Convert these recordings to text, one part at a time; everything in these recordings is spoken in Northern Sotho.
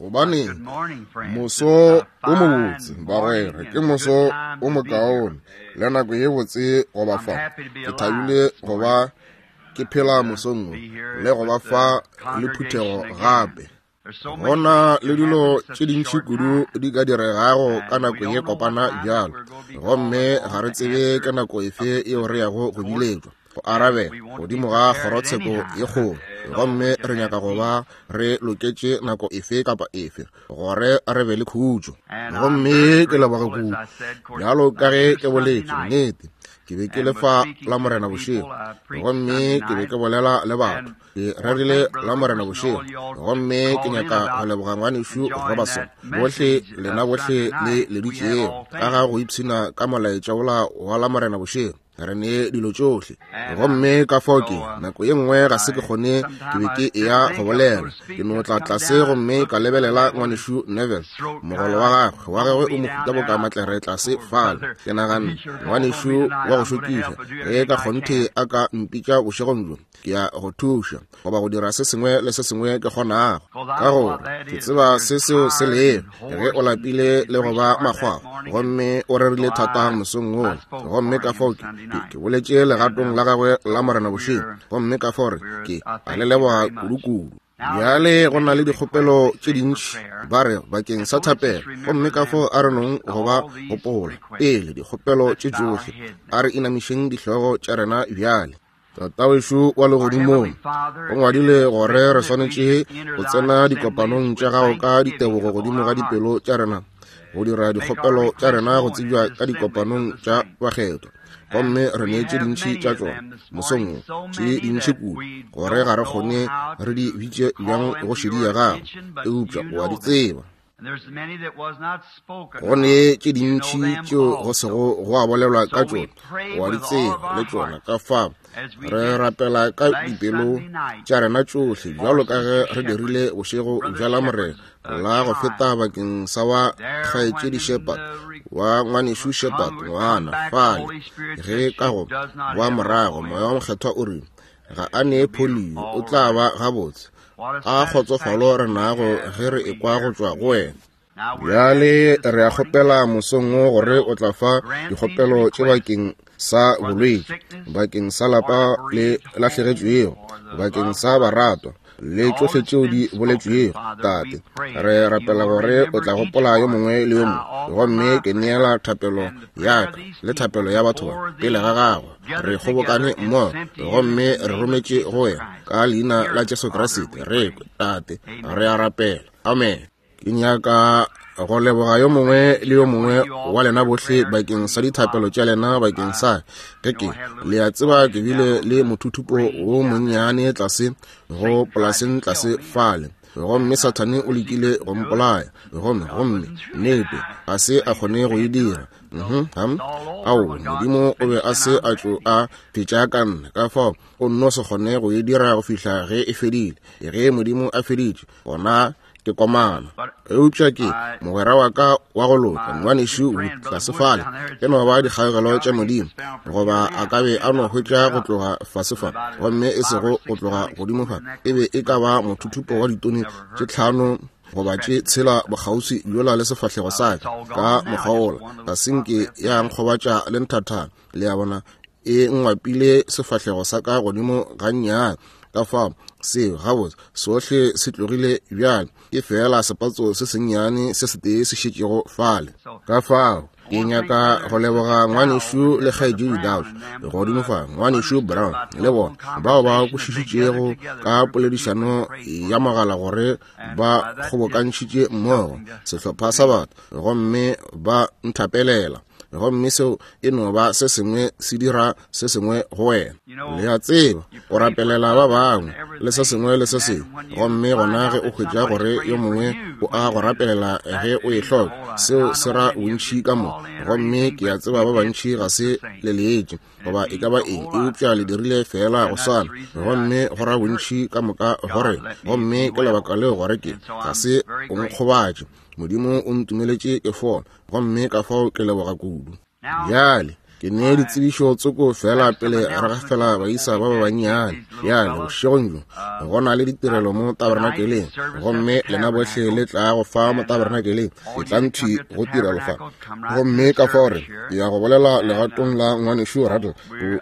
Gobaneng, moso o mobotse, bagwera, ke moso o mokaone le nako ye botse go ba fa. Ke thabile go ba ke phela mosong wo le go ba fa le phuthego gape. Go na le dilo tše dintši kudu di ka diregago ka nako ye kopana bjalo, gomme ga re tsebe ka nako efe yeo re yago go biletšwa go arabela godimo ga kgorotsheko ye kgolo, gomme re nyaka go ba re loketše nako efe kapa efe gore re be le khutšo. Gomme ke leboga kudu, bjalo ka ge ke boletše, nnete ke be ke le fa la Morena bošego, gomme ke be ke bolela le batho. Ke rerile la Morena bošego, gomme ke nyaka go leboga ngwanešu Robertson, bohle lena bohle le leditšego ka ga go ipshina ka molaetša wola wa la Morena bošego. Re ne dilo tšohle, gomme ka fao ke nako ye nngwe ga se ke kgone, ke be ke eya go bolela, ke no tla tlase gomme ka lebelela ngwanešu Neville, mogolo wa gagwe, wa gagwe o mohuta boka matlere tlase fale. Ke naganne, ngwanešu wa go šokiša, ge ka kgonthe a ka mpitša bošegong bjo, ke ya go thuša goba go dira se sengwe le se sengwe ke kgonago, ka gore ke tseba se seo se lego ge o lapile le go ba makgwakgwa, gomme o rerile thata mosong wola. Gomme ka fao ke, ke boletše legatong la gagwe la Morena bošego, gomme ka fao re, ke a le leboga kudu-kudu. Bjale go na le dikgopelo tše dintši ba re bakeng sa thapelo, gomme ka fao a re nong go ba gopola pele dikgopelo tše tšohle. A re inamišeng dihlogo tša rena bjale. Tatawešo wa legodimong, o ngwadile gore re swanetše go tsena dikopanong tša gago ka ditebogo godimo ga dipelo tša rena, go dira dikgopelo tša rena go tsebja ka dikopanong tša bakgethwa. Gomme re ne tše dintši tša tšona mosong wo, tše dintši kudu gore ga re kgone re di bitše bjang go šedi ya gago, eupša o a di tseba. Go ne tše dintši tšeo go sego go a bolelwa ka tšona, wa di tseba le tšona. Ka fa re rapela ka dipelo tša rena tšohle, bjalo ka ge re dirile bošego bja la Morena la go feta bakeng sa wa kgaetšedi Shepherd, wa ngwanešu Shepherd, ngwana fale, ge ka go wa morago Moya wa Mokgethwa o rile ga a ne polio, o tla ba gabotse. A kgotsofalo re nago ge re ekwa go tšwa go wena. Bjale re a kgopela mosong wo gore o tla fa dikgopelo tše bakeng sa bolwetši, bakeng sa lapa le lahlegetšwego, bakeng sa baratwa, le tšohle tšeo di boletšwego. Tate, re rapela gore o tla gopola yo mongwe le yo mongwe, gomme ke neela thapelo ya ka le thapelo ya batho ba pele ga gago. Re kgobokane mmogo gomme re rometše go wena ka leina la Jesu Kriste. Re kwe, Tate, re a rapela. Amen. Ke nyaka go leboga yo mongwe le yo mongwe wa lena bohle bakeng sa dithapelo tša lena bakeng sa ge ke, le a tseba, ke bile le mothuthupo wo monnyane tlase go polaseng tlase fale, gomme Sathane o lekile go mpolaya, gomme, gomme nnete ga se a kgone go e dira. Ao, Modimo o be a se a tšo a fetša ka nna, ka fao o nno se kgone go e dira go fihla ge e fedile. Ge Modimo a feditše, gona ke komana. Eupša ke mogwera wa ka wa go loka, ngwanešu Wood, tlase fale, e no ba dikgaogelo tša Modimo, goba a ka be a no hwetša go tloga fase fa, gomme e sego go tloga godimo fa, e be e ka ba mothuthupo wa ditone tše 5 goba tše 6 bokgauswi bjola le sefahlego sa ka, ka mokgwa wola, ga se nke ya nkgobatša le nthathana, le a bona, e ngwapile sefahlego sa ka godimo gannyane. Ka fao seo gabotse sohle se tlogile bjale, ke feela sepatso se sennyane se setee se šetšego fale. Ka fao ke nyaka go leboga ngwanešu le kgaetšedi Dauch godimo fa, ngwanešu Brown le bona bao ba kwešišitšego ka poledišano ya mogala gore ba kgobokantšhitše mmogo sehlopha sa batho gomme ba nthapelela, gomme seo e no ba se sengwe se dira se sengwe go wena. Le a tseba, o rapelela ba bangwe le se sengwe le se sengwe, gomme gona ge o hwetša gore yo mongwe o a go rapelela ge o e hloka, seo se ra bontši ka mo. Gomme ke a tseba ba bantši ga se le leetše goba e ka ba eng, eupša le dirile feela go swana, gomme go ra bontši ka moka go rena. Gomme ke lebaka leo gore ke ga se o nkgobatše. Modimo o ntumeletše ke fola, gomme ka fao ke leboga kudu. Bjale Ke ne ditsebišo tsoko fela pele re gafela baisa ba ba bannyane. Bjale, bošegong bjo, go na le ditirelo mo tabernakeleng, gomme lena bohle le tla go fa mo tabernakeleng, etlang thwi go tirelo fa. Gomme ka fao re ya go bolela legatong la Ngwanešu Ruddell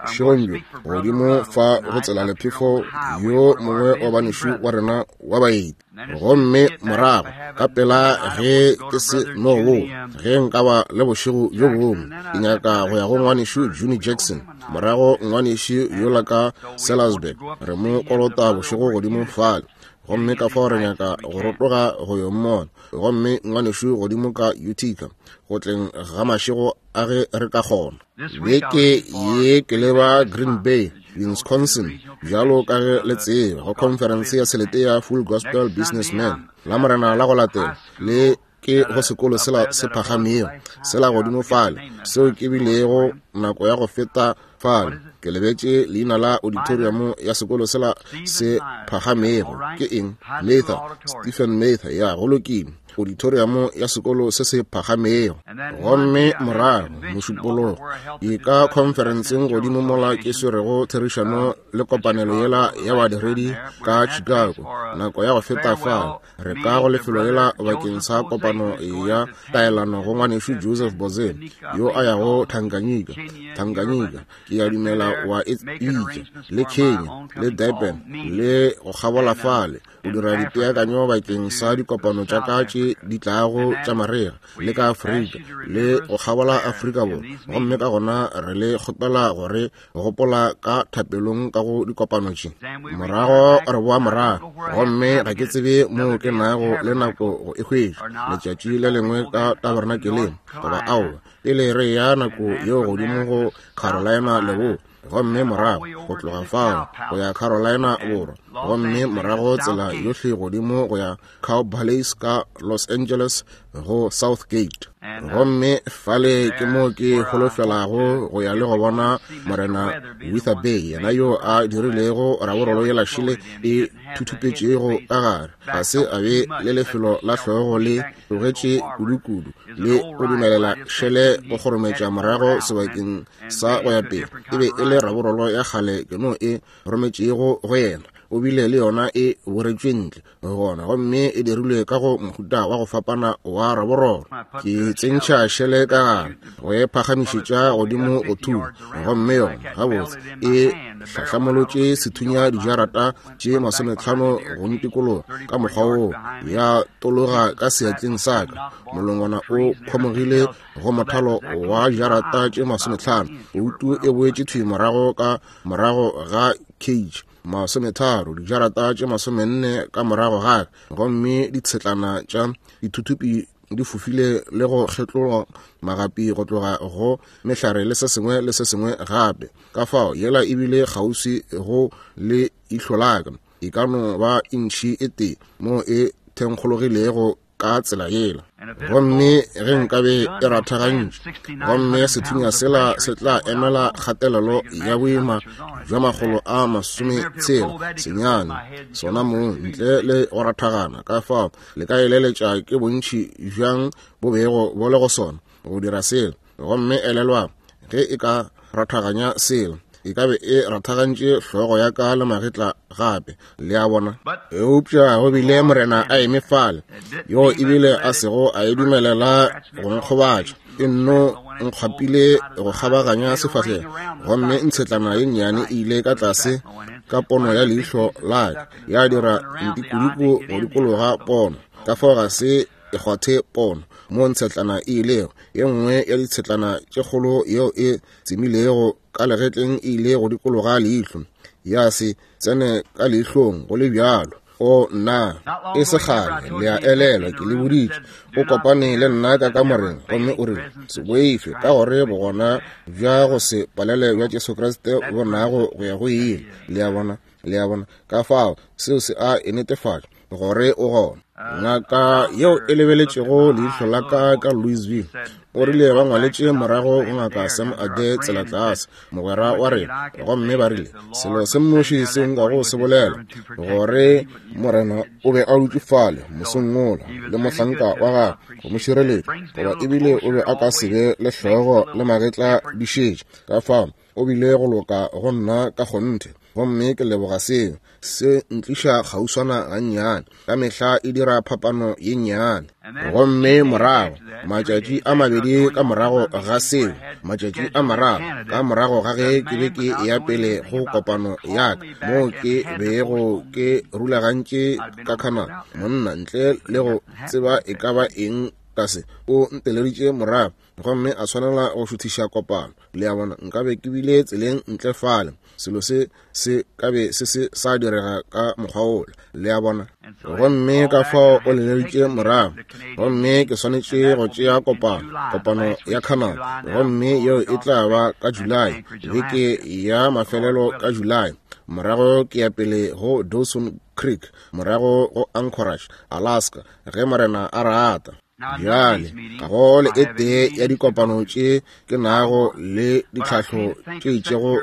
bošegong bjo, godimo fa go tsela lephefo yo mongwe wa banešu wa rena wa baeti. Gomme morago ka pela ge ke se no wo, ge nka ba le bošego bjo bongwe, ke nyaka go ya go Ngwanešu Junie Jackson, morago ngwanešu yola ka Sellersburg, re mo kolota bošego godimo fale. Gomme ka fao re nyaka go rotoga go yo mmona. Gomme ngwanešu godimo ka Utica, go tleng ga mašego a ge re ka kgona. Beke ye ke leba Green Bay, Wisconsin, bjalo ka ge le tseba, go khonferense ya selete ya Full Gospel Businessmen. La Morena la go latela le ke go sekolo sela se phagamego sela godimo fale, seo ke bilego nako ya go feta fale. Ke lebetše leina la auditorium ya sekolo sela se phagamego. Ke eng? Mather, Stephen Mather, ya, go lokile. Auditorium ya sekolo se se phagamego. Gomme morago Mošupologo ke ka khonferenseng godimo mola ke swerego therišano le kopanelo yela ya badiredi ka Chicago nako ya go feta fale. Re ka go lefelo lela bakeng sa kopano ya taelano go ngwanešu Joseph Boze yo a yago Tanganyika. Tanganyika, ke a dumela wa e bitša, le Kenya, le Durban, le go kgabola fale, go dira dipeakanyo bakeng sa dikopano tša ka tše di tlago tša marega, le ka Afrika, le go kgabola Afrika Borwa. Gomme ka gona re le kgopela gore gopola ka thapelong ka go dikopano tše. Morago re boa morago, gomme ga ke tsebe moo ke nago le nako go e hwetša, letšatši le lengwe ka tabernakeleng goba aowa, pele re ya nako yeo godimo go Carolina Leboa, gomme morago go tloga fao go ya Carolina Borwa, gomme morago tsela yohle godimo go ya Cow Palace ka Los Angeles go South Gate. Gomme fale ke mo ke holofelago go ya le go bona Morena Wither Bay, yena yo a dirilego raborolo yela šele e thuthupetšego ka gare. Ga se a be le lefelo la hlogo le tlogetše kudukudu le go dumelela šele go kgorometša morago sebakeng sa go ya pele. E be e le raborolo ya kgale ke no e rometšego go yena. O bile le yona e boretšwe ntle gona, gomme e dirilwe ka go mohuta wa go fapana wa raborolo. Ke tsentšha šele ka gare go e phagamišetša godimo go thunya, gomme yona gabotse e hlahlamolotše sethunya dijarata tše 50 go ntikologa ka mokgwa woo, ya tologa ka seatleng sa ka. Molongwana o khomogile go mothalo wa dijarata tše 50, poutu e boetše thwi morago ka morago ga cage, 30, dijarata tše 40 ka morago ga ka, gomme ditshetlana tša dithuthupi di fofile le go kgetlolwa magapi go tloga go mehlare le se sengwe le se sengwe gape. Ka fao yela e bile kgauswi go le ihlo la ka, e ka no ba intšhi e tee mo e thenkgologilego ka tsela yela. Gomme ge nkabe e rathagantšwe, gomme sethunya sela se tla emela kgatelelo ya boima bja 669, sona mong ntle le go rathagana. Ka fao le ka eleletša ke bontši bjang bo bego bo le go sona go dira sela. Gomme elelwang, ge e ka rathaganya sela, e ka be e rathagantše hlogo ya ka le magetla gape, le a bona. Eupša go bile Morena a eme fale, yo ebile a sego a e dumelela go nkgobatša, e nno nkgwapile go kgabaganya sefahlego, gomme ntshetlana ye nnyane e ile ka tlase ka pono ya leihlo la ka, ya dira ntikuduku go dikologa pono. Ka fao ga se e kgwathe pono mo ntshetlana e ilego, ye nngwe ya ditshetlana tše kgolo yeo e tsemilego ka legetleng e ile go dikologa leihlo, ya se tsene ka leihlong go le bjalo. O nna, e se kgale, le a elelwa, ke le boditše, o kopane le nna ka kamoreng, gomme o rile, se boife, ka gore bogona bja go se palele bja Jesu Kriste bo nago go ya go ile. Le a bona? Le a bona? Ka fao seo se a e netefatša gore o gona. Ngaka yeo e lebeletšego leihlo la ka ka Louisville, O rile ba ngwaletše morago go Ngaka Sam Adair tsela tlase, mogwera wa rena, gomme ba rile, Selo se nnoši se nkago se bolela, gore Morena o be a dutše fale mosong wola le mohlanka wa gagwe go mo šireletša, goba ebile o be a ka se be le hlogo le magetla di šetše. Ka fao o bile go loka go nna ka kgonthe, gomme ke leboga seo. Se ntliša kgauswana gannyane, ka mehla e dira phapano ye nnyane. Gomme morago, matšatši a mabedi ka morago ga seo, matšatši a mararo ka morago ga ge ke be ke eya pele go kopano ya ka, moo ke bego ke rulagantše ka Canada, monna ntle le go tseba e ka ba eng ka se, o nteleditše morago gomme a swanela go šuthiša kopano. Le a bona, nkabe ke bile tseleng ntle fale, selo se se ka be se se sa direga ka mokgwa wola. Le a bona? Gomme ka fao o leleditše morago, gomme ke swanetše go tšea kopano, kopano ya Canada, gomme yeo e tla ba ka Julae, beke ya mafelelo ka Julae. Morago ke ya pele go Dawson Creek, morago go Anchorage, Alaska, ge Morena a rata. Bjale, ga go le e tee ya dikopano tše ke nago le ditlhahlo tše itšego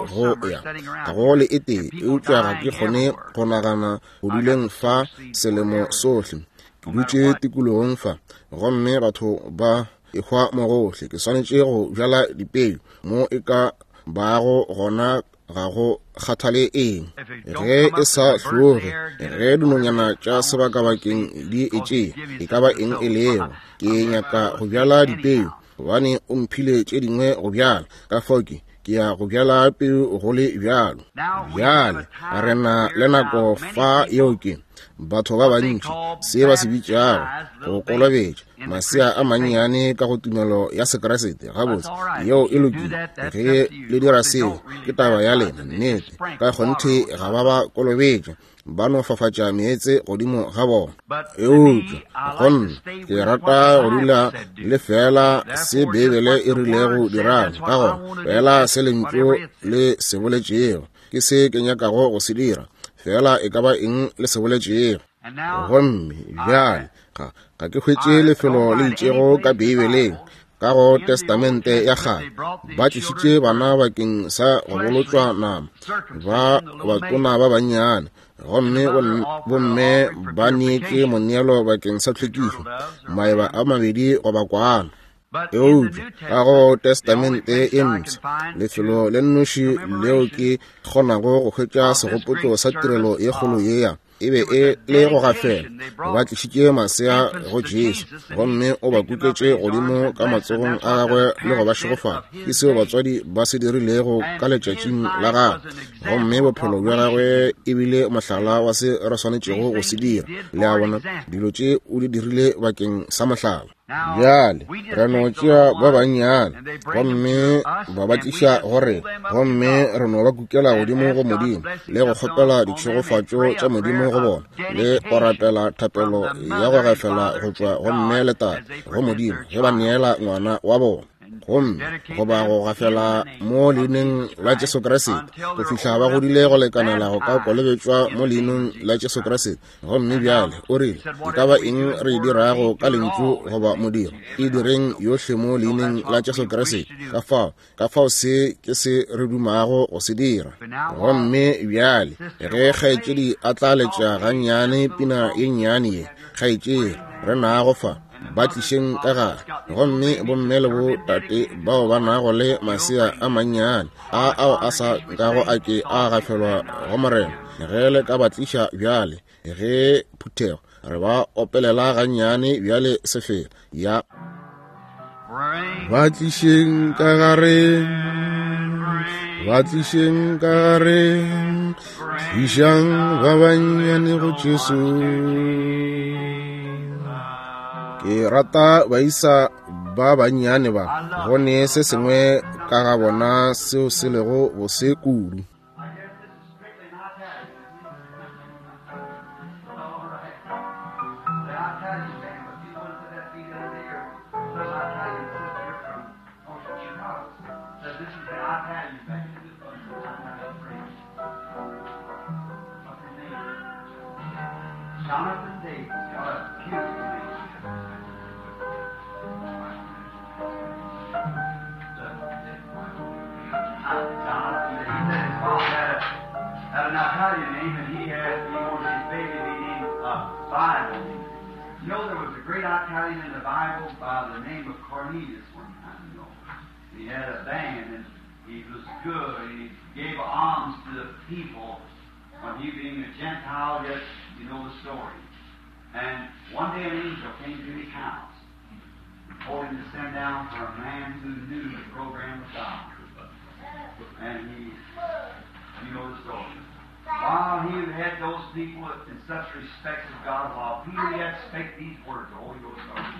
go ya, ga go le e tee, eupša ga ke kgone go nagana go duleng fa selemo sohle. Ke dutše tikologong fa, gomme batho ba ehwa mo gohle. Ke swanetše go bjala dipeu mo e ka bago gona ga go kgathale eng ge e sa hloge, ge dinonyana tša sebakabakeng di e tšea, e ka ba eng e lego. Ke nyaka go bjala dipeu, gobane o mphile tše dingwe go bjala, ka fao ke, ke ya go bjala peu go le bjalo. Bjale re na le nako fa yeo ke batho ba bantši se ba se bitšago go kolobetša masea a mannyane ka go tumelo ya Sekriste. Gabotse, yeo e lokile. Ge le dira seo, ke taba ya lena. Nnete, ka kgonthe ga ba ba kolobetša, ba no fafatša meetse godimo ga bona. Eupša go nna, ke rata go dula le feela se Beibele e rilego dirang, ka gona feela se Lentšu le se boletšego ke se ke nyakago go se dira, feela e ka ba eng le se boletšego. Gomme bjale ga, ga ke hwetše lefelo le itšego ka Beibeleng, ka go Testamente ya Kgale, ba tlišitše bana bakeng sa go bolotšwa nama, ba batona ba bannyane, gomme bomme ba neetše moneelo bakeng sa tlhwekišo, maeba a mabedi goba kwana. Eupša ka go Testamente e Mpsha, lefelo le nnoši leo ke kgonago go hwetša segopotšo sa tirelo ye kgolo yea, e be e le go gafela. Ba tlišitše masea go Jesu, gomme o ba kuketše godimo ka matsogong a gagwe le go ba šegofatša. Ke seo batswadi ba se dirilego ka letšatšing la gagwe, gomme bophelo bja gagwe e bile mohlala wa se re swanetšego go se dira. Le a bona, dilo tše o di dirile bakeng sa mohlala. Bjale re no tšea ba bannyane gomme ba ba tliša go rena, gomme re no ba kukela godimo go Modimo le go kgopela ditšhegofatšo tša Modimo go bona, le go rapela thapelo ya go gafela go tšwa go mme le tate go Modimo ge ba neela ngwana wa bona, gomme goba go gafela mo leineng la Jesu Kriste go fihla ba godile go lekanela go ka kolobetšwa mo leineng la Jesu Kriste. Gomme bjale o rile, e ka ba eng re e dirago ka lentšu goba modiro, e direng yohle mo leineng la Jesu Kriste. Ka fao, ka fao se ke se re dumago go se dira. Gomme bjale ge kgaetšedi a tla letša gannyane pina ye nnyane ye, kgaetšedi re nago fa, ba tlišeng ka gare. Gomme bomme le botate bao ba nago le masea a mannyane a ao a sa nkago a ke a gafelwa go Morena, ge le ka ba tliša bjale, ge phuthego re ba opelela gannyane bjale sefela ya ba tlišeng ka gare, ba tlišeng ka gare, tlišang ba bannyane go Jesu. Ke rata baisa ba bannyane ba, go ne se sengwe ka ga bona seo se lego bose kudu. Jonathan Davis, what a beautiful name. Bible. You know, there was a great Italian in the Bible by the name of Cornelius one time, you know. He had a band, and he was good, and he gave alms to the people. When he being a Gentile, yet you know the story. And one day an angel came to his house and told him to send down for a man who knew the program of God. And he, you know the story. While he had those people in such respect of God, while Peter yet spake these words, the Holy Ghost started.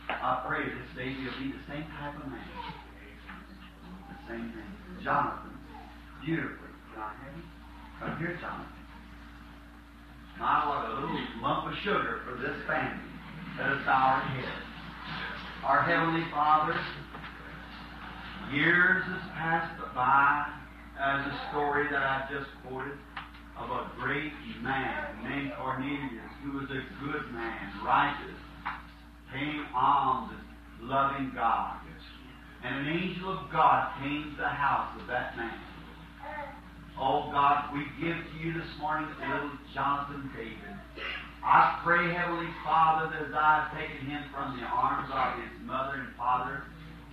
I pray this baby will be the same type of man. The same thing. Jonathan, beautifully. Can I have him? Come here, Jonathan. My, what a little lump of sugar for this family. Let us bow our heads. Our Heavenly Father, years has passed by as a story that I just quoted of a great man named Cornelius, who was a good man, righteous, paying alms and loving God. And an angel of God came to the house of that man. Oh God, we give to you this morning little Jonathan David. I pray, Heavenly Father, that as I have taken him from the arms of his mother and father,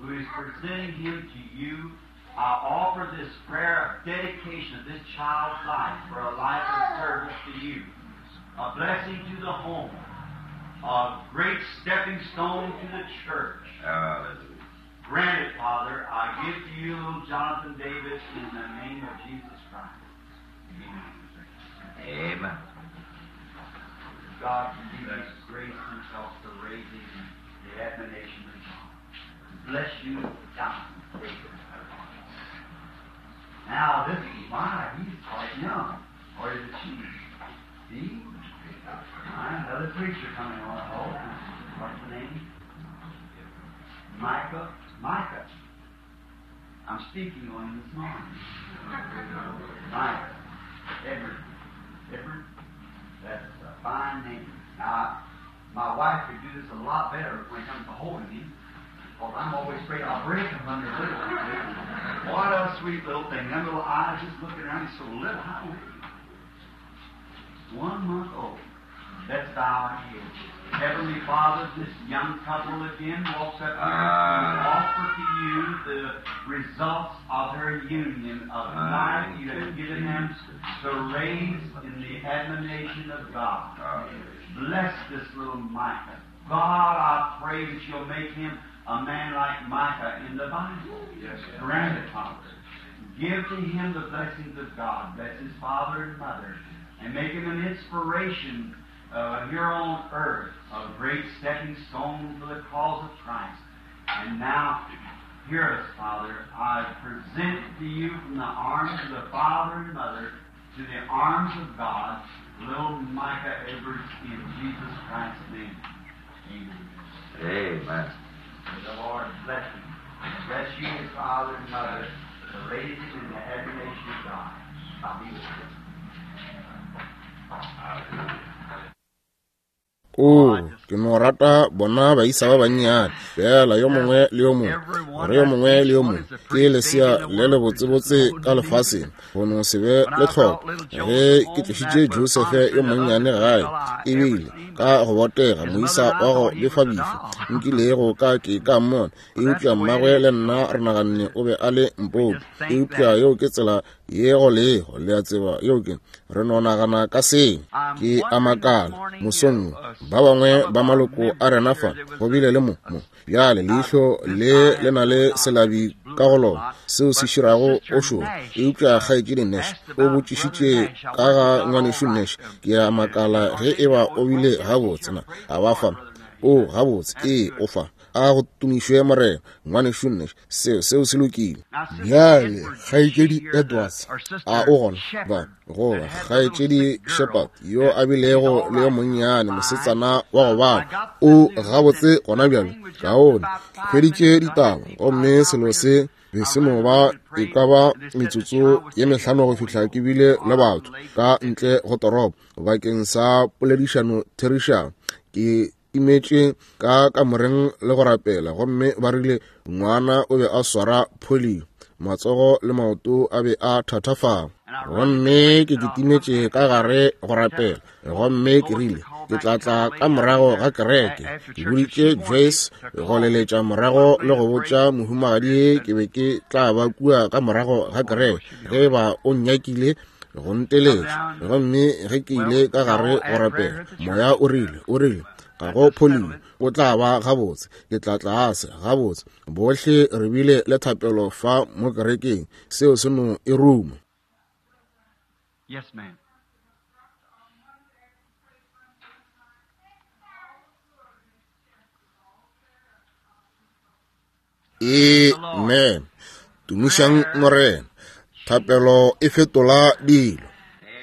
who is presenting him to you, I offer this prayer of dedication of this child's life for a life of service to you, a blessing to the home, a great stepping stone to the church. Hallelujah. Grant it, Father, I give to you little Jonathan David in the name of Jesus Christ. Amen. Amen. God give us grace himself to raise him in the admonition of God. Bless you, Jonathan David. Now this is my, he's quite young. Or is it she? See? All right, another preacher coming on. Oh, what's the name? Micah. Micah. I'm speaking on him this morning. Micah. Edward. Edward. That's a fine name. Now, my wife could do this a lot better when it comes to holding him, because I'm always afraid I'll break him under little. What a sweet little thing. Them little eyes just looking around. He's so little. How old is he? 1 month old. Let's bow our heads. Heavenly Father, this young couple again walks up here to offer to you the results of their union of life you have given them to raise in the admonition of God. Bless this little Micah. God, I pray that you'll make him a man like Micah in the Bible. Yes. Grant it, Father. Give to him the blessings of God. Bless his father and mother. And make him an inspiration here on earth, a great stepping stone for the cause of Christ. And now, hear us, Father. I present to you from the arms of the father and mother to the arms of God, little Micah Edwards, in Jesus Christ's name. Amen. Amen. May the Lord bless you. Bless you, his father and mother, to raise him in the admonition of God. I'll be with you. O, ke no rata bona baisa ba bannyane fela yo mongwe le yo mongwe, gore yo mongwe le yo mongwe ke lesea le le botsebotse ka lefaseng, go no se be le tlhoko. Ge ke tlišitše Josefe yo monnyane gae, ebile ka go botega moisa wa go befabefi nkilego ka ke ka mmona, eupša mmagwe le nna re naganne o be a le mpopi. Eupša yeo ke tsela ye go lego, le a tseba, yeo ke re no nagana ka seng. Ke a makala mosong ba bangwe ba maloko a rena fa go bile le mo bjale leihlo le le na le selabi ka go lona seo se širago o šoro. Eupša kgaetšedi Nash o botšišitše ka ga ngwanešu Nash. Ke a makala ge e ba o bile gabotse na a ba fa. O gabotse, ee, o fa. A go tumišwe Morena, ngwanešu Nash, seo se lokile. Bjale kgaetšedi Edwards a o gona ba goba kgaetšedi Shepherd yo a bilego le yo monnyane mosetsana wa go bala o gabotse gona bjale kaone. Hweditše ditaba gomme selo se be se no ba e ka ba metsotso ye mehlano go fihla ke bile le batho ka ntle go toropo bakeng sa poledišano therišano. Ke imetše ka kamoreng le go rapela, gomme ba rile ngwana o be a swara polio, matsogo le maoto a be a thathafala. Gomme ke kitimetše ka gare go rapela, gomme ke rile ke tla tla ka morago ga kereke. Ke boditše Joyce go leletša morago le go botša mohumagadi ke be ke tla ba kua ka morago ga kereke ge ba o nnyakile go nteletša. Gomme ge ke ile ka gare go rapela, moya o rile ga go pholio, o tla ba gabotse, ke tla tlase gabotse. Bohle re bile le thapelo fa mo kerekeng, seo se no e ruma. Yes, ma'am. Amen. Tumišang Morena. Thapelo e fetola dilo.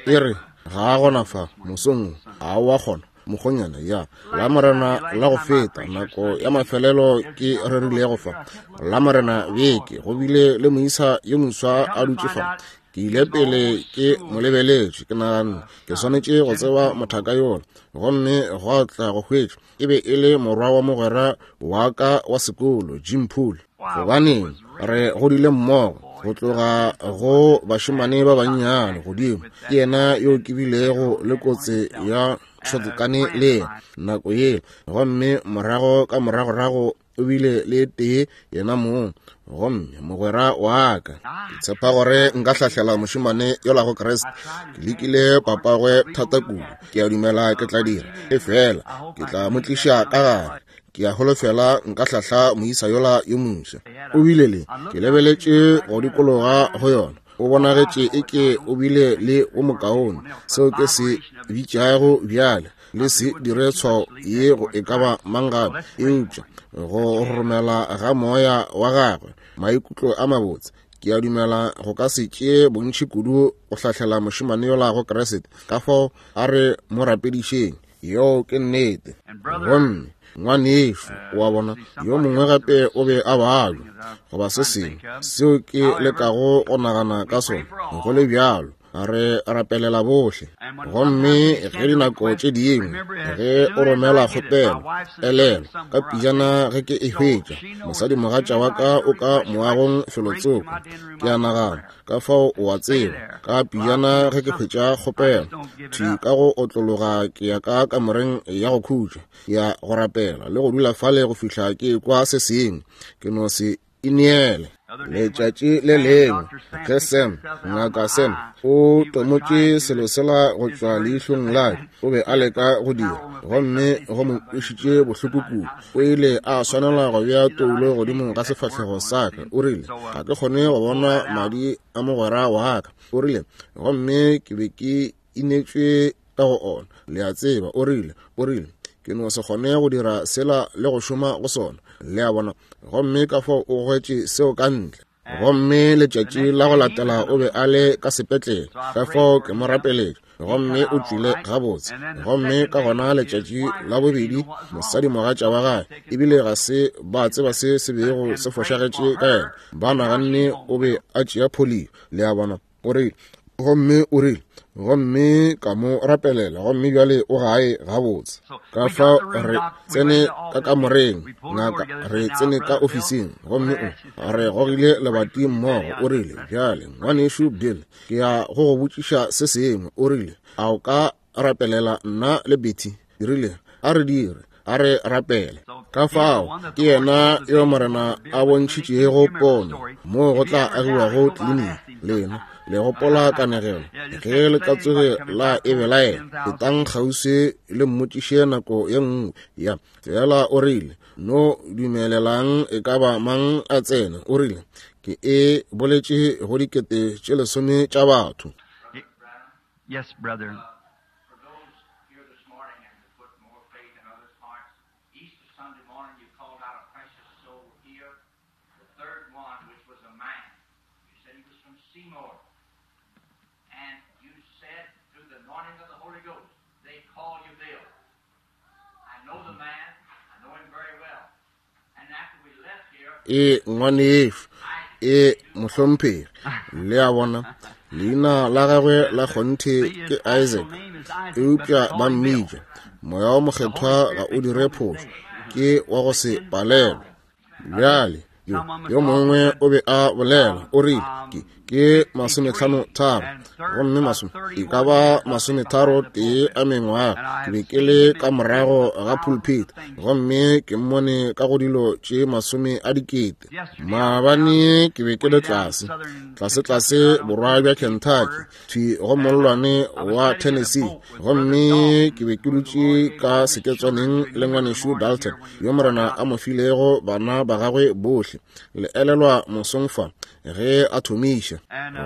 E re ga a gona fa mosong, ga wa kgona mokgonyana ya la Morena la go feta nako ya mafelelo ke rerilego fa la Morena beke, go bile le moisa yo moswa a dutše fa. Ke ile pele ke mo lebeletše, ke naganne ke swanetše go tseba mothaka yola, gomme gwa tla go hwetša e be e le morwa wa mogwera wa ka wa sekolo, Jim Poole. Gobaneng, re godile mmogo go tloga go bašemane ba bannyane godimo. Ke yena yo ke bilego le kotse ya shotgane le yena nako yela, gomme morago ka moragorago o bile le tee yena mong, gomme mogwera wa ka. Ke tshepa gore nka hlahlela mošemane yola go Kriste. Ke lekile papagwe thata kudu, ke a dumela ke tla dira, efela ke tla mo tliša ka gare. Ke a holofela nka hlahla moisa yola yo moswa. O bile le, ke lebeletše go dikologa go yona, o bonagetše eke o bile le wo mokaone. Seo ke se bitšago bjale, le se dire tshwao ye go e ka ba mang gape, eupša go romela ga moya wa gagwe maikutlo a mabotse. Ke a dumela go ka se tšee bontši kudu go hlahlela mošemane yola go Kriste. Ka fao a re mo rapedišeng. Yeo ke nnete. Gomme ngwanešu wa bona yo mongwe gape o be a balwa goba se sengwe seo ke lekago go nagana ka sona. Go le bjalo re rapelela bohle. Gomme ge dinako tše dingwe ge o romela kgopelo, elelwa ka pijana ge ke e hwetša, mosadimogatša wa ka o ka moagong felotsoko. Ke a nagana ka fao o a tseba, ka pijana ge ke hwetša kgopelo thwi ka go otlologa ke ya ka kamoreng ya go khutša ya go rapela le go dula fale go fihla ke kwa se sengwe. Ke no se ineele. Letšatši le lengwe ge Sam, ngaka Sam, o tomotše selo sela go tšwa leihlong la ka, o be a leka go dira, gomme go mo kwešitše bohloko kudu, o ile a swanela go bea toulo godimo ga sefahlego sa ka. O rile, ga ke kgone go bona madi a mogwera wa ka. O rile, gomme ke be ke inetšwe ka go ona, le a tseba. O rile, ke no se kgone go dira sela le go šoma go sona, le a bona. Gomme ka fao o hwetše seo ka ntle. Gomme letšatši la go latela o be a le ka sepetlele, ka fao ke mo rapeletše, gomme o tšwile gabotse. Gomme ka gona letšatši la bobedi mosadimogatša wa gagwe, ebile ga se ba tseba se se bego se fošagetše ka yena, ba naganne o be a tšea polio, le a bona. O rile, gomme o rile, gomme ka mo rapelela, gomme bjale o gae gabotse. Ka fao re tsene ka kamoreng, ngaka, re tsene ka ofising, gomme o re gogile lebati mmogo. O rile, bjale ngwanešu Bill, ke ya go go botšiša se sengwe. O rile, a o ka rapelela nna le Betty? Ke rile, a re dire, a re rapele. Ka fao ke yena yo Morena a bontšhitšego pono moo go tla agiwago kliniki. Lena le gopola kanegelo, ge le ka tsoge la e belaela, etang kgauswi le mmotšiše nako ye nngwe. Ya fela o rile, no dumelelang e ka ba mang a tsene. O rile, ke e boletše go 10 tša batho. Yes, brother. For those here this morning and to put more faith in others' hearts, Easter Sunday morning you called out a precious soul here, the third one, which was a man. You said he was from Seymour. And you said through the anointing of the Holy Ghost, they call you Bill. I know the man. I know him very well. And after we left here, E ngwanešu, e mohlomphegi, le a bona, leina la gagwe la kgonthe ke Isaac, eupša ba mmitša Moya wa Mokgethwa ga o dire phošo, ke wa go se palelwe. Bjale yo mongwe o be a bolela, o rile, Ke 53, gomme masome e ka ba 31 a mengwaga. Ke be ke le ka morago ga pulpit, gomme ke mmone ka go dilo tše 100 000. Maabane ke be ke le tlase, tlase borwa bja Kentucky, thwi go mollwane wa Tennessee, gomme ke be ke dutše ka seketswaneng le ngwanešu Dalton, yo Morena a mo filego bana ba gagwe bohle. Le elelwa mosong fa ge a thomiša,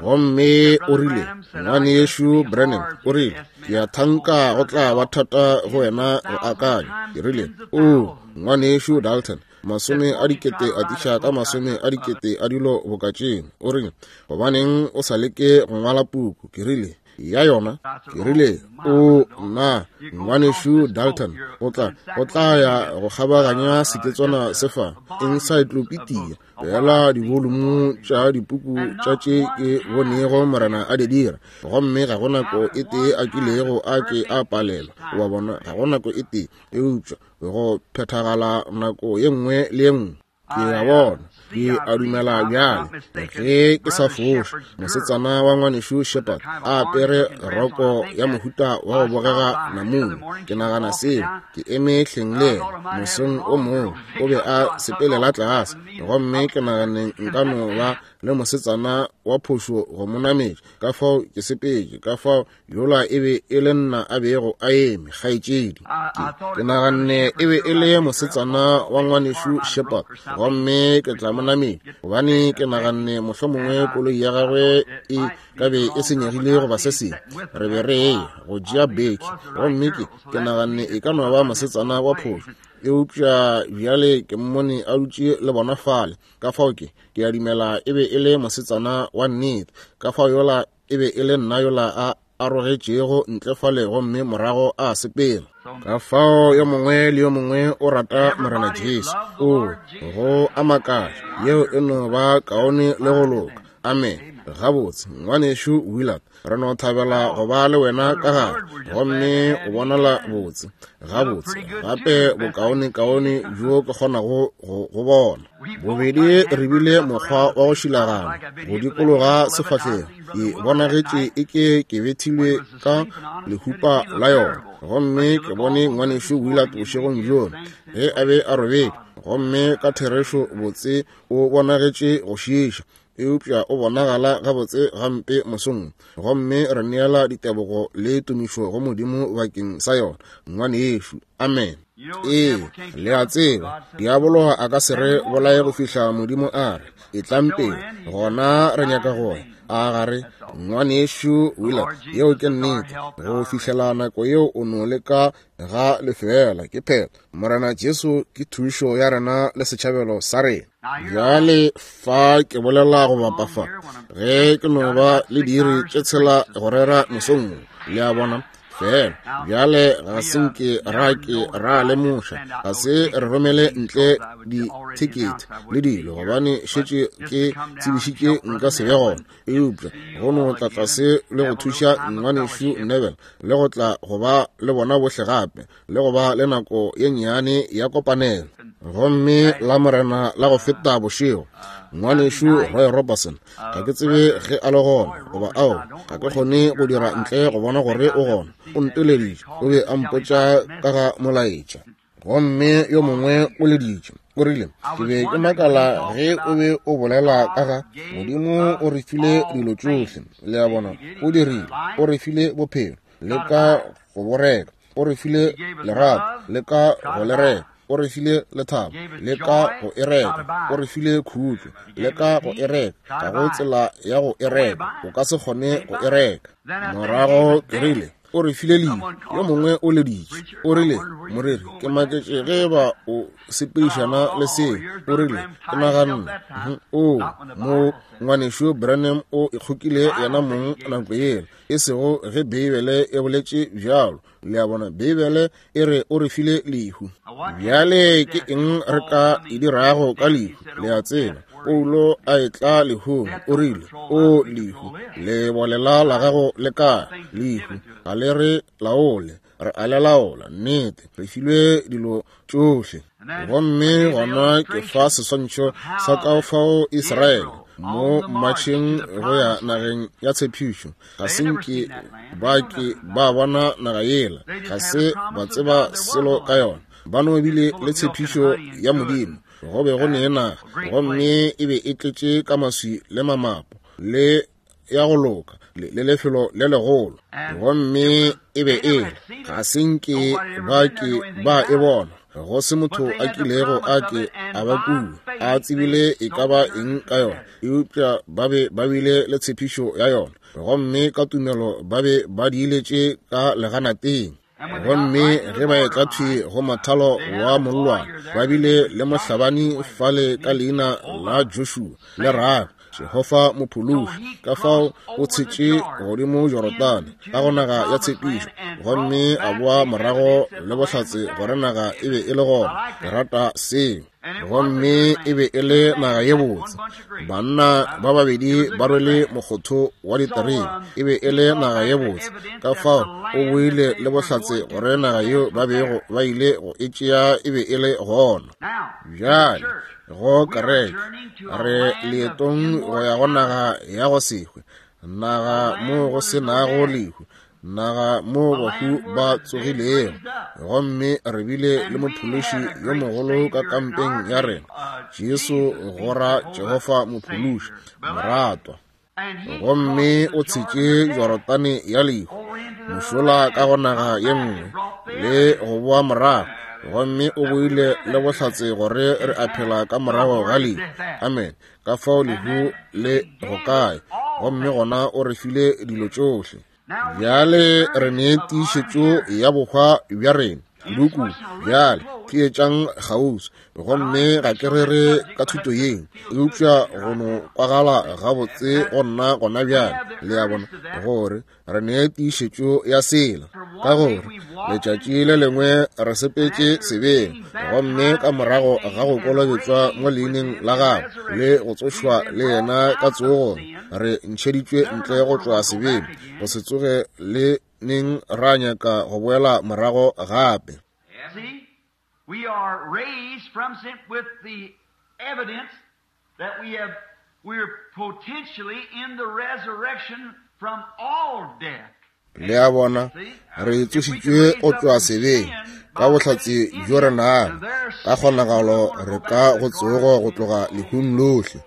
gomme o rile, ngwanešu Branham, o rile, ke a thanka go tla ba thata go wena go akanya. Ke rile, o ngwanešu Dalton, 100 000 atiša ka 100 000 a dilo boka tšeo. O rile, gobaneng o sa leke go ngwala puku? Ke rile, ya yona. Ke rile, o nna ngwanešu Dalton, o tla ya go kgabaganya seketswana se fa encyclopedia, fela divolumo tša dipuku tša tše ke bonego Morena a di dira, gomme ga go nako e tee a kilego a ke a palelwa. Wa bona, ga go nako e tee, eupša go phethagala nako ye nngwe le ye nngwe. Ke a bona, ke a dumela bjale, ge ke sa foše, mosetsana wa ngwanešu Shepherd a apere roko ya mohuta wa go bogega namune. Ke nagana seo, ke eme hleng le yena mosong o mongwe, o be a sepelela tlase, gomme ke naganeng nka no ba le mosetsana wa phošo go mo nametša. Ka fao ke sepetše, ka fao yola e be e le nna a bego a eme, kgaetšedi. Ke naganne e be e le mosetsana wa ngwanešu Shepherd, gomme ke tla mo nametša, gobane ke naganne mohlomongwe koloi ya gagwe e ka be e senyegile goba se sengwe. Re be re eya go tšea beke, gomme ke naganne e ka no ba mosetsana wa phošo, eupša bjale ke mmone a dutše le bona fale. Ka fao ke a dumela e be e le mosetsana wa nnete. Ka fao yola e be e le nna yola a arogetšego ntle fale, gomme morago a sepela. Ka fao yo mongwe le yo mongwe o rata Morena Jesu. O go a makatša, yeo e no ba kaone le go loka. Amen. Gabotse, ngwanešu Willard, re no thabela go ba le wena ka gare, gomme o bonala botse. Gabotse, gape bokaonekaone bjo ke kgonago go bona. Bobedi re bile mokgwa wa go šilagana go dikologa sefahlego, ke bonagetše e ke ke bethilwe ka lehupa la yona. Gomme ke bone ngwanešu Willard bošegong bjona ge a be a robetše, gomme ka therešo botse o bonagetše go šiiša, eupša o bonagala gabotse gampe mosong. Gomme re neela ditebogo le tumišo go Modimo bakeng sa yona, ngwanešu. Amen. Ee, le a tseba, diabolo a ka se re bolaye go fihla Modimo a re, etlang pele, gona re nyaka go ya. A gare, ngwanešu Willard, yeo ke nnete. Go fihlela nako yeo o no leka ga lefeela, ke phela. Morena Jesu ke thušo ya rena le setšhabelo sa rena. Bjale fa ke bolela go bapa fa, ge ke no ba le diiri tše 6 go rera mosong, le a bona. Fela bjale ga se nke ra ke ra lemoša, ga se re romele ntle dithekete le dilo, gobane šetše ke tsebišitše nka se be gona. Eupša go no tla tlase le go thuša ngwanešu Neville, le go tla go ba le bona bohle gape, le go ba le nako ye nnyane ya kopanelo. Gomme la Morena la go feta bošego, ngwanešu Roy Robertson, ga ke tsebe ge a le gona goba ao, ga ke kgone go dira ntle go bona gore o gona. O nteleditše, o be a mpotša ka ga molaetša, gomme yo mongwe o leditše, o rile, ke be ke makala ge o be o bolela ka ga Modimo o re file dilo tšohle. Le a bona, o dirile, o re file bophelo, le ka go bo reka, o re file lerato, le ka go le reka, o re file lethabo, le ka go e reka, o re file khutšo, le ka go e reka. Ga go tsela ya go e reka, o ka se kgone go e reka. Morago ke rile, o re file lehu, yo mongwe o leditše, o rile, moreri, ke maketše ge ba o sepedišana le seo. O rile, ke naganne, o mo ngwanešu Branham o ikgokile yena mong nako yela, e sego ge Beibele e boletše bjalo. Le a bona, Beibele e re o re file lehu. Bjale ke eng re ka e dirago ka lehu? Le a tseba, Paulo a etla lehung, o rile, O lehu, lebolela la gago le kae? Lehu ga le re laole, re a le laola. Nnete, re filwe dilo tšohle. Gomme gona ke fa seswantšho sa ka fao Israele mo mmatšheng go ya nageng ya tshepišo, ga se nke ba ke ba bona naga yela, ga se ba tseba selo ka yona. Ba no bile le tshepišo ya Modimo, go be go ne naga, gomme e be e tletše ka maswi le mamapo le ya go loka le lefelo le legolo, gomme e be e le ga se nke ba ke ba e bona, go se motho a kilego a ke a ba kua a tsebile e ka ba eng ka yona, eupša ba be ba bile le tshepišo ya yona, gomme ka tumelo ba be ba diiletše ka leganateng. Gomme ge ba etla thwi go mothalo wa mollwane, ba bile le mohlabani fale ka leina la Joshua le Rahab, Jehofa mophološi. Ka fao o tshetše godimo Jorodane ka go naga ya tshepišo, gomme a boa morago le bohlatse gore naga e be e le gona. Ke rata seo. Gomme e be e le naga ye botse. Banna ba babedi ba rwele mokgotho wa diterebe. E be e le naga ye botse. Ka fao o boile le bohlatse gore naga yeo ba bego ba ile go e tšea e be e le gona. Bjale go kereke re leetong go ya go naga ya go se hwe, naga mo go se nago lehu, naga mo bahu ba tsogilego. Gomme re bile le mophološi yo mogolo ka kampeng ya rena, Jesu go ra Jehofa mophološi moratwa. Gomme o tshetše Jorodane ya lehu mošola ka go naga ye nngwe le go boa morago, gomme o boile le bohlatse gore re a phela ka morago ga lehu. Amen. Ka fao lehu le go kae? Gomme gona o re file dilo tšohle. Bjale re ne tiišetšo ya bohwa bja rena kudu-kudu. Bjale theetšang kgauswi, gomme ga ke rere ka thuto yeo, eupša go no kwagala gabotse go nna gona bjale, le a bona, gore re ne tiišetšo ya sela. Ka gore letšatši le lengwe re sepetše sebeng, gomme ka morago ga go kolobetšwa mo leineng la gagwe le go tsošwa le yena ka tsogong, re ntšheditšwe ntle go tšwa sebeng, go se tsoge le neng ra nyaka go boela morago gape. See, we are raised from sin with the evidence that we are potentially in the resurrection from all death. Le a bona, re tsošitšwe go tšwa sebeng ka bohlatse bjo re nago, ka kgonagalo re ka go tsogo go tloga lehung lohle.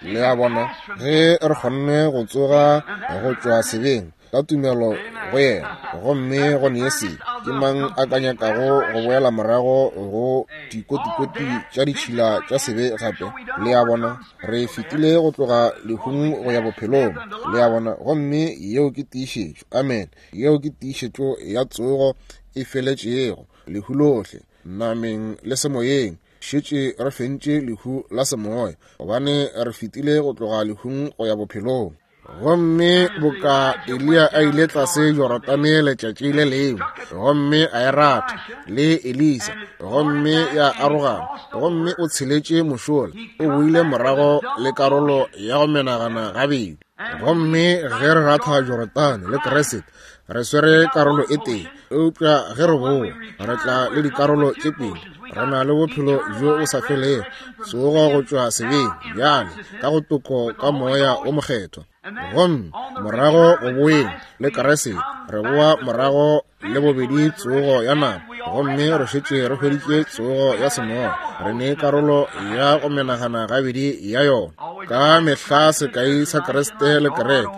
Le a bona, ge re kgonne go tsoga go tšwa sebeng ka tumelo go yena, gomme go ne se, ke mang a ka nyakago go boela morago go dikotikoti tša ditšhila tša sebe gape? Le a bona, re fetile go tloga lehung go ya bophelong. Le a bona, gomme yeo ke tiišetšo. Amen. Yeo ke tiišetšo ya tsogo e feletšego. Lehu lohle, nameng le semoyeng, šetše re fentše lehu la semoya, gobane re fetile go tloga lehung go ya bophelong. Gomme boka Eliya a ile tlase Jorodane letšatši le lengwe, gomme a e ratha le Elisa, gomme ya arogana, gomme o tsheletše mošola, o boile morago le karolo ya go menagana gabedi. Gomme ge re ratha Jorodane le Kriste, re swere karolo e tee, eupša ge re boa re tla le dikarolo tše pedi. Re na le bophelo bjo bo sa felego, tsogo go tšwa sebeng bjale ka go toko ka moya o mokgethwa. Gomme morago go boeng le Kriste, re boa morago le bobedi tsogo ya nama, gomme re šetše re hweditše tsogo ya semoya. Re ne karolo ya go menagana gabedi ya yona. Ka mehla sekai sa Kriste le kereke,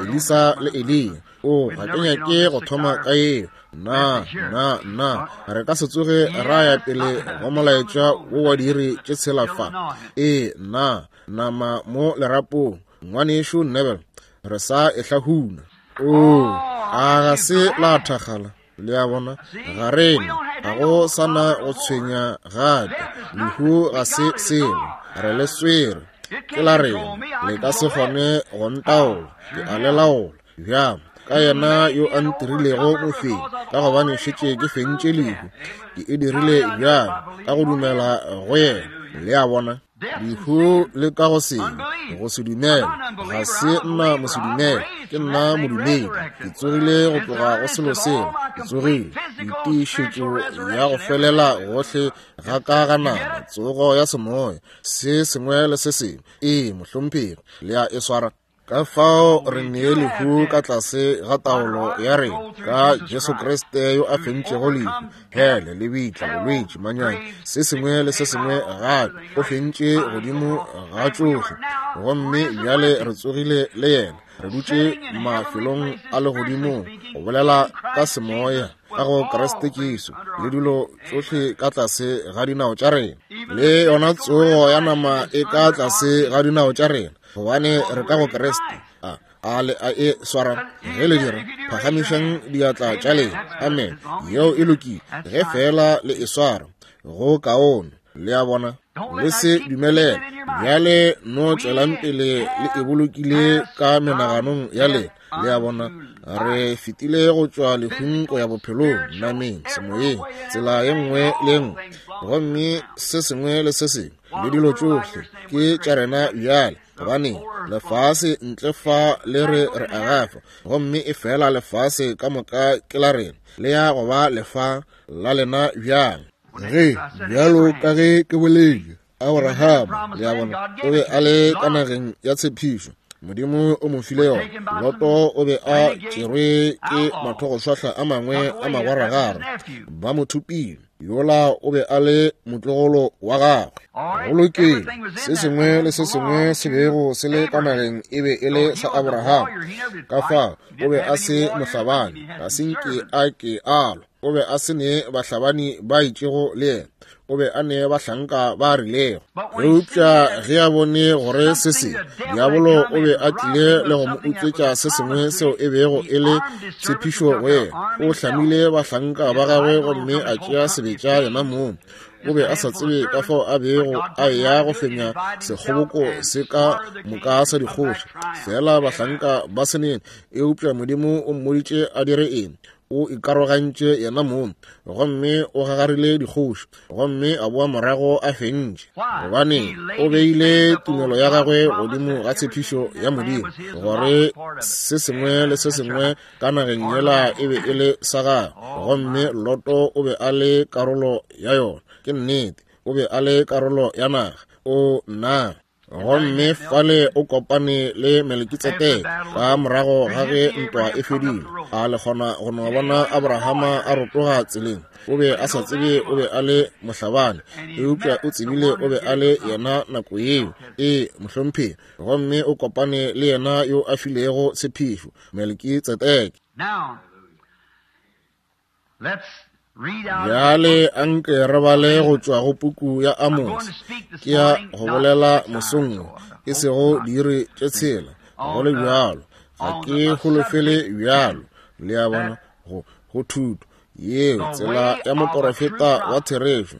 Elisa le Eliya. O, ga ke nyake go thoma ka yeo. Na, na, na, re ka se tsoge ra ya pele go molaetša wo wa diiri tše tshela fa. Ee, na, nama mo lerapong, ngwanešu Neville, re sa e hlahuna. O, a ga se la thakgala? Le a bona, ga rena, ga go sa na go tshwenya gape. Lehu ga se selo, re le swere, ke la rena, le ka se kgone go ntaola, ke a le laola. Bjang, ka yena yo a ntirilego mofenyi, ka gobane šetše ke fentše lehu. Ke e dirile bjang? Ka go dumela go yena. Le a bona? Lehu le ka go sebe, go se dumele. Ga se nna mosedumele, ke nna modumedi. Ke tsogile go tloga go selo seo. Ke tsogile. Ditiišetšo ya go felela gohle ga ka ga nama, tsogo ya semoya, se sengwe le se sengwe. Ee, mohlomphegi, le a e swara. Ka fao re nee lehu ka tlase ga taolo ya rena ka Jesu Kriste yo a fentšego lehu, hele, lebitla, bolwetši, manyami, se sengwe le se sengwe gape. O fentše godimo ga tšohle, gomme bjale re tsogile le yena, re dutše mafelong a legodimong, go bolela ka semoya ka go Kriste Jesu, le dilo tšohle ka tlase ga dinao tša rena, le yona tsogo ya nama e ka tlase ga dinao tša rena, gobane re ka go Kriste. A le a e swara? Ge le dira, phagamišang diatla tša lena. Amen. Yeo e lokile. Ge feela le e swara, go kaone. Le a bona? Le se dumelele. Bjale no tšwelang pele le e bolokile ka menaganong ya lena. Le a bona? Re fetile go tšwa lehung go ya bophelong, nameng, semoyeng, tsela ye nngwe le ye nngwe. Gomme se sengwe le se sengwe le dilo tšohle ke tša rena bjale, gobane lefase ntle fa le re re agafa, gomme e fela lefase ka moka ke la rena, le ya go ba lefa la lena bjang. Ge, bjalo ka ge ke boletše, Abrahama, le a bona, o be a le ka nageng ya tshepišo, Modimo o mo file yona. Loto o be a tšerwe ke mathogošwahla a mangwe a magwaragwara, ba mo thopile. Yola o be a le motlogolo wa gagwe. Go lokile, se sengwe le se sengwe se bego se le ka nageng e be e le sa Abraham. Ka fao o be a se mohlabani, ga se nke a ke a lwa. O be a se ne bahlabani ba itšego le yena, o be a ne bahlanka ba rilego. Eupša ge a bone gore se se, diabolo o be a tlile le go mo utswetša se sengwe seo e bego e le tshepišo go yena, o hlamile bahlanka ba gagwe gomme a tšea sebetša yena mong. O be a sa tsebe ka fao a bego a eya go fenya sekgoboko se ka moka sa dikgoši, fela bahlanka ba se nene. Eupša Modimo o mmoditše a dire eng. O ikarogantše yena mong gomme o gagarile dikgoši, gomme a boa morago a fentše, gobane o beile tumelo ya gagwe godimo ga tshepišo ya Modimo, gore se sengwe le se sengwe ka nageng yela e be e le sa gagwe, gomme Loto o be a le karolo ya yona. Ke nnete, o be a le karolo ya naga. O nna. Gomme fale o kopane le Melekitsedeke ka morago ga ge ntwa e fedile. A le kgona go no bona Abrahama a rotoga tseleng? O be a sa tsebe o be a le mohlabani, eupša o tsebile o be a le yena nako yeo. Ee, mohlomphegi. Gomme o kopane le yena yo a filego tshepišo, Melekitsedeke. Bjale anke re bale go tšwa go puku ya Amose. Ke ya go bolela mosong wo, e sego diiri tše tshela, go le bjalo. Ga ke holofele bjalo, le a bona, go, go thuto yeo, tsela ya moporofeta wa therešo.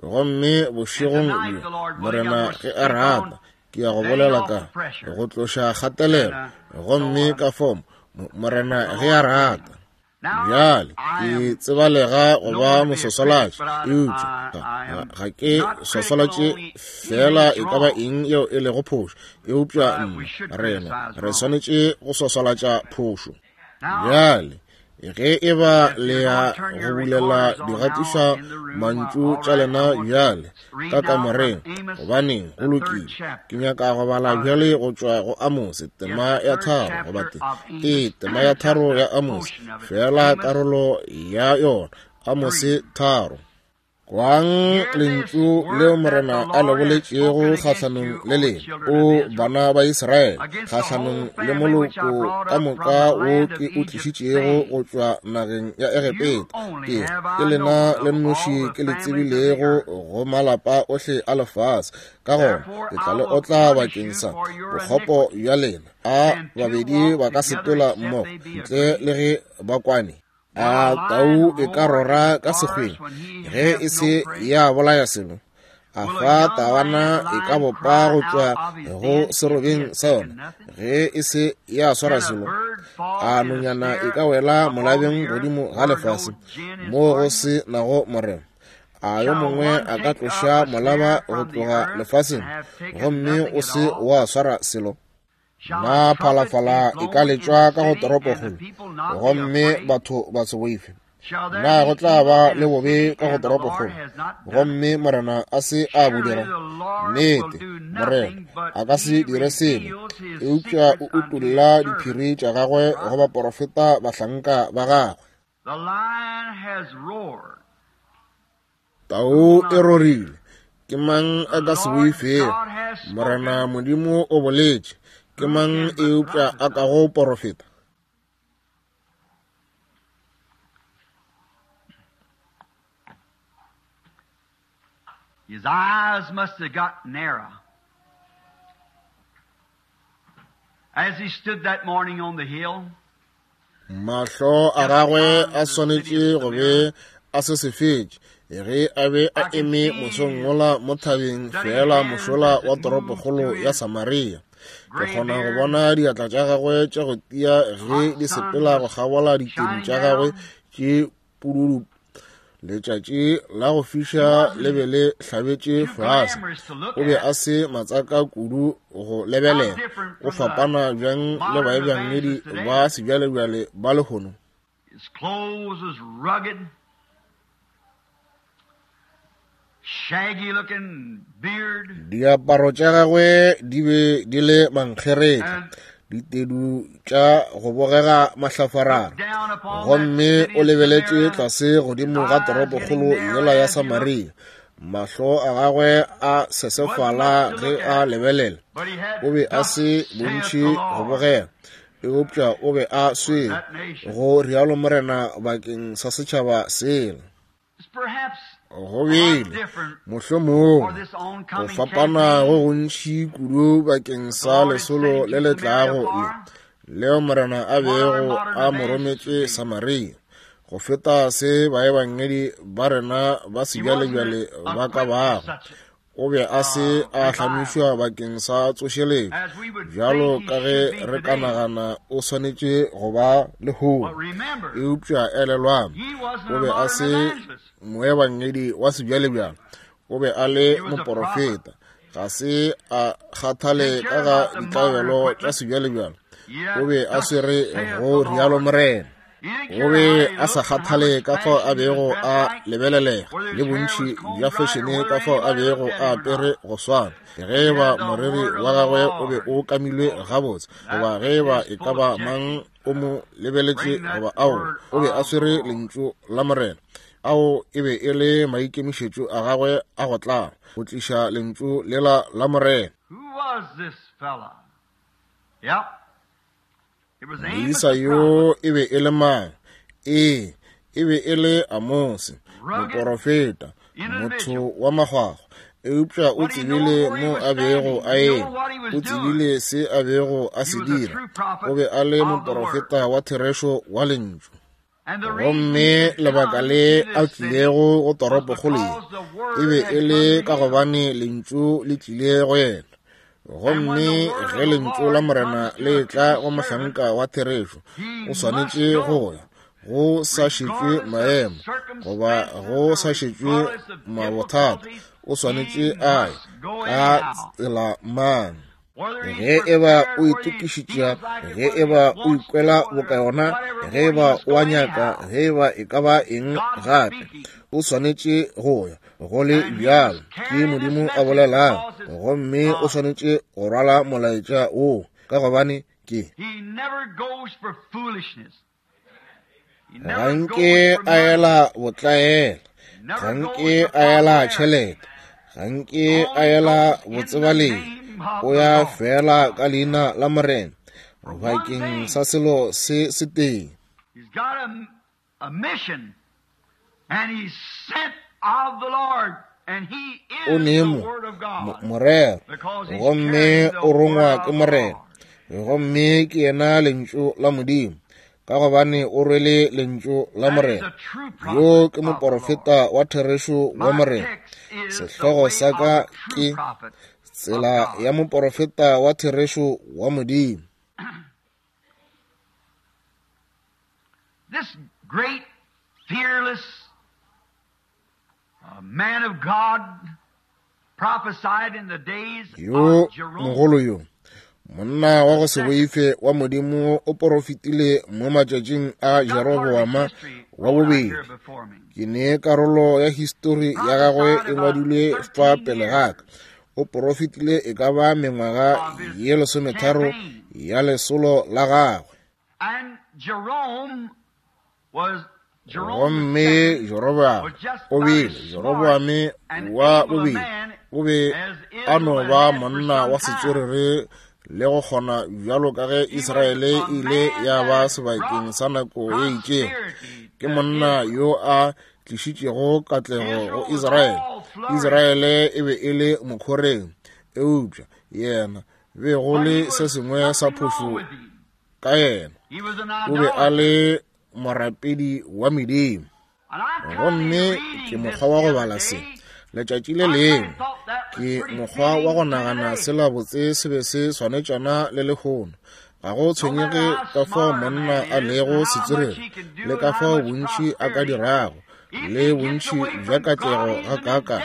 Gomme bošegong bjo, Morena ge a rata, ke ya go bolela ka go tloša kgatelelo, gomme ka fao, Morena ge a rata. Bjale, ke tsebalega go ba moswaswalatši, eupša ga ke swaswalatše feela e ka ba eng yeo e lego phošo, eupša nna, rena, re swanetše go swaswalatša phošo. Bjale, ge e ba le ya go bulela digatiša mantšu tša lena bjale ka kamoreng, gobaneng, go lokile. Ke nyaka go bala bjale go tšwa go Amose, tema ya 3, goba te, ee, tema ya 3 ya Amose, feela karolo ya yona, Amose 3. Kwang lentšu leo Morena a le boletšego kgahlanong le lena, o bana ba Israele, kgahlanong le moloko ka moka wo ke o tlišitšego go tšwa nageng ya Egepeta. Ke ke lena le nnoši ke le tsebilego go malapa ohle a lefase. Ka gona ke tla le otla bakeng sa bokgopo bja lena. A babedi ba ka sepela mmogo ntle le ge ba kwane? A tau e ka rora ka sekgweng ge e se ya bolaya selo? A fa tawana e ka bopa go tšwa go serobeng sa yona ge e se ya swara selo? A nonyana e ka wela molabeng godimo ga lefase mo go se nago morero? A yo mongwe a ka tloša molaba go tloga lefaseng gomme o se wa swara selo? Na phalafala e ka letšwa ka go toropokgolo gomme batho ba se boife? Na go tla ba le bobe ka go toropokgolo gomme Morena a se a bo dira? Nnete, Morena a ka se dire selo, eupša o utolla diphiri tša gagwe go baporofeta bahlanka ba gagwe. Tau e rorile, ke mang a ka se boifego? Morena Modimo o boletše, ke mang eupša a kago porofeta? His eyes must have got narrow as he stood that morning on the hill. Mahlo a gagwe a swanetše go be a se sefetše ge a be a eme mosong wola mo thabeng feela mošola wa toropokgolo ya Samaria. Ke kgona go bona diatla tša gagwe tša go tia ge di sepela go kgabola ditedu tša gagwe tše pududu. Letšatši la go fiša le be le hlabetše fase. O be a se matsaka kudu go lebelela. O fapana bjang le baebangedi ba sebjalebjale ba lehono? His clothes was rugged, shaggy looking beard. Diaparo tša gagwe di be di le mankgeretla, ditedu tša go bogega mahlafarara, gomme o lebeletše tlase godimo ga toropokgolo yela ya Samaria. Mahlo a gagwe a sesefala ge a lebelela. O be a se bontši go bogela, eupša o be a swele, go rialo Morena bakeng sa setšhaba sela. Go bile mohlomongwe go fapana go gontši kudu bakeng sa lesolo le le tlago le leo Morena a bego a mo rometše Samaria, go feta se baebangedi ba rena ba sebjalebjale ba ka bago. O be a se a hlamišwa bakeng sa tsošeletšo, bjalo ka ge re ka nagana o swanetše go ba lehono. Eupša elelwang, o be a se moebangedi wa sebjalebjale, o be a le moporofeta. Ga se a kgathale ka ga ditlabelo tša sebjalebjale, o be a swere go rialo Morena. O be a sa kgathale ka fao a bego a lebelelega le bontši bja fešene ka fao a bego a apere go swana, ge eba moriri wa gagwe o be o kamilwe gabotse goba ge eba e ka ba mang o mo lebeletše goba ao, o be a swere lentšu la Morena. Ao e be e le maikemišetšo a gagwe a go tla go tliša lentšu lela la Morena. Who was this fella? Yep. Moisa yo e be e le mang? Ee, e be e le Amose, moporofeta, motho wa makgwakgwa. Eupša o tsebile mo a bego a eme, o tsebile se a bego a se dira. O be a le moporofeta wa therešo wa lentšu. Gomme lebaka le a tlilego go toropokgolo ye e be e le ka gobane lentšu le tlile go yena. Gomme ge lentšu la Morena le etla go mohlanka wa therešo, o swanetše go ya, go sa šetšwe maemo goba go sa šetšwe mabothata, o swanetše a ye ka tsela mang. Ge eba o itokišitša, ge eba o ikwela boka yona, ge eba o a nyaka, ge eba e ka ba eng gape, o swanetše go ya. Go le bjalo, ke Modimo a bolelang, gomme o swanetše go rwala molaetša woo, ka gobane ke ga nke a ela botlaela, ga nke a ela tšhelete, ga nke a ela botsebalegi, o ya fela ka leina la Morena bakeng sa selo se setee. He's got a mission, and he's sent of the Lord, and he O is ne the mo Word of God. morero, Because he's gomme carrying the o rongwa Word ke of the Morena, Lord. gomme ke yena lentšu la Modimo, ka gobane o rwele lentšu la That is Morena. a true Yo prophet ke of the Lord. moporofeta wa therešo wa My Morena. text is the Sehlogo way sa of ka the true ke prophet of tsela God. ya moporofeta wa therešo wa Modimo. This great, fearless, Yo mogolo yo, monna wa go se boife wa Modimo, o porofetile mo matšatšing a Jeroboama wa bobedi. Ke ne karolo ya histori ya gagwe e ngwadilwe fa pele ga ka. O porofetile e ka ba mengwaga ye 13 ya lesolo la gagwe. Gomme Jeroboame o bile, Jeroboame wa bobedi o be a no ba monna wa setswerere le go kgona bjalo ka ge Israele e ile ya ba sebakeng sa nako e itšego. Ke monna yo a tlišitšego katlego go Israele. Israele e be e le mokhoreng, eupša yena be go le se sengwe sa phošo ka yena. O be a le morapedi wa medimo. Gomme ke mokgwa wa go bala se letšatši le lengwe, ke mokgwa wa go nagana sela botse se be se swanetšana le lehono. Ga go tshwenyege ka fao monna a lego setswerere le ka fao bontši a ka dirago le bontši bja katlego ga kaka,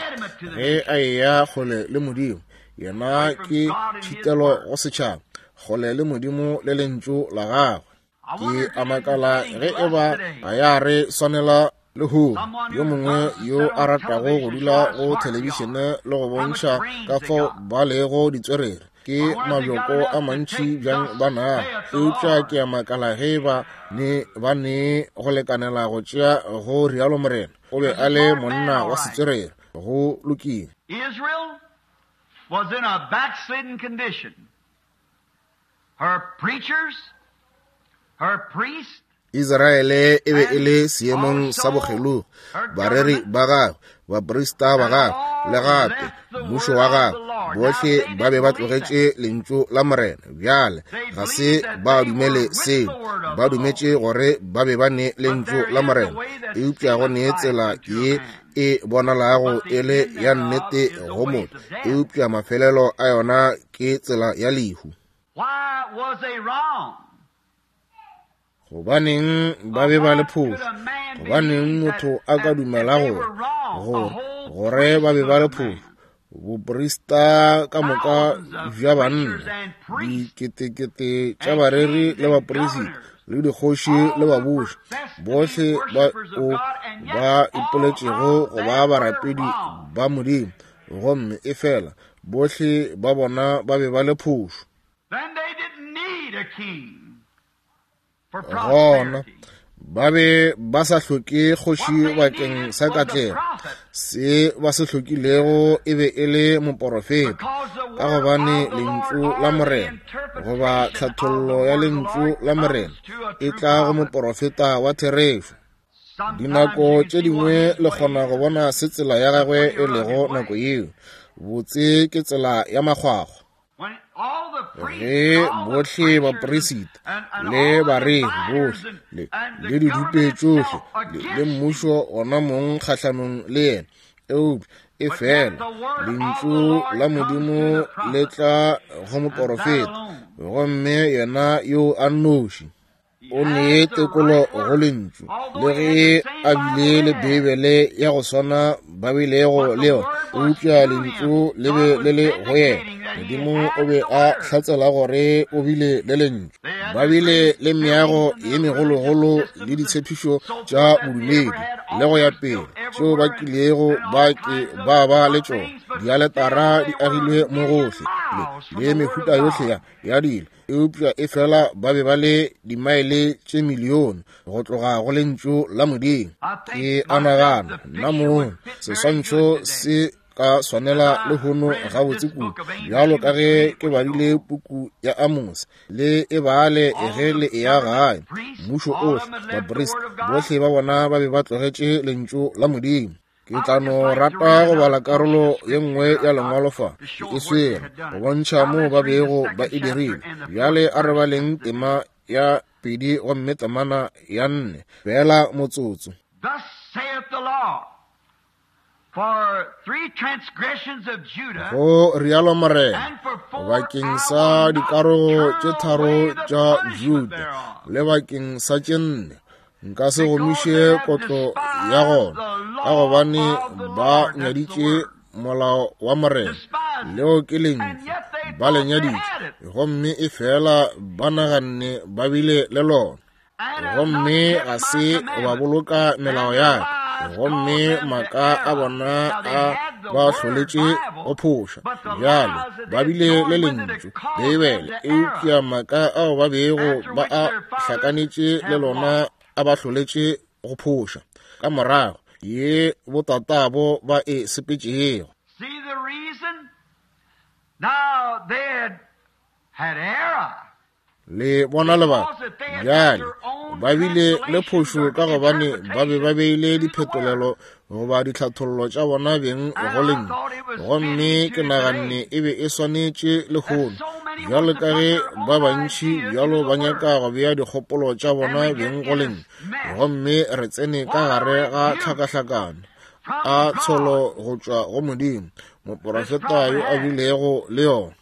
ge a eya kgole le Modimo, yena ke tšhitelo go setšhaba, kgole le Modimo le lentšu la gagwe. Ke a makala ge e ba ga ya re swanela lehono, yo mongwe yo a ratago go dula go thelebišene le go bontšha ka fao ba lego ditswerere, ke mabjoko a mantši bjang ba nago. Eupša ke a makala ge ba ne go lekanela go tšea go rialo Morena. O be a le monna wa setswerere. Go lokile. Israel was in a backslidden condition. Her preachers, her priests, Israele e be e le seemong sa bokgelogo, bareri ba gagwe, baprista ba gagwe, le gape mmušo wa gagwe, bohle ba be ba tlogetše lentšu la Morena. Bjale ga se ba dumele seo, ba dumetše gore ba be ba ne lentšu la Morena, eupša go ne tsela ye e bonalago e le ya nnete go motho, eupša mafelelo a yona ke tsela ya lehu. Why was they wrong? Gobaneng ba be ba le phošo? Gobaneng motho a ka dumela gore ba be ba le phošo? Boprista ka moka bja banna, diketekete tša bareri le baprista, le dikgoši le babuši, bohle ba ba ipoletšego go ba barapedi ba Modimo, gomme e fela bohle ba bona ba be ba le phošo. Then they didn't need a king. Gona ba be ba sa hloke kgoši bakeng sa katlego. Se ba se hlokilego e be e le moporofeta, ka gobane lentšu la Morena goba tlhathollo ya lentšu la Morena e tla go moporofeta wa therešo. Dinako tše dingwe le kgona go bona se tsela ya gagwe e lego nako yeo. Botse ke tsela ya makgwakgwa. Ge bohle bapresita le bareri bohle le didupe tšohle le mmušo ona mong kgahlanong le yena, eupša e fela lentšu la Modimo le tla go moporofeta, gomme yena yo a nnoši o nee tekolo go lentšu. Le ge a bile le Beibele ya go swana ba bilego le yona, eupša lentšu le be le le go yena. Modimo o be a hlatsela gore o bile le lentšu. Ba bile le meago ye megologolo le ditshepišo tša bodumedi le go ya pele tšeo ba kilego ba ke ba ba le tšona. Dialetara di agilwe mo gohle le mehuta yohle ya dilo, eupša e fela ba be ba le dimaele tše milione go tloga go lentšu la Modimo. Ke a nagana nna mong seswantšho se ka swanela lehono gabotse kudu, bjalo ka ge ke badile puku ya Amos, le e bale ge le eya gae. Mmušo ohle, baprista bohle ba bona ba be ba tlogetše lentšu la Modimo. Ke tla no rata go bala karolo ye nngwe ya lengwalo fa, ke e swere go bontšha moo ba bego ba e dirile. Bjale a re baleng tema ya 2 gomme temana ya 4, fela motsotso. Thus saith the Lord, for 3 transgressions of Judah, Go rialo Morena, bakeng sa dikarogo tše 3 tša Juda le bakeng sa tše 4, nka se gomiše kotlo ya gona, ka gobane ba nyaditše molao wa Morena, leo ke lentšu, ba le nyaditše, gomme efela ba naganne ba bile le lona, gomme ga se ba boloka melao ya ka, gomme maaka a bona a ba hloletše go phoša. Bjale ba bile le lentšu, Beibele, eupša maaka ao ba bego ba a hlakanetše le lona a ba hloletše go phoša ka morago ye botatabo ba e sepetšego. See the reason? Now they had had error. Le bona lebaka? Bjale ba bile le phošo ka gobane ba be ba beile diphetolelo goba ditlhathollo tša bona beng go lentšu, gomme ke naganne e be e swanetše lehono, bjalo ka ge ba bantši bjalo ba nyaka go bea dikgopolo tša bona beng go lentšu, gomme re tsene ka gare ga tlhakahlakano a tsholo go tšwa go Modimo, moporofeta yo a bilego le yona.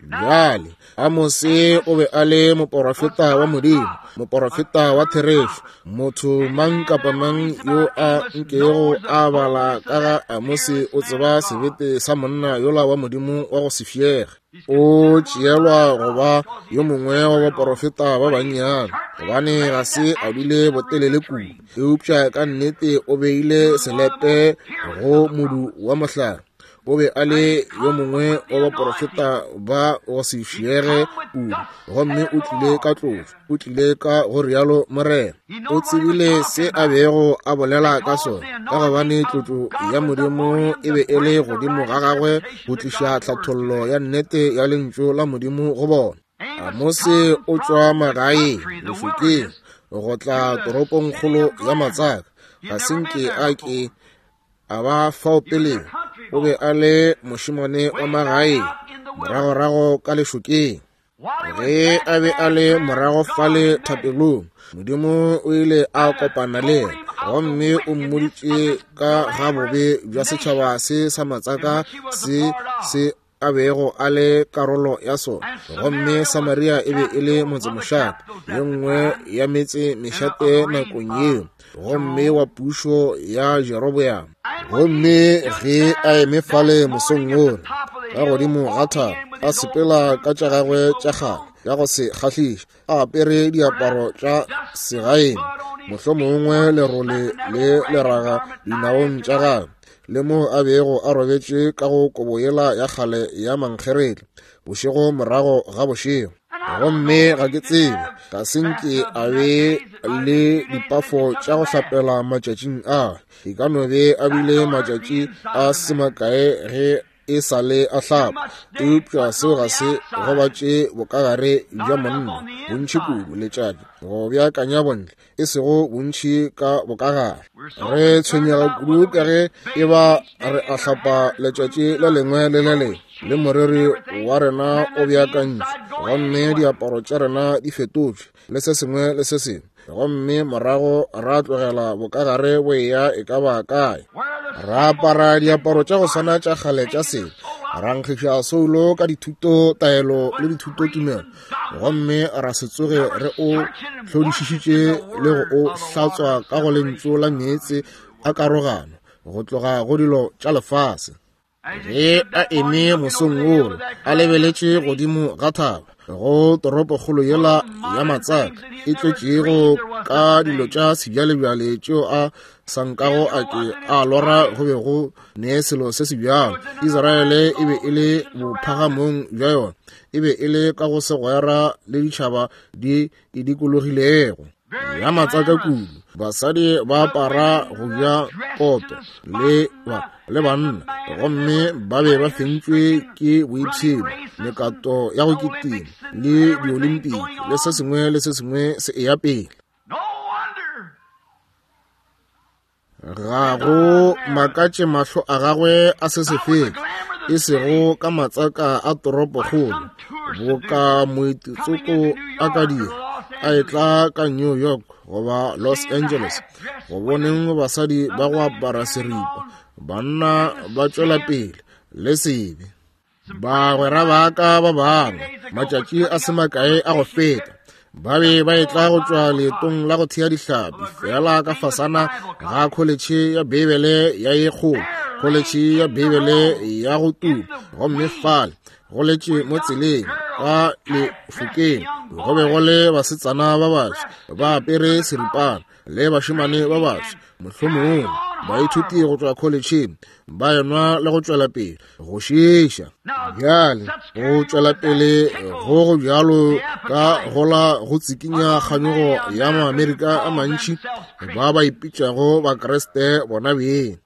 Bjale, Amose o be a le moporofeta wa Modimo, moporofeta wa therešo. Motho mang kapa mang yo a nkego a bala ka ga Amose o tseba sebete sa monna yola wa Modimo wa go se fiege. O tšeelwa go ba yo mongwe wa baporofeta ba bannyane, gobane ga se a dule botelele kudu, eupša ka nnete o beile selepe go modu wa mohlare. O be a le yo mongwe wa baporofeta ba go se fiege kudu, gomme o tlile ka tlotšo, o tlile ka go rialo Morena. O tsebile se a bego a bolela ka sona, ka gobane tlotšo ya Modimo e be e le godimo ga gagwe go tliša tlhathollo ya nnete ya lentšu la Modimo go bona. Amose o tšwa magaeng lešokeng go tla toropongkgolo ya matsaka, ga se nke a ke a ba fao peleng. O be a le mošemane wa magaeng moragorago ka lešokeng. Ge a be a le morago fale thapelong, Modimo o ile a kopana le yena gomme o mmoditše ka ga bobe bja setšhaba se sa matsaka se se a bego a le karolo ya sona. Gomme Samaria e be e le motsemošate, ye nngwe ya metse mešate nakong yeo, gomme wa pušo ya Jeroboam. Gomme ge a eme fale mosong wola ka godimo ga thaba, a sepela ka tša gagwe tša kgale ya go se kgahliše, a apere diaparo tša segaeng, mohlomongwe lerole le leraga dinaong tša gagwe, le mo a bego a robetše ka go kobo yela ya kgale ya mankgeretla bošego morago ga bošego. Gomme ga ke tsebe, ga se nke a be le dipafo tša go hlapela matšatšing a, e ka no be a bile matšatši a se makae ge e sa le a hlapa, eupša seo ga se gobatše bokagare bja monna bontši kudu. Letšatši go beakanya bontle, e sego bontši ka bokagare. Re tshwenyega kudu ka ge e ba re a hlapa letšatši le lengwe le le lengwe, le moriri wa rena o beakantšwe, gomme diaparo tša rena di fetotšwe, le se sengwe le se sengwe, gomme morago ra tlogela bokagare bo eya e ka ba kae. Ra apara diaparo tša go swana tša kgale tša sebe, ra nkgiša soulo ka dithuto taelo le dithuto tumelo, gomme ra se tsoge re o hlodišišitše le go o hlatswa ka go lentšu la meetse a karogano go tloga go dilo tša lefase. Ge a eme mosong wola a lebeletše godimo ga thaba go toropokgolo yela ya matsaka e tletšego ka dilo tša sebjalebjale tšeo a sa nkago a ke a lora go be go ne selo se se bjalo. Israele e be e le bophagamong bja yona, e be e le ka go segwera le ditšhaba di e dikologilego ya matsaka kudu. Basadi ba apara go ja koto le le banna, gomme ba be ba fentšwe ke boipshino, mekato ya go kitima le diolimpiki le se sengwe le se sengwe se eya pele. Ga go makatše mahlo a gagwe a se se fetše, e sego ka matsaka a toropokgolo, boka moetitsoko a ka dira a etla ka New York goba Los Angeles, go boneng basadi ba go apara seripa, banna ba tšwela pele le sebe. Bagwera ba ka ba bangwe, matšatši a se makae a go feta, Ba be ba etla go tšwa leetong la go thea dihlapi, feela ka fasana ga kholetšhe ya Beibele ya ye kgolo, kholetšhe ya Beibele ya go tuma. Gomme fale, go letše mo tseleng ka lefokeng, go be go le basetsana ba baswa ba apere seripana, le bašemane ba baswa, mohlomongwe baithuti go tšwa kholetšheng, ba enwa le go tšwela pele go šiša. Bjale go tšwela pele go go bjalo ka gola go tsikinya kganyogo ya Maamerika a mantši ba ba ipitšago Bakriste bona beng.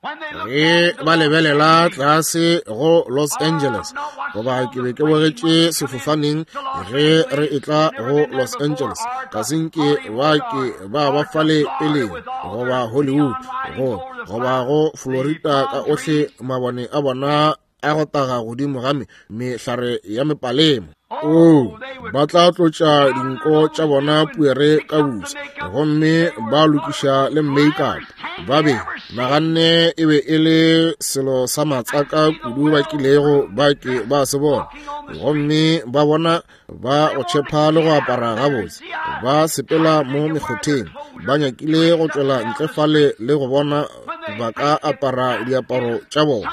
Ge ba lebelela tlase go Los Angeles, goba ke be ke bogetše sefofaneng ge re etla go Los Angeles, ga se nke ba ke ba ba fale peleng goba Hollywood go goba go Florida ka ohle mabone a bona a go taga godimo ga mehlare ya mepalemo. Oo, ba tla tlotša dinko tša bona puere ka buse, gomme ba lokiša le make-up. Ba be naganne e be e le selo sa matsaka kudu ba kilego ba ke ba se bona, gomme ba bona ba go tšhepha le go apara gabotse, ba sepela mo mekgotheng, ba nyakile go tšwela ntle fale le go bona ba ka apara diaparo tša bona,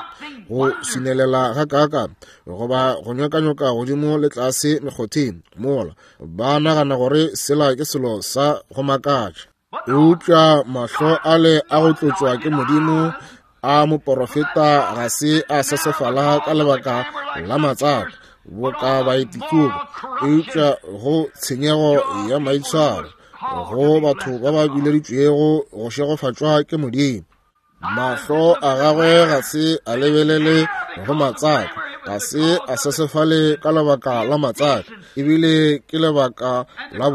go swinelela ga kaaka goba go nyokanyoka godimo le tlase mekgotheng mola ba nagana gore sela ke selo sa go makatša. Eupša mahlo ale a go tlotšwa ke Modimo a moporofeta ga se a sesefala ka lebaka la matsaka boka baetikobo, eupša go tshenyego ya maitshwaro go batho ba ba bileditšwego go šegofatšwa ke Modimo. Mahlo a gagwe ga se a lebelele go matsaka, ga se a sesefale ka lebaka la matsaka, ebile ke lebaka la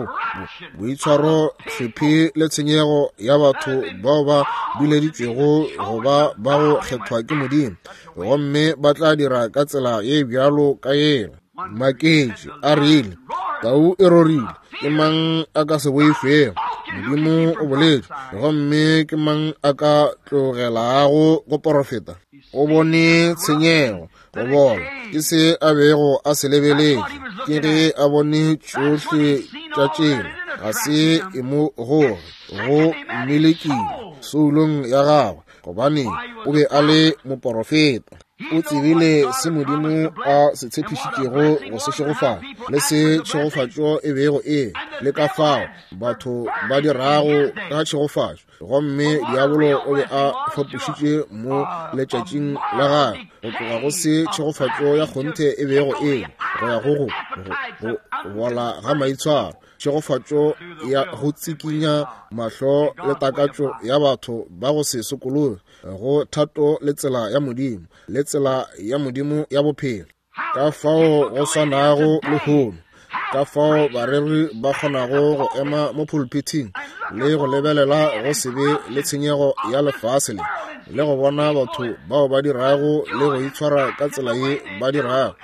boitshwaro hlephi le tshenyego ya batho bao ba bileditšwego go ba ba go kgethwa ke Modimo, gomme ba tla dira ka tsela ye bjalo ka yela. Maketše a rile, tau e rorile, ke mang a ka se boifego? Modimo o boletše, gomme ke mang a ka tlogelago go porofeta? O bone tshenyego, go bola, ke se a bego a se lebeletše, ke ge a bone tšohle tša tšela, ga se e mo goge, go mmelekile soulong ya gagwe, gobane o be a le moporofeta. O tsebile se Modimo a se tshepišitšego go se šegofatša, le se tšhegofatšo e bego e le ka fao batho ba dirago ka tšhegofatšo. Gomme diabolo o be a fapošitše mo letšatšing la gagwe go tloga go se tšhegofatšo ya kgonthe e bego e go ya go go bola ga maitshwaro, tšhegofatšo ya go tsikinya mahlo le takatšo ya batho ba go se sokologe go thato le tsela ya Modimo, le tsela ya Modimo ya bophelo. Ka fao go swanago lehono, ka fao bareri ba kgonago go ema mo pulpithing le go lebelela go se be le tshenyego ya lefase le, le go bona batho bao ba dirago le go itshwara ka tsela ye ba dirago,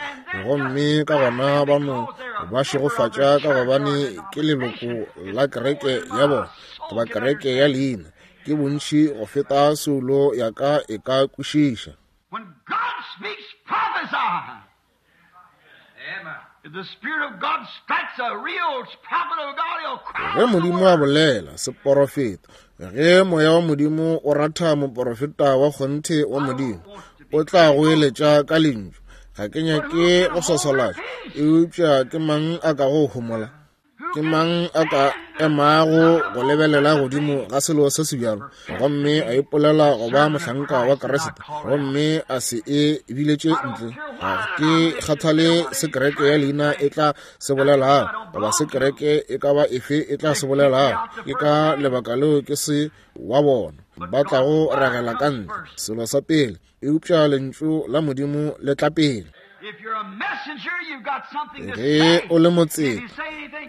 gomme ka gona ba no ba šegofatša ka gobane ke leloko la kereke ya bona goba kereke ya leina, ke bontši go feta soulo ya ka e ka kwešiša. When God speaks, prophesy. If the Spirit of God strikes a real prophet of God, he'll cry. Ge Modimo a bolela, seporofeta. Ge Moya wa Modimo o ratha moporofeta wa kgonthe wa Modimo, o tla goeletša ka lentšu. Ga ke nyake go swaswalatša, eupša ke mang a ka go homola? Ke mang a ka emago go lebelela godimo ga selo se se bjalo gomme a ipolela go ba mohlanka wa Kriste gomme a se e biletše ntle? Ga ke kgathale se kereke ya leina e tla se bolelago goba se kereke e ka ba efe e tla se bolelago. Ke ka lebaka leo ke se wa bona ba tlago ragela ka ntle selo sa pele, eupša lentšu la Modimo le tla pele. Ge o le motseta,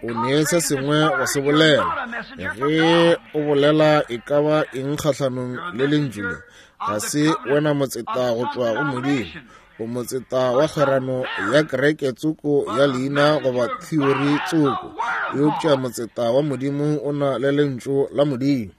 o ne se sengwe go se bolela. Ge o bolela e ka ba eng kgahlanong le lentšu le, ga se wena motseta go tšwa go Modimo. O motseta wa kgwerano ya kereke tsoko ya leina goba theory tsoko, eupša motseta wa Modimo o na le lentšu la Modimo.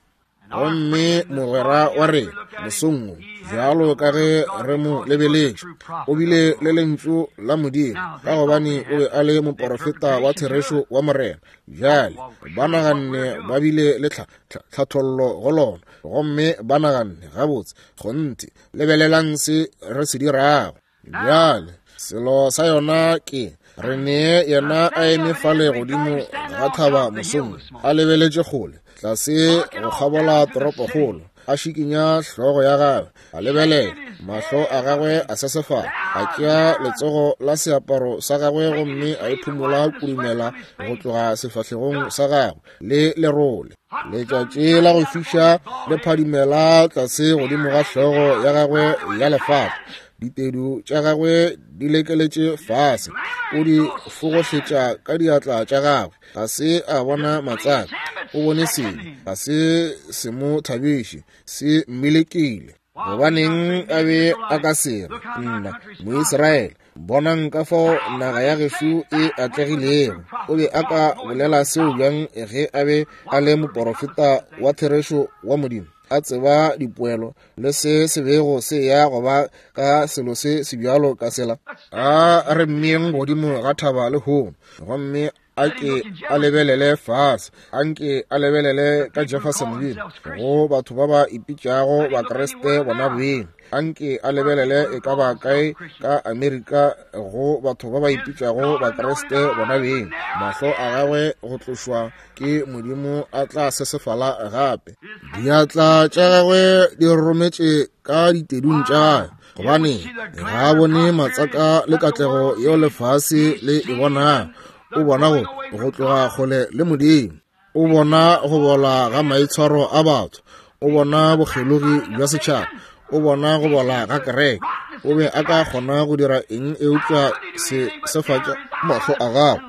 Gomme mogwera wa rena mosong wo, Bjalo ka ge re mo lebeletše, o bile le Lentšu la Modimo, ka gobane o be a le moporofeta wa therešo wa Morena. Bjale ba naganne ba bile le tlhathollo go lona, gomme ba naganne, Gabotse, kgonthe, lebelelang se re se dirago. Bjale selo sa yona ke, re nee yena a eme fale godimo ga thaba mosong, a lebeletše kgole tlase go kgabola toropokgolo, a šikinya hlogo ya gagwe, a lebelela, mahlo a gagwe a sesefala, a tšea letsogo la seaparo sa gagwe gomme a iphumola kudumela go tloga sefahlegong sa gagwe le lerole. Letšatši la go fiša le phadimela tlase godimo ga hlogo ya gagwe ya lefata, ditedu tša gagwe di lekeletše fase, o di fogohletša ka diatla tša gagwe. Ga se a bona matsaka, o bone sebe, ga se se mo thabiše, se mmelekile. Gobaneng a be a ka se re, Nna, Moisraele, bonang ka fao naga ya gešo e atlegilego? O be a ka bolela seo bjang ge a be a le moporofeta wa therešo wa Modimo, a tseba dipoelo le se se bego se ya go ba ka selo se se bjalo ka sela? A re mmeyeng godimo ga thaba lehono, gomme a ke a lebelele fase, a nke a lebelele ka Jeffersonville go batho ba ba ipitšago Bakriste bona beng, a nke a lebelele e ka ba kae ka Amerika go batho ba ba ipitšago Bakriste bona beng. Mahlo a gagwe go tlošwa ke Modimo a tla sesefala gape. Diatla tša gagwe di rometše ka ditedung tša gagwe, gobane ga a bone matsaka le katlego yeo lefase le e bonago. O bona go tloga kgole le Modimo, o bona go bola ga maitshwaro a batho, o bona bokgelogi bja setšhaba, o bona go bola ga kereke. O be a ka kgona go dira eng eupša se sefatša mahlo a gagwe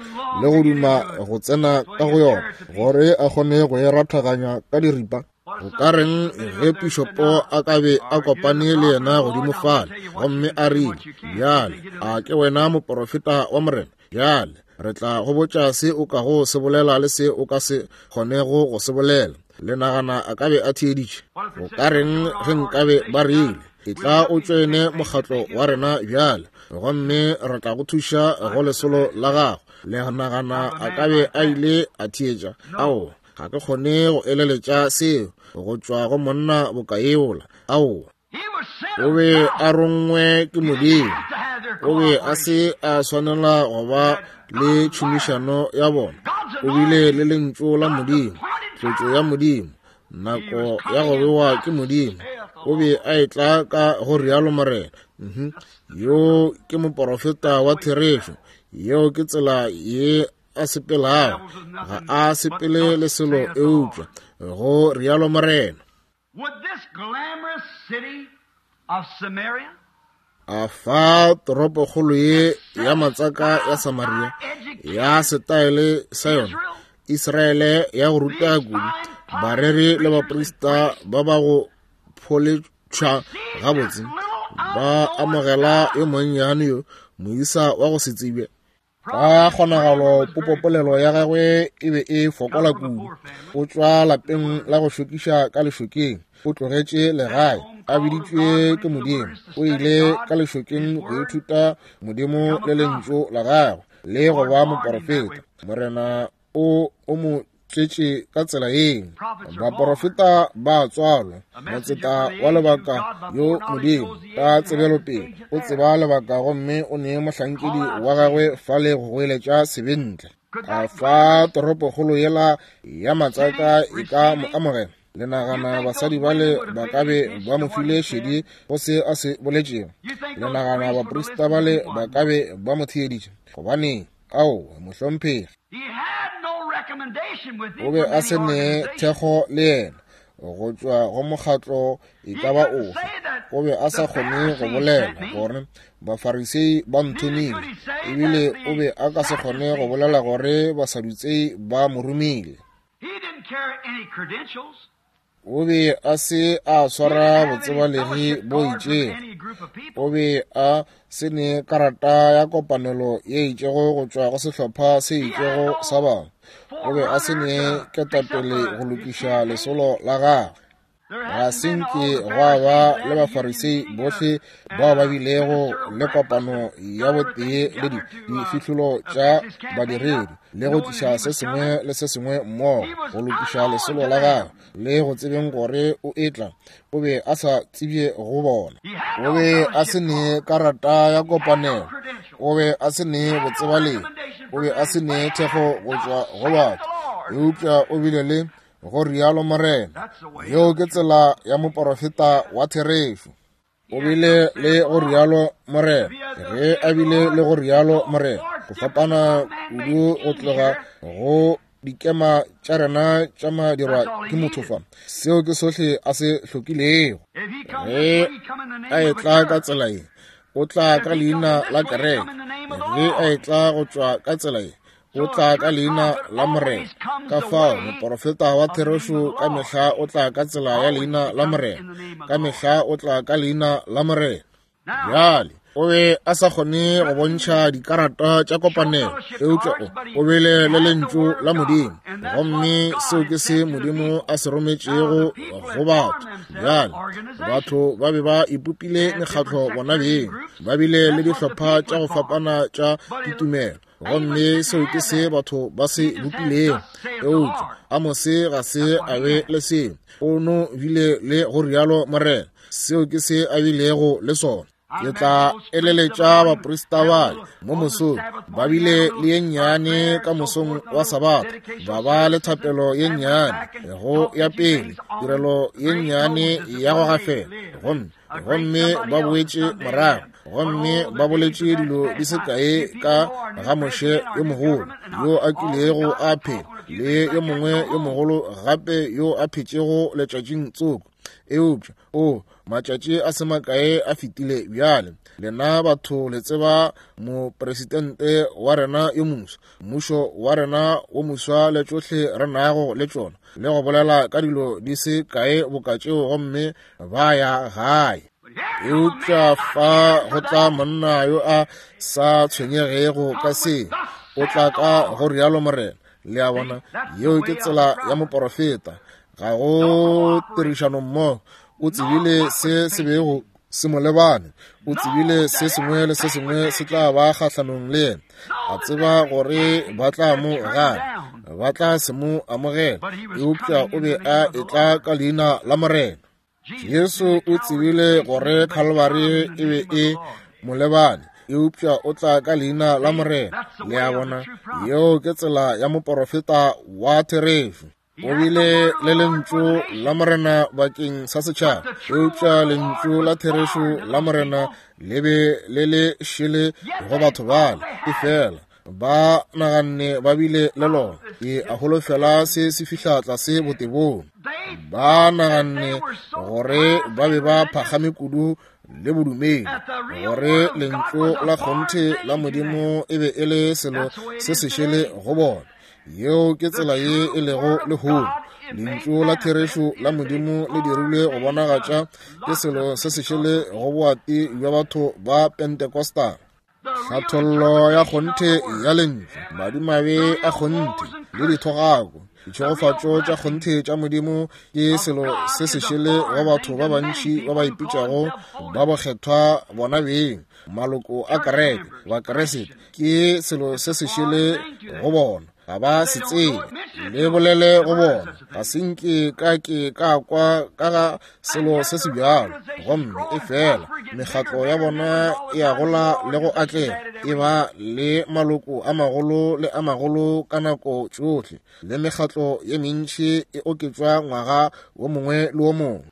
le go duma go tsena ka go yona gore a kgone go e rathaganya ka diripa? Go ka reng ge pišopo a ka be a kopane le yena godimo fale gomme a rile, Bjale, a ke wena moporofeta wa Morena? Bjale, re tla go botša se o kago se bolela le se o ka se kgonego go se bolela. Le nagana a ka be a theeditše? Go ka reng ge nkabe ba rile, Etla o tšoene mokgatlo wa rena bjale, gomme re tla go thuša go lesolo la gago? Le nagana a ka be a ile a theetša? Aowa, ga ke kgone go eleletša seo go tšwa go monna boka yola. Aowa. O be a rongwe ke Modimo. O be a se a swanela go ba le tšhomišano ya bona. O bile le Lentšu la Modimo, tlotšo ya Modimo, nako ya go bewa ke Modimo. O be a etla ka go rialo Morena. Yo ke moporofeta wa therešo. Yeo ke tsela ye a sepelago. Ga a sepele le selo eupša go rialo Morena. Would this glamorous city of Samaria A fa toropokgolo ye ya matsaka ya Samaria ya setaele sa yona, Israele ya go ruta kudu, bareri le baprista ba ba go pholetšhwa gabotse, ba amogela yo monnyane yo, moisa wa go se tsebje. Ka kgonagalo popopolelo ya gagwe e be e fokola kudu. O tšwa lapeng la go šokiša ka lešokeng. O tlogetše legae, a biditšwe ke Modimo. O ile ka lešokeng go ithuta Modimo le Lentšu la gagwe le go ba moporofeta. Morena o o mo tletše ka tsela yeo. Baporofeta ba tswalwa, motseta wa lebaka yo Modimo ka tsebelopele o tseba lebaka gomme o nee mohlankedi wa gagwe fale go goeletša sebe ntle. A fa toropokgolo yela ya matsaka e ka mo amogela? Le nagana basadi bale ba ka be ba mo file šedi go se a se boletšego? Le nagana baprista bale ba ka be ba mo theeditše? Gobaneng, aowa, mohlomphegi. O be a se ne thekgo le yena go tšwa go mokgatlo e ka ba ofe. O be a sa kgone go bolela gore Bafarisei ba nthomile, ebile o be a ka se kgone go bolela gore Basadutsei ba mo romile. O be a se a swara botsebalegi bo itšego. O be a se ne karata ya kopanelo ye itšego go tšwa go sehlopha se itšego sa batho. O be a se ne ketapele go lokiša lesolo la gagwe. Ga se nke gwa ba le Bafarisei bohle bao ba bilego le kopano ya botee le difihlolo tša badiredi le go tliša se sengwe le se sengwe mmogo go lokiša lesolo la gagwe le go tsebeng gore o etla. O be a sa tsebje go bona. O be a se ne karata ya kopanelo. O be a se ne botsebalegi. O be a se ne thekgo go tšwa go batho. Eupša o bile le go rialo Morena. Yeo ke tsela ya moporofeta wa therešo. O bile le go rialo Morena. Ge a bile le go rialo Morena, go fapana kudu go tloga go dikema tša rena tša madirwa ke motho fa. Seo ke sohle a se hlokilego. Ge a etla ka tsela ye, o tla ka leina la kereke. Ge a etla go tšwa ka tsela ye, o tla ka leina la Morena. Ka fao moporofeta wa therešo ka mehla o tla ka tsela ya leina la Morena. Ka mehla o tla ka leina la Morena. Bjale, o be a sa kgone go bontšha dikarata tša kopanelo, eupša o bile le lentšu la Modimo, gomme seo ke se Modimo a se rometšego go batho. Bjale, batho ba be ba ipopile mekgatlo bona beng, ba bile le dihlopha tša go fapana tša ditumelo, gomme seo ke se batho ba se bopilego. Eupša Amose ga se a be le seo, o no bile le go rialo Morena. Seo ke se a bilego le sona. Ke tla eleletša baprista bale mo mosong, ba bile le ye nnyane ka mosong wa Sabatha, ba ba le thapelo ye nnyane go ya pele, tirelo ye nnyane ya go gafela, gomme ba boetše morago, gomme ba boletše dilo di se kae ka ga Moshe yo mogolo yo a kilego a phela, le yo mongwe yo mogolo gape yo a phetšego letšatšing tsoko. Eupša o matšatši a se makae a fetile bjale. Lena batho le tseba mopresidente wa rena yo moswa, mmušo wa rena wo moswa le tšohle re nago le tšona, le go bolela ka dilo di se kae boka tšeo, gomme ba ya gae. Eupša fa go tla monna yo a sa tshwenyegego ka se, o tla ka go rialo Morena. Le a bona, yeo ke tsela ya moporofeta. Ga go tirišano mmogo. O tsebile se se bego se mo lebane. O tsebile se sengwe le se sengwe se tla ba kgahlanong le yena. A tseba gore ba tla mo gana, ba tla se mo amogela, eupša o be a etla ka leina la Morena. Jesu o tsebile gore Calvary e be e mo lebane, eupša o tla ka leina la Morena. Le a bona, yeo ke tsela ya moporofeta wa therešo. O bile le lentšu la Morena bakeng sa setšhaba, eupša lentšu la therešo la Morena le be le le šele go batho bale. Efela ba naganne ba bile le lona. Ke a holofela se se fihla tlase botebong. Ba naganne gore ba be ba phagame kudu le bodumedi, gore lentšu la kgonthe la Modimo e be e le selo se se šele go bona. Yeo ke tsela ye e lego lehono. Lentšu la therešo la Modimo le dirilwe go bonagatša ke selo se se šele go boati bja batho ba Pentecostal. Hlathollo ya kgonthe ya lentšu, madimabe a kgonthe le dithogako, ditšhegofatšo tša kgonthe tša Modimo ke selo se se šele go batho ba bantši ba ba ipitšago ba bokgethwa bona beng, maloko a kereke, Bakeresete, ke selo se se šele go bona. Ga ba se tsebe, le bolele go bona. Ga se nke ka ke ka kwa ka ga selo se se bjalo. Gomme efela mekgatlo ya bona e a gola le go atlega, e ba le maloko a magolo le a magolo ka nako tšohle, le mekgatlo ye mentši e oketšwa ngwaga wo mongwe le wo mongwe.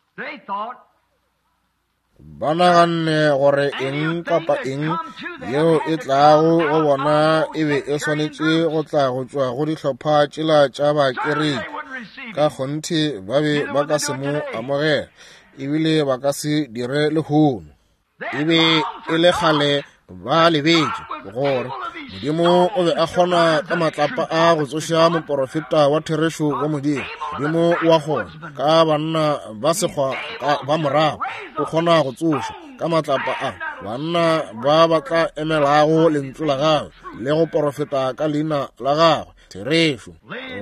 Ba naganne gore eng kapa eng yeo e tlago go bona e be e swanetše go tla go tšwa go dihlopha tšela tša bakereki. Ka kgonthe ba be ba ka se mo amogela, ebile ba ka se dire lehono. E be e le kgale ba lebetše gore Modimo o be a kgona ka matlapa a go tsoša moporofeta wa therešo wa Modimo. Modimo o a kgona ka banna ba sekgwa ba morago, o kgona go tsoša ka matlapa a banna ba ba tla emelago lentšu la gagwe le go porofeta ka leina la gagwe. Therešo.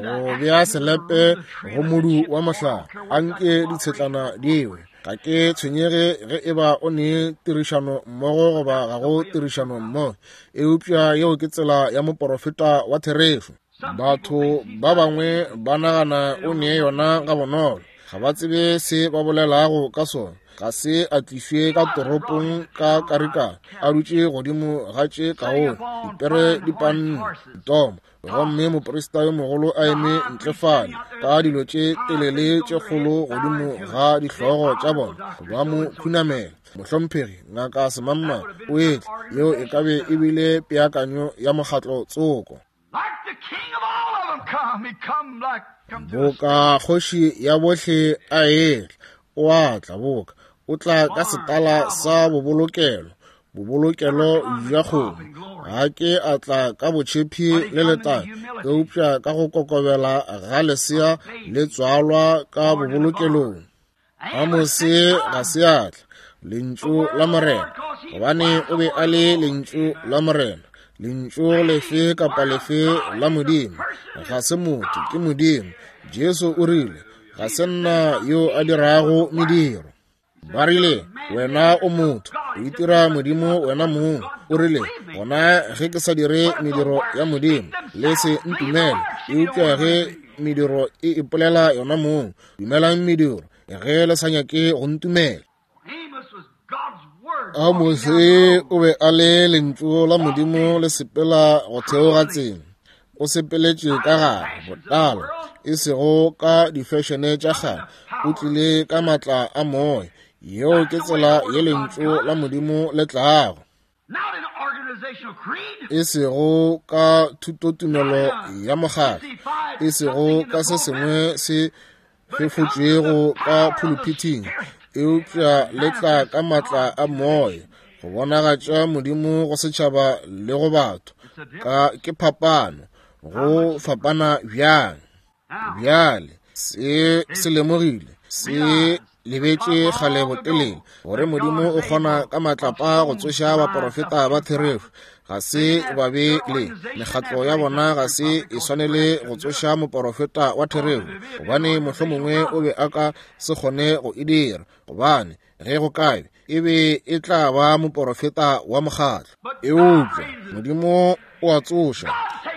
Go bea selepe go modu wa mohlare, a nke ditshetlana di we. Ga ke tshwenyege ge e ba o ne tirišano mmogo goba ga go tirišano mmogo, eupša yeo ke tsela ya moporofeta wa therešo. Batho ba bangwe ba nagana o ne yona gabonolo, ga ba tsebe se ba bolelago ka sona. Ga se a tlišwe ka toropong ka karikana, a dutše godimo ga tše kaone, dipere di panne, ditomo, gomme moprista yo mogolo a eme ntle fale ka dilo tše telele tše kgolo godimo ga dihlogo tša bona, ba mo khunamela. Mohlomphegi Ngaka Semangmang o etla, yeo e ka be e bile peakanyo ya mokgatlo tsoko. Boka kgoši ya bohle a etla, o a tla boka, o tla ka setala sa bobolokelo, bobolokelo bja kgomo. Ga ke a tla ka botšhephi le letang, eupša ka go kokobela ga lesea le tswalwa ka bobolokelong. Amose ga se a tla, Lentšu la Morena, gobane o be a le Lentšu la Morena. Lentšu lefe kapa lefe la Modimo ga se motho, ke Modimo. Jesu o rile, Ga se nna yo a dirago mediro. Ba rile, Wena o motho, o itira Modimo wena mong. O rile, Gona ge ke sa dire mediro ya Modimo, le se ntumele. Eupša ge mediro e ipolela yona mong, dumelang mediro, ge le sa nyake go ntumela. Amose o be a le lentšu la Modimo le sepela go theoga tsela. O sepeletše ka gare botala, e sego ka difešene tša kgale. O tlile ka maatla a moya. Yeo ke tsela ye lentšu la Modimo le tlago. E sego ka thutotumelo ya mokgatlo, e sego ka se sengwe se fefotšwego ka phuluphithing, eupša le tla ka maatla a moya go bonagatša Modimo go setšhaba le go batho. Ka ke phapano, go fapana bjang? Bjale se se lemogile, se lebetše kgale botelele gore Modimo o kgona ka matlapa go tsoša baporofeta ba therešo. Ga se ba be le mekgatlo ya bona, ga se e swanele go tsoša moporofeta wa therešo, gobane mohlomongwe o be a ka se kgone go e dira, gobane ge go ka be e be e tla ba moporofeta wa mokgatlo. Eupša Modimo o a tsoša,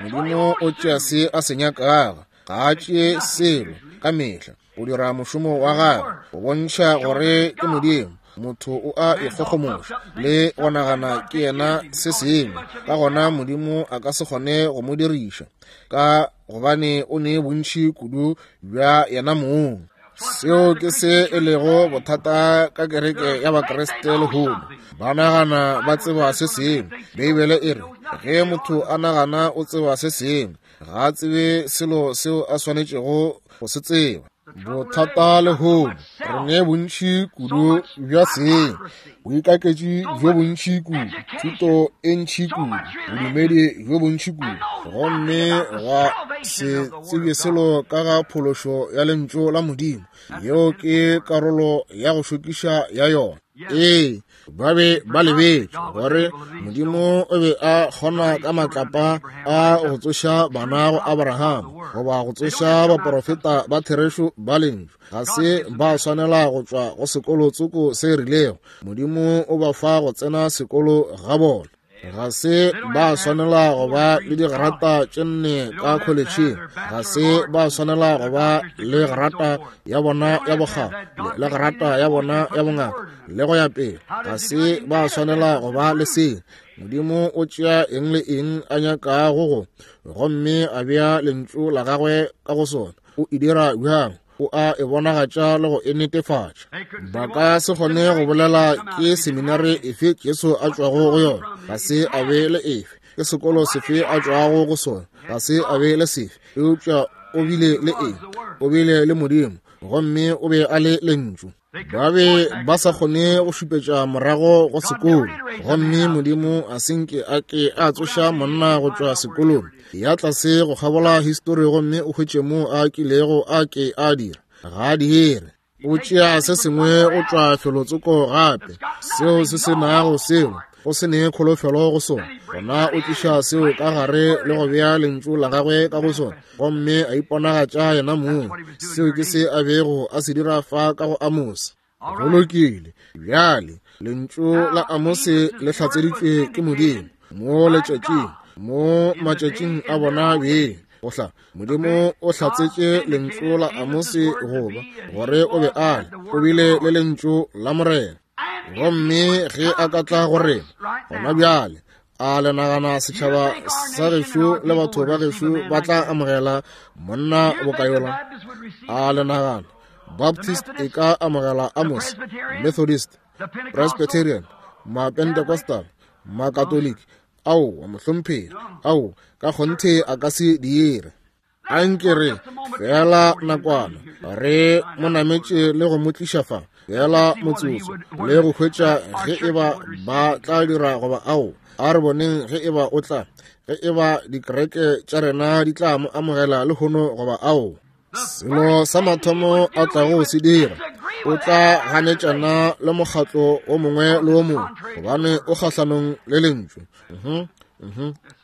Modimo o tšea se a se nyakago, ga a tšee selo ka mehla. O dira mošomo wa gagwe go bontšha gore ke Modimo. Motho o a ikgogomoša le go nagana ke yena se sengwe, ka gona Modimo a ka se kgone go mo diriša, ka gobane o ne bontši kudu bja yena mong. Seo ke se e lego bothata ka kereke ya Bakriste lehono. Ba nagana ba tseba se sengwe. Beibele e re, ge motho a nagana o tseba se sengwe, ga a tsebe selo seo a swanetšego go se tseba. Bothata lehono, re ne bontši kudu bja seng, boikaketši bjo bontši kudu, thuto e ntši kudu, bodumedi bjo bontši kudu, gomme ga se tsebje selo ka ga phološo ya Lentšu la Modimo. Yeo ke karolo ya go šokiša ya yona. Ee, ba be ba lebetše gore Modimo o be a kgona ka matlapa a go tsoša bana go Abraham, goba go tsoša baporofeta ba therešo ba Lentšu. Ga se ba swanela go tšwa go sekolo tsoko se rilego. Modimo o ba fa go tsena sekolo ga bona. Ga se ba swanela go ba le digrata tše nne ka kholetšheng. Ga se ba swanela go ba le grata ya bona ya bokgabo le grata ya bona ya bongaka le go ya pele. Ga se ba swanela go ba le seo. Modimo o tšea eng le eng a nyakago go, gomme a bea lentšu la gagwe ka go sona. O e dira bjang? O a e bonagatša le go e netefatša. Ba ka se kgone go bolela ke seminari efe Jesu a tšwago go yona, ga se a be le efe, ke sekolo sefe a tšwago go sona, ga se a be le sefe, eupša o bile le eng? O bile le Modimo, gomme o be a le Lentšu. Ba be ba sa kgone go šupetša morago go sekolo, gomme Modimo a se nke a ke a tsoša monna go tšwa sekolong ya tlase go kgabola histori gomme o hwetše mo a kilego a ke a dira. Ga a dire. O tšea se sengwe go tšwa felotsoko gape, seo se se nago selo. go se ne kholofelo go sona, gona o tliša seo ka gare le go bea lentšu la gagwe ka go sona, gomme a iponagatša yena mong. Seo ke se a bego a se dira fa ka go Amose. Go lokile. Bjale, lentšu la Amose le hlatseditšwe ke Modimo mo letšatšing, mo matšatšing a bona beng. Go hla, Modimo o hlatsetše lentšu la Amose goba gore o be a le, o bile le lentšu la Morena. Gomme ge a ka tla go rena gona bjale, a le nagana setšhaba sa gešo le batho ba gešo ba tla amogela monna bokayola? A le nagana Baptist e ka amogela Amos, Methodist, Presbyterian, Mapentecostal, Makatoliki? Aowa, mohlomphegi, ao ka kgonthe a ka se dire. A nke re feela nakwana re mo nametše le go mo tliša fa feela motsotso le go hwetša ge e ba ba tla dira goba ao. A re boneng ge e ba o tla, ge e ba dikereke tša rena di tla mo amogela lehono goba ao. Selo sa mathomo a tlago go se dira, o tla ganetšana le mokgatlo o mongwe le o mongwe, gobane o kgahlanong le lentšu.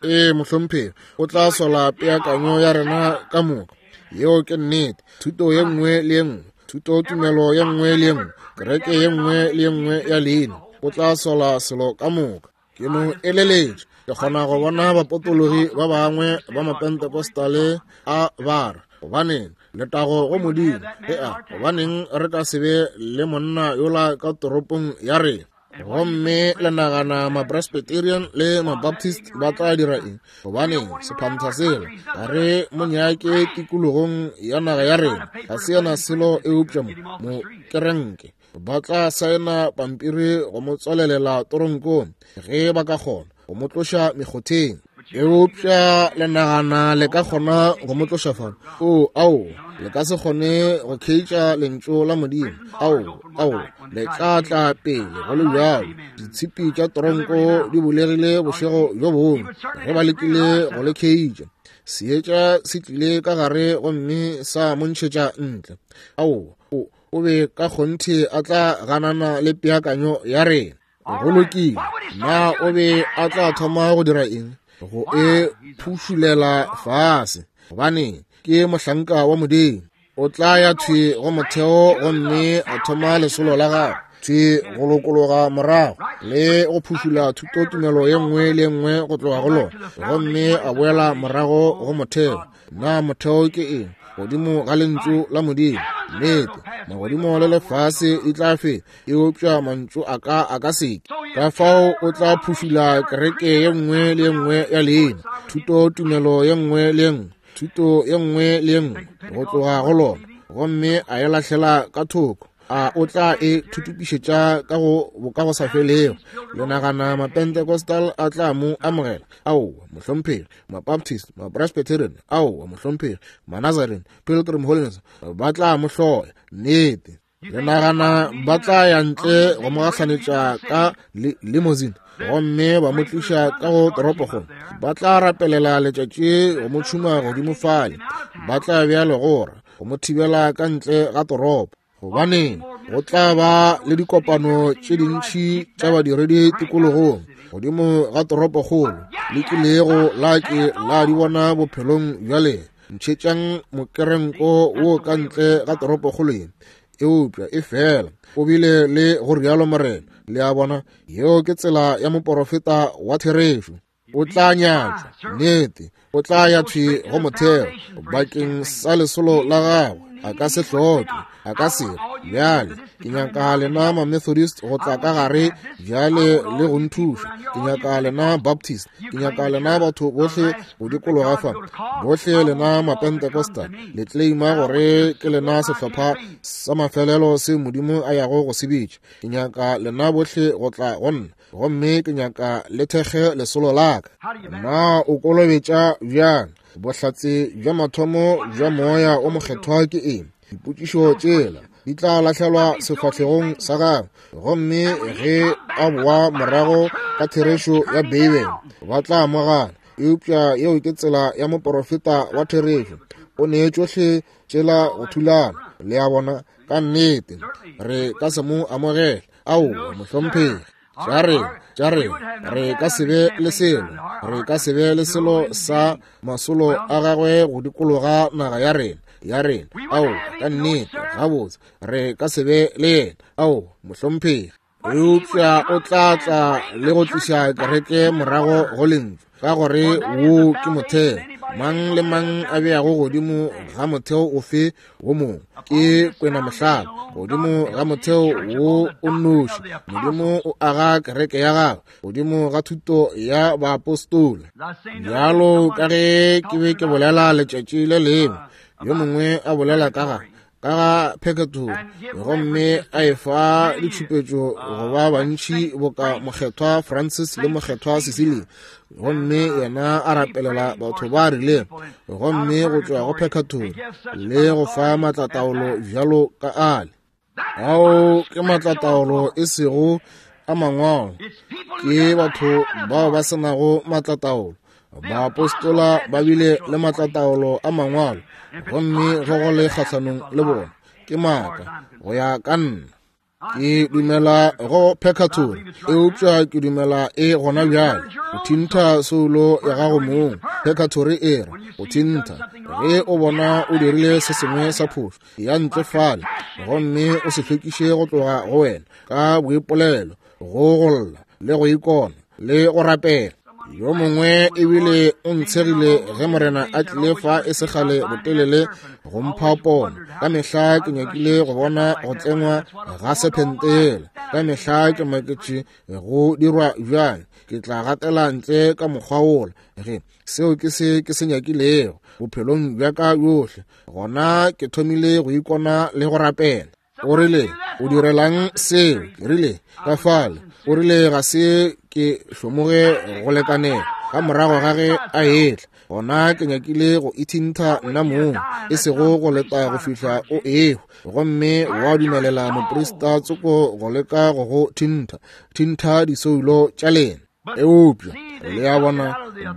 Ee, mohlomphegi, o tla sola peakanyo ya rena ka moka. Yeo ke nnete. Thuto ye nngwe le ye nngwe, thutotumelo ye nngwe le ye nngwe, kereke ye nngwe le ye nngwe ya leina, o tla sola selo ka moka. Ke no eleletša, ke kgona go bona bapotologi ba bangwe ba Mapentecostale a ba re, gobaneng, letago go Modimo, ea, gobaneng re ka se be le monna yola ka toropong ya rena? Gomme le nagana Mapresbyterian le Mabaptist ba tla dira eng? Gobaneng, sephantha sela ga re mo nyake tikologong ya naga ya rena. Ga se yena selo eupša mo, mo kerenke. Ba tla saena pampiri go mo tswalelela toronkong ge ba ka kgona go mo tloša mekgotheng. Eupša le nagana le ka kgona go mo tloša fano? O, ao, le ka se kgone go kheitša lentšu la Modimo. Ao, ao, le tla tla pele go le bjalo. Ditshipi tša toronko di bulegile bošego bjo bongwe ge ba lekile go le kheitša. Seetša se tlile ka gare gomme sa mo ntšhetša ntle. Ao, o, o be ka kgonthe a tla ganana le peakanyo ya rena. Go lokile. Na o be a tla thoma go dira eng? Go e phušulela fase. Gobane ke mohlanka wa Modimo. O tla ya thwi go motheo gomme a thoma lesolo la gagwe thwi go lokologa morago le go phušula thutotumelo ye nngwe le ye nngwe go tloga go lona, gomme a boela morago go motheo. Na motheo ke eng? Godimo ga lentšu la Modimo. Nnete, magodimo le lefase di tla feta, eupša mantšu a ka a ka seke. Ka fao o tla phušula kereke ye nngwe le ye nngwe ya leina, thuto tumelo ye nngwe le ye nngwe, thuto ye nngwe le ye nngwe go tloga go lona, gomme a e lahlela ka thoko. A o tla e thutupišetša ka go bokagosafelego? Le nagana Mapentecostal a tla mo amogela? Aowa, mohlomphegi. Mabaptist, Mapresbyterian, aowa, mohlomphegi, Manazarene, Pilgrim Holiness, ba tla mo hloya. Nnete. Le nagana ba tla ya ntle go mo gahlanetša ka limousine gomme ba mo tliša ka go toropokgolo? Ba tla rapelela letšatši go mo tšhuma godimo fale. Ba tla bea legora go mo thibela ka ntle ga toropo. Gobaneng, go tla ba le dikopano tše dintši tša badiredi tikologong godimo ga toropokgolo le kilego la ke la di bona bophelong bja lena. Ntšhetšang mokerenko wo ka ntle ga toropokgolo ye. Eupša e fela o bile le go rialo Morena. Le a bona, yeo ke tsela ya moporofeta wa therešo. O tla nyatšwa, nnete, o tla ya thwi go motheo bakeng sa lesolo la gagwe. A ka se hloke, a ka se re, Bjale, ke nyaka lena Mamethodist go tla ka gare bjale le go nthuša. Ke nyaka lena Baptist. Ke nyaka lena batho bohle go dikologa fa. Bohle lena Mapentecostal, le claima gore ke lena sehlopha sa mafelelo se Modimo a yago go se bitša. Ke nyaka lena bohle go tla go nna. Gomme ke nyaka le thekge lesolo la ka. Na o kolobetša bjang? Bohlatse bja mathomo bja Moya o Mokgethwa ke eng? Dipotšišo tšela di tla lahlelwa sefahlegong sa gagwe, gomme ge a boa morago ka therešo ya Beibele, ba tla mo gana. Eupša yeo ke tsela ya moporofeta wa therešo. O ne tšohle tšela go thulana. Le a bona? Ka nnete, re ka se mo amogele. Aowa, mohlomphegi. Tša rena, tša rena, re ka se be le selo, re ka se be le selo sa masolo a gagwe go dikologa naga ya rena, ya rena. Ao, ka nnete, gabotse, re ka se be le yena. Ao, mohlomphegi. Eupša o tla tla le go tliša kereke morago go Lentšu, ka gore wo ke motheo. Mang le mang a beago godimo ga motheo ofe wo mongwe ke kwena mohlala godimo ga motheo wo o nnoši. Modimo o aga kereke ya gagwe godimo ga thuto ya baapostola. Bjalo ka ge ke be ke bolela letšatši le lengwe, yo mongwe a bolela ka ga ka ga pheketoro, gomme a e fa ditšhupetšo go ba bantši boka Mokgethwa Francis le Mokgethwa Cecilia, gomme yena a rapelela batho ba rileng, gomme go tšwa go pheketoro le go fa maatlataolo bjalo ka ale. Ao ke maatlataolo e sego a mangwalo, ke batho bao ba se nago maatlataolo. Baapostola ba bile le maatlataolo a mangwalo, gomme ge go le kgahlanong le bona ke maaka go ya ka nna. Ke dumela go purgatory, eupša ke dumela e gona bjale. Go thintha soulo ya gago mong, purgatory e re go thintha. Ge o bona o dirile se sengwe sa phošo, ya ntle fale gomme o se hlwekiše go tloga go wena ka boipolelo, go golla le go ikona le go rapela. Yo mongwe ebile o ntshegile ge Morena a tlile fa e se kgale botelele go mpha pono. Ka mehla ke nyakile go bona go tlengwa ga sephentela. Ka mehla ke maketše go dirwa bjang. Ke tla gatela ntle ka mokgwa wola ge seo ke se ke se nyakilego bophelong bja ka bjohle. Gona ke thomile go ikona le go rapela. O rile, o direlang seo? Ke rile, ka fale. O rile, ga se ke hlomoge go lekanela. Ka morago ga ge a etla, gona ke nyakile go ithintha nna mong, e sego go leta go fihla o ehwa, gomme wa dumelela moprista tsoko go leka go go thintha, thintha disoulo tša lena. Eupša, le a bona,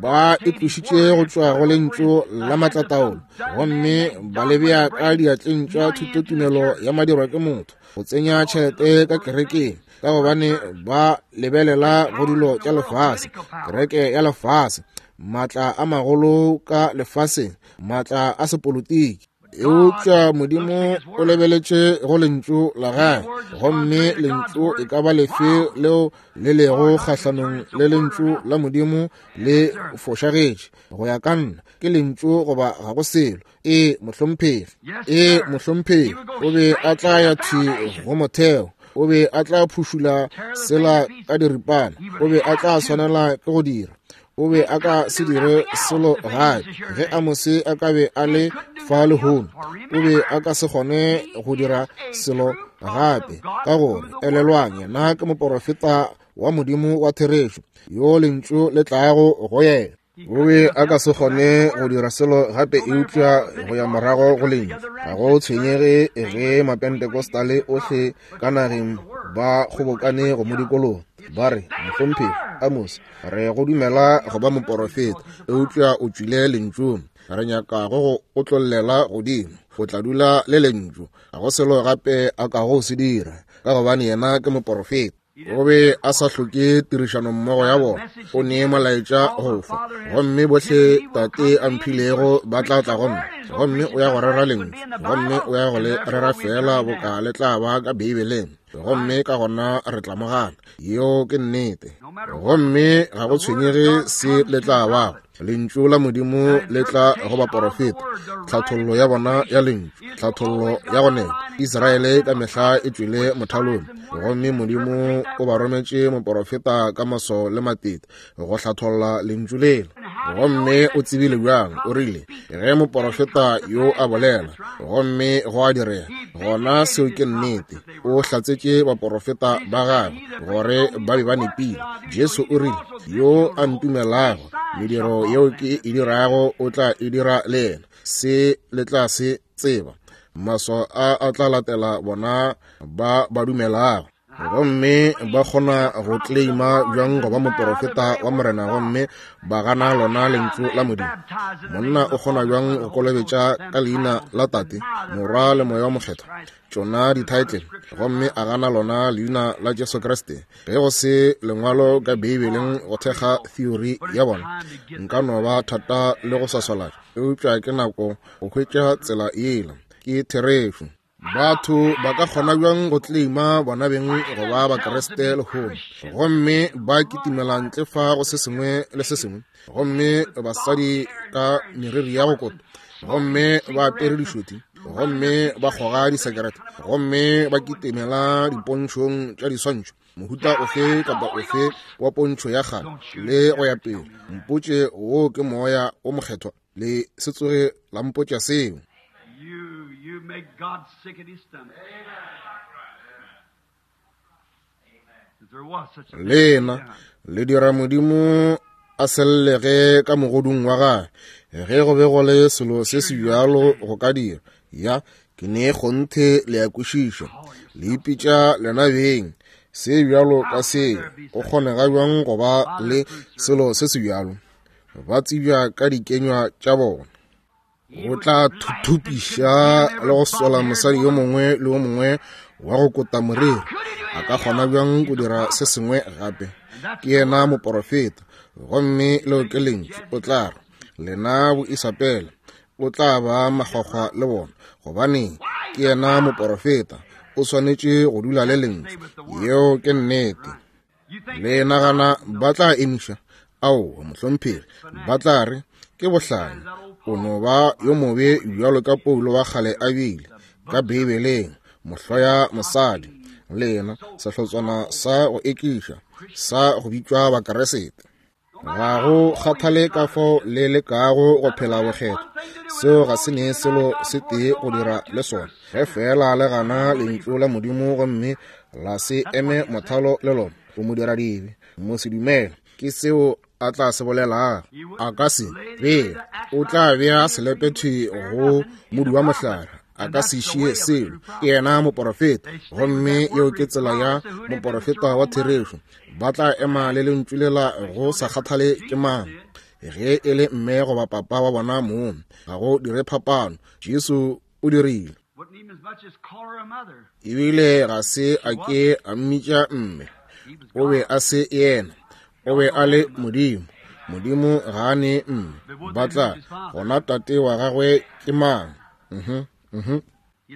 ba e tlošitše go tšwa go lentšu la maatlataolo, gomme ba le bea ka diatleng tša thutotumelo ya madirwa ke motho, go tsenya tšhelete ka kerekeng, ka gobane ba lebelela go dilo tša lefase, kereke ya lefase, maatla a magolo ka lefaseng, maatla a sepolotiki. Eupša Modimo o lebeletše go lentšu la gagwe, gomme lentšu e ka ba lefe leo le lego kgahlanong le lentšu la Modimo le fošagetše. Go ya ka nna, ke lentšu goba ga go selo. Ee, mohlomphegi. Ee, mohlomphegi. O be a tla ya thwi go motheo. O be a tla phušula sela ka diripana. O be a tla swanela ke go dira. O be a ka se dire selo gape. Ge Amose a ka be a le fa lehono, o be a ka se kgone go dira selo gape, ka gore elelwang, yena ke moporofeta wa Modimo wa therešo, yo lentšu le tlago go yena. O be a ka se kgone go dira selo gape eupša go ya morago go lentšu. Ga go tshwenyege ge Mapentecostale ohle ka nageng ba kgobokane go mo dikologa, ba re, Mohlomphegi Amose, re go dumela go ba moporofeta, eupša o tšwile lentšung. Re nyaka go go otlollela godimo. O tla dula le lentšu. Ga go selo gape a kago se dira, ka gobane yena ke moporofeta. O be a sa hloke tirišanommogo ya bona. O ne molaetša go fa, gomme bohle Tate a mphilego ba tla tla go nna. Gomme o ya go rera lentšu, gomme o ya go le rera feela boka le tla ba ka Beibeleng. Gomme ka gona re tla mo gana. Yeo ke nnete. Gomme ga go tshwenyege se le tla bago, lentšu la Modimo le tla go baporofeta, tlhathollo ya bona ya lentšu, tlhathollo ya go nepa. Israele ka mehla e tšwele mothalong, gomme Modimo o ba rometše moporofeta ka maswao le matete go hlatholla lentšu lela. Gomme o tsebile bjang? O rile, ge moporofeta yo a bolela, gomme go a direga, gona seo ke nnete. O hlatsetše baporofeta ba gagwe gore ba be ba nepile. Jesu o rile, yo a ntumelago, mediro yeo ke e dirago o tla e dira le yena. Se le tla se tseba. Maswao a a tla latela bona ba ba dumelago. Gomme ba kgona go kleima bjang go ba moporofeta wa Morena gomme ba gana lona Lentšu la Modimo? Monna o kgona bjang go kolobetša ka leina la Tate, Morwa le Moya wa Mokgethwa, tšona dithaetlele, gomme a gana lona leina la Jesu Kriste? Ge go se lengwalo ka Beibeleng go thekga theory ya bona, nka no ba thata le go swaswalatša, eupša ke nako go hwetša tsela yela. Ke therešo. Batho ba ka kgona bjang go kleima bona beng go ba Bakriste lehono, gomme ba kitimela ntle fa go se sengwe le se sengwe, gomme basadi ka meriri ya go kota, gomme ba apere dišoti, gomme ba kgoga disekerete, gomme ba kitimela dipontšhong tša diswantšho, mohuta ofe kapa ofe wa pontšho ya kgale, le go ya pele. Mpotše wo ke Moya wo Mokgethwa. Le se tsoge la mpotša seo. Lena le dira Modimo a sellege ka mogodung wa gage. Ge go be go le selo se se bjalo go ka dira, ya ke ne kgonthe le a kwešiša. Le ipitša lena beng se bjalo ka seo. Go kgonega bjang go ba le selo se se bjalo? Ba tsebja ka dikenywa tša bona. O tla thuthupiša le go sola mosadi yo mongwe le yo mongwe wa go kota moriri. A ka kgona bjang go dira se sengwe gape? Ke yena moporofeta, gomme leo ke lentšu. O tla re, Lena boIsabela, o tla ba makgwakgwa le bona. Gobaneng? Ke yena moporofeta, o swanetše go dula le lentšu. Yeo ke nnete. Le nagana ba tla emiša? Aowa, mohlomphegi. Ba tla re, Ke bohlanya. O no ba yo mobe bjalo ka Paulo wa kgale a bile, ka Beibeleng, mohloya mosadi. Lena, sehlotswana sa go ekiša, sa go bitšwa Bakeresete. Ga go kgathale ka fao le lekago go phela bokgethwa, seo ga se ne selo se tee go dira le sona. Ge feela le gana Lentšu la Modimo gomme la se eme mothalo le lona, o modiradibe, mosedumele. Ke seo a tla se bolelago. A ka se bee, o tla bea selepe thwi go modu wa mohlare. A ka se šie selo. Ke yena moporofeta, gomme yeo ke tsela ya moporofeta wa therešo. Ba tla ema le lentšu lela go sa kgathale ke mang, ge e le mme goba papa wa bona mong, ga go dire phapano. Jesu o dirile. Ebile ga se a ke a mmitša mme. O be a se yena. O be a le Modimo. Modimo ga a ne mme. Ba tla, gona tate wa gagwe ke mang?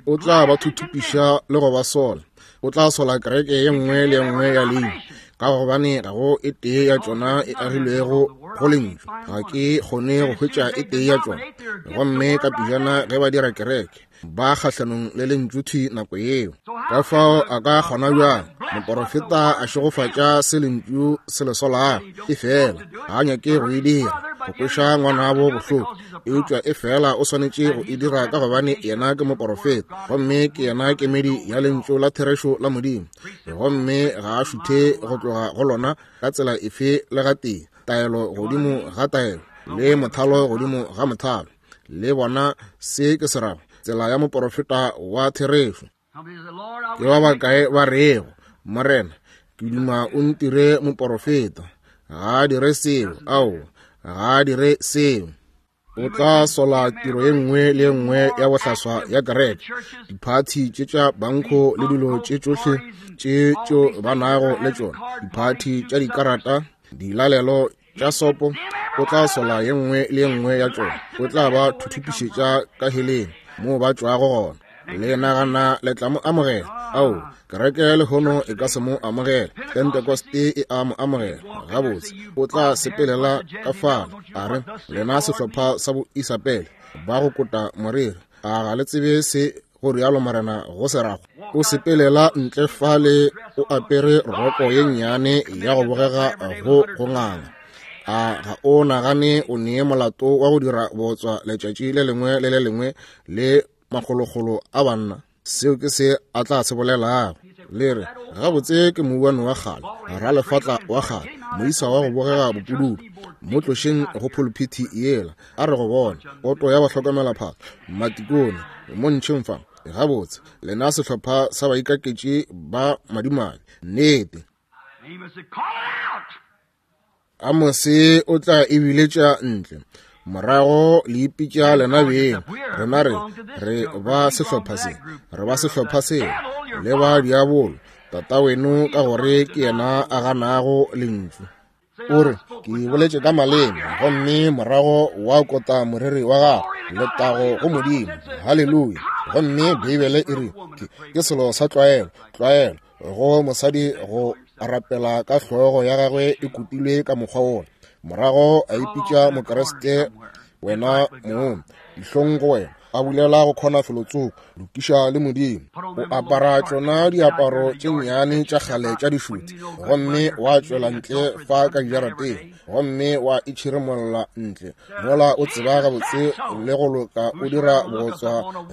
O tla ba thuthupiša le go ba sola. O tla sola kereke ye nngwe le ye nngwe ya leina, ka gobane ga go e tee ya tšona e agilwego go lentšu. Ga ke kgone go hwetša e tee ya tšona. Gomme ka pejana ge ba dira kereke, ba kgahlanong le lentšu thwi nako yeo. Ka fao a ka kgona bjang moporofeta a šegofatša se lentšu se le solago? Efela ga a nyake go e dira, go kweša ngwanabo bohloko, eupša efela o swanetše go e dira ka gobane yena ke moporofeta, gomme ke yena kemedi ya lentšu la therešo la Modimo, gomme ga a šuthe go tloga go lona ka tsela efe le gatee, taelo godimo ga taelo le mothalo godimo ga mothalo. Le bona se ke se rago, tsela ya moporofeta wa therešo. Ke ba bakae ba rego, Morena, ke duma o ntire moporofeta. Ga a dire seo. Aowa, ga a dire seo. O tla sola tiro ye nngwe le ye nngwe ya bohlaswa ya kereke, diphathi tše tša bankho le dilo tše tšohle tše tšeo ba nago le tšona, diphathi tša dikarata, dilalelo tša sopo. O tla sola ye nngwe le ye nngwe ya tšona. O tla ba thuthupišetša ka heleng moo ba tšwago gona. Le nagana le tla mo amogela? Ao, kereke lehono e ka se mo amogele. Pentekoste e a mo amogela. Gabotse, o tla sepelela ka fale, a re, Lena sehlopha sa boisapele ba go kota moriri, a ga le tsebe se go rialo Morena go se rago? O sepelela ntle fale o apere roko ye nnyane ya go bogega go go nganga. A ga o nagane o nee molato wa go dira bootswa letšatši le lengwe le le lengwe le makgolokgolo a banna? Seo ke se a tla se bolelago. Le re, Gabotse ke mouwane wa kgale, ralefatla wa kgale, moisa wa go bogega bopududu. Mo tlošeng go phuluphithi yela, a re go bona, poto ya bahlokomelaphahlo, matikone, mo ntšheng fa. Gabotse, lena sehlopha sa baikaketši ba madimabe. Nnete. Amose o tla e biletša ntle. Morago le ipitša lena beng. Rena re, re ba sehlopha se, re ba sehlopha seo, le ba diabolo, tata weno ka gore ke yena a ganago lentšu. O re, ke boletše ka maleme, gomme morago wa kota moriri wa gago. Letago go Modimo. Haleluya. Gomme Beibele e re, ke selo sa tlwaelo, tlwaelo, go mosadi go rapela ka hlogo ya gagwe e kutilwe ka mokgwa wola. Morago a ipitša Mokriste, wena mong, dihlong go wena, a bulela go kgona felotsoko, lokiša le Modimo. O apara tšona diaparo tše nnyane tša kgale tša dišuti, gomme wa tšwela ntle fa ka dijarateng, gomme wa itšhiremolla ntle mola o tseba gabotse le go loka o dira bootswa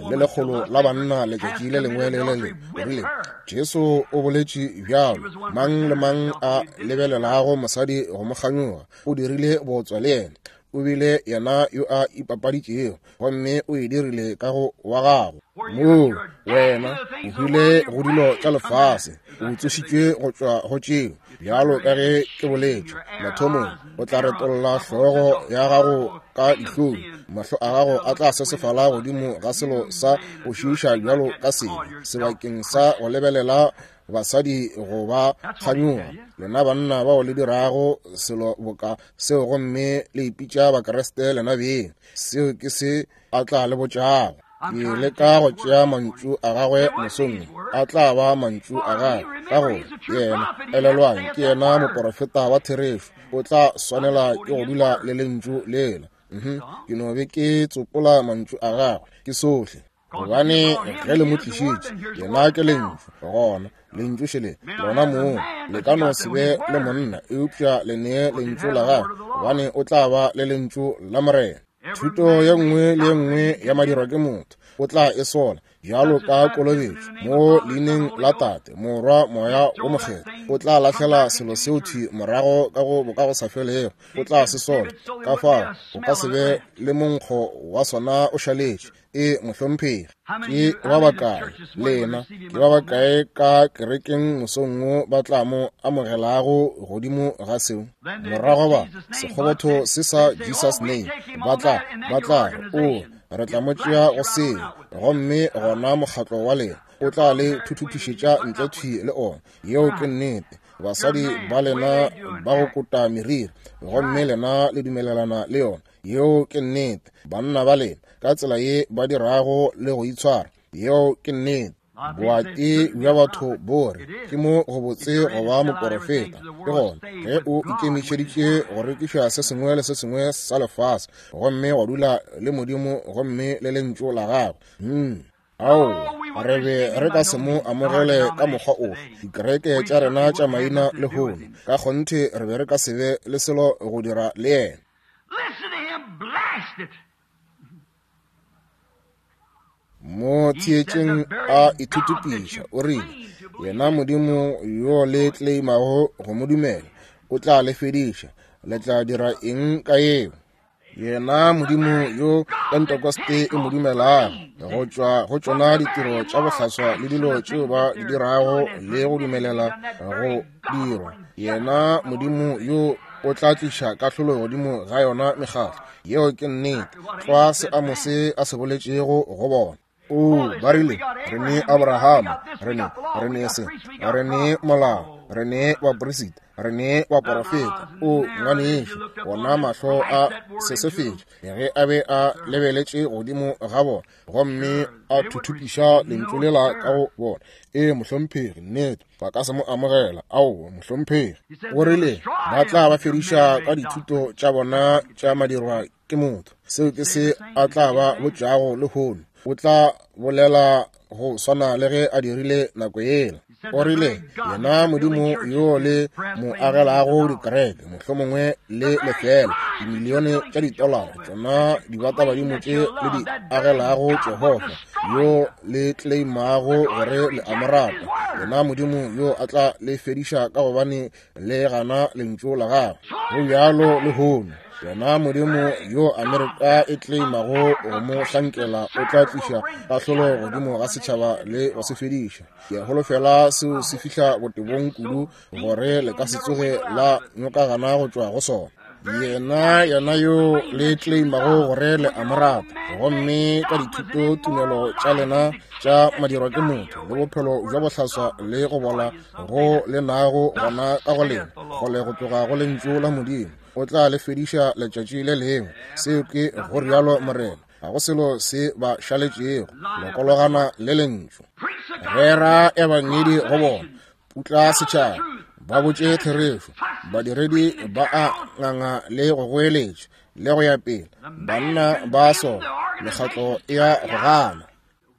le lekgolo la banna letšatši le lengwe le le lengwe. O rile, Jesu o boletše bjalo, mang le mang a lebelelago mosadi go mo kganyoga o dirile bootswa le yena. O bile yena yo a ipapaditšego, gomme o e dirile ka go wa gago. Moo wena o hwile go dilo tša lefase, o tsošitšwe go tšwa go tšeo, bjalo ka ge ke boletše mathomong. O tla retolla hlogo ya gago ka dihlong, mahlo a gago a tla sesefala godimo ga selo sa go šiiša bjalo ka sebe, sebakeng sa go lebelela basadi go ba kganyoga. Lena banna bao le dirago selo boka seo gomme le ipitša Bakriste lena beng, seo ke se a tla le botšago. Ke leka go tšea mantšu a gagwe mosong, a tla ba mantšu a gagwe, ka gore yena, elelwang, ke yena moporofeta wa therešo, o tla swanela ke go dula le lentšu lela. Ke no be ke tsopola mantšu a gagwe, ke sohle. Gobane ge le mo tlišitše, yena ke lentšu, gona lentšu šele lona moo. Le ka no se be le monna, eupša le nee lentšu la gagwe, gobane o tla ba le lentšu la Morena. Thuto ye nngwe le ye nngwe ya madirwa ke motho o tla e sola, bjalo ka kolobetšo mo leineng la Tate, Morwa, Moya wo Mokgethwa. O tla lahlela selo seo thwi morago ka go bokagosafelego, o tla se sola. Ka fao o ka se be le monkgo wa sona o šaletše. E mohlomphegi, ke ba bakae lena, ke ba bakae ka kerekeng mosong wo ba tla mo amogelago godimo ga seo? Morago ba sekgobotho se sa Jesus name, ba tla o re tla mo tšea go seo, gomme gona mokgatlo wa lena o tla le thuthupišetša ntle thwi le ona. Yeo ke nnete. Basadi ba lena ba go kota meriri, gomme lena le dumelelana le yona. Yeo ke nnete. Banna ba lena ka tsela ye ba dirago le go itshwara. Yeo ke nnete. Boati bja batho bo re ke mo go botse go ba moporofeta. Ke gona ge o ikemišeditše go rekiša se sengwe le se sengwe sa lefase, gomme wa dula le Modimo gomme le lentšu la gagwe. Aowa, re be re ka se mo amogele ka mokgwa ofe. Dikereke tša rena tša maina lehono, ka kgonthe re be re ka se be le selo go dira le yena. Mo theetšeng a ithutupiša, o rile, yena Modimo yo le tleimago go mo dumela, o tla le fediša. Le tla dira eng ka yeo? Yena Modimo yo Pentekoste e mo dumelago, go tšwa go tšona ditiro tša bohlaswa le dilo tšeo ba di dirago le go dumelela go dirwa, yena Modimo yo o tla tliša kahlolo godimo ga yona mekgatlo. Yeo ke nnete, tlwa se Amose a se boletšego go bona. O, ba rile, re ne Abrahama, re ne se, re ne molao, re ne baperisita, re ne baporofeta. O, ngwanešu, ona mahlo a sesefetše ge a be a lebeletše godimo ga bona, gomme a thuthupiša lentšu lela ka go bona. E, mohlomphegi, nnete, ba ka se mo amogela. Aowa, mohlomphegi. O rile ba tla ba fediša ka dithuto tša bona tša madirwa ke motho. Seo ke se a tla ba botšago lehono. O tla bolela go swana le ge a dirile nako yela. O rile, yena Modimo yo le mo agelago dikereke, mohlomongwe le lefela dimilione tša ditolara, tšona dibatabadimo tše le di agelago Jehofa, yo le tleimago gore le a mo rata, yena Modimo yo a tla le fediša ka gobane le gana lentšu la gagwe. Go bjalo lehono. Yena Modimo yo Amerika e tleimago go mo hlankela o tla tliša kahlolo godimo ga setšhaba le go se fediša. Ke a holofela seo se fihla botebong kudu gore le ka se tsoge la nyokagana go tšwa go sona. Yena, yena yo le tleimago gore le a mo rata, gomme ka dithuto tumelo tša lena tša madirwa ke motho le bophelo bja bohlaswa le go bola go le nago gona ka go lena, kgole go tloga go lentšu la Modimo, o tla le fediša letšatši le lengwe. Seo ke go rialo Morena. Ga go selo se ba šaletšego, lokologana le lentšu. Rera ebangedi go bona, putla setšhaba, ba botše therešo. Badiredi ba a nganga le go goeletša le go ya pele, banna ba sola, mekgatlo e a go gana.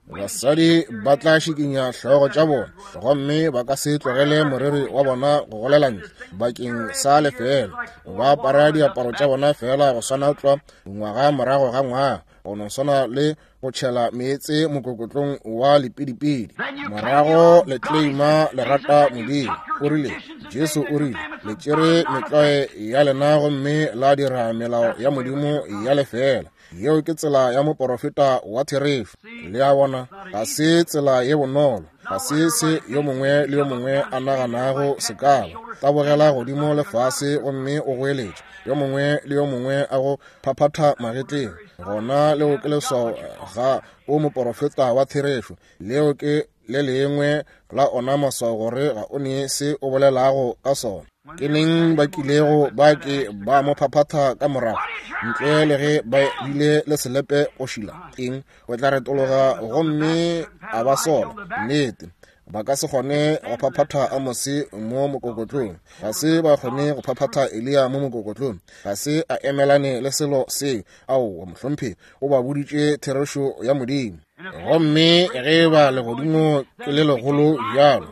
Basadi ba tla šikinya hlogo tša bona gomme ba ka se tlogele moriri wa bona go golela ntle bakeng sa lefeela. Ba apara diaparo tša bona feela go swana tlwa ngwaga morago ga ngwaga, go no swana le go tšhela meetse mokokotlong wa lepidipidi. Morago le kleima le rata Modimo. O rile, Jesu o rile, le tšere metlwae ya lena gomme la dira melao ya Modimo ya lefeela. Yeo ke tsela ya moporofeta wa therešo. Le a bona, ga se tsela ye bonolo, ga se se yo mongwe le yo mongwe a naganago se ka ba. Tabogela godimo le fase gomme o goeletše, yo mongwe le yo mongwe a go phaphatha magetleng. Gona leo ke leswao ga o moporofeta wa therešo. Leo ke le lengwe la ona maswao gore ga o ne se o bolelago ka sona. Ke neng ba kilego ba ke ba mo phaphatha ka morago, ntle le ge ba bile le selepe go šila? Eng? O tla retologa gomme a ba sola. Nnete, ba ka se kgone go phaphatha Amose mo mokokotlong. Ga se ba kgone go phaphatha Eliya mo mokokotlong. Ga se a emelane le selo seo. Aowa, mohlomphegi, o ba boditše therešo ya Modimo. Gomme ge ba legodimo ke le legolo bjalo,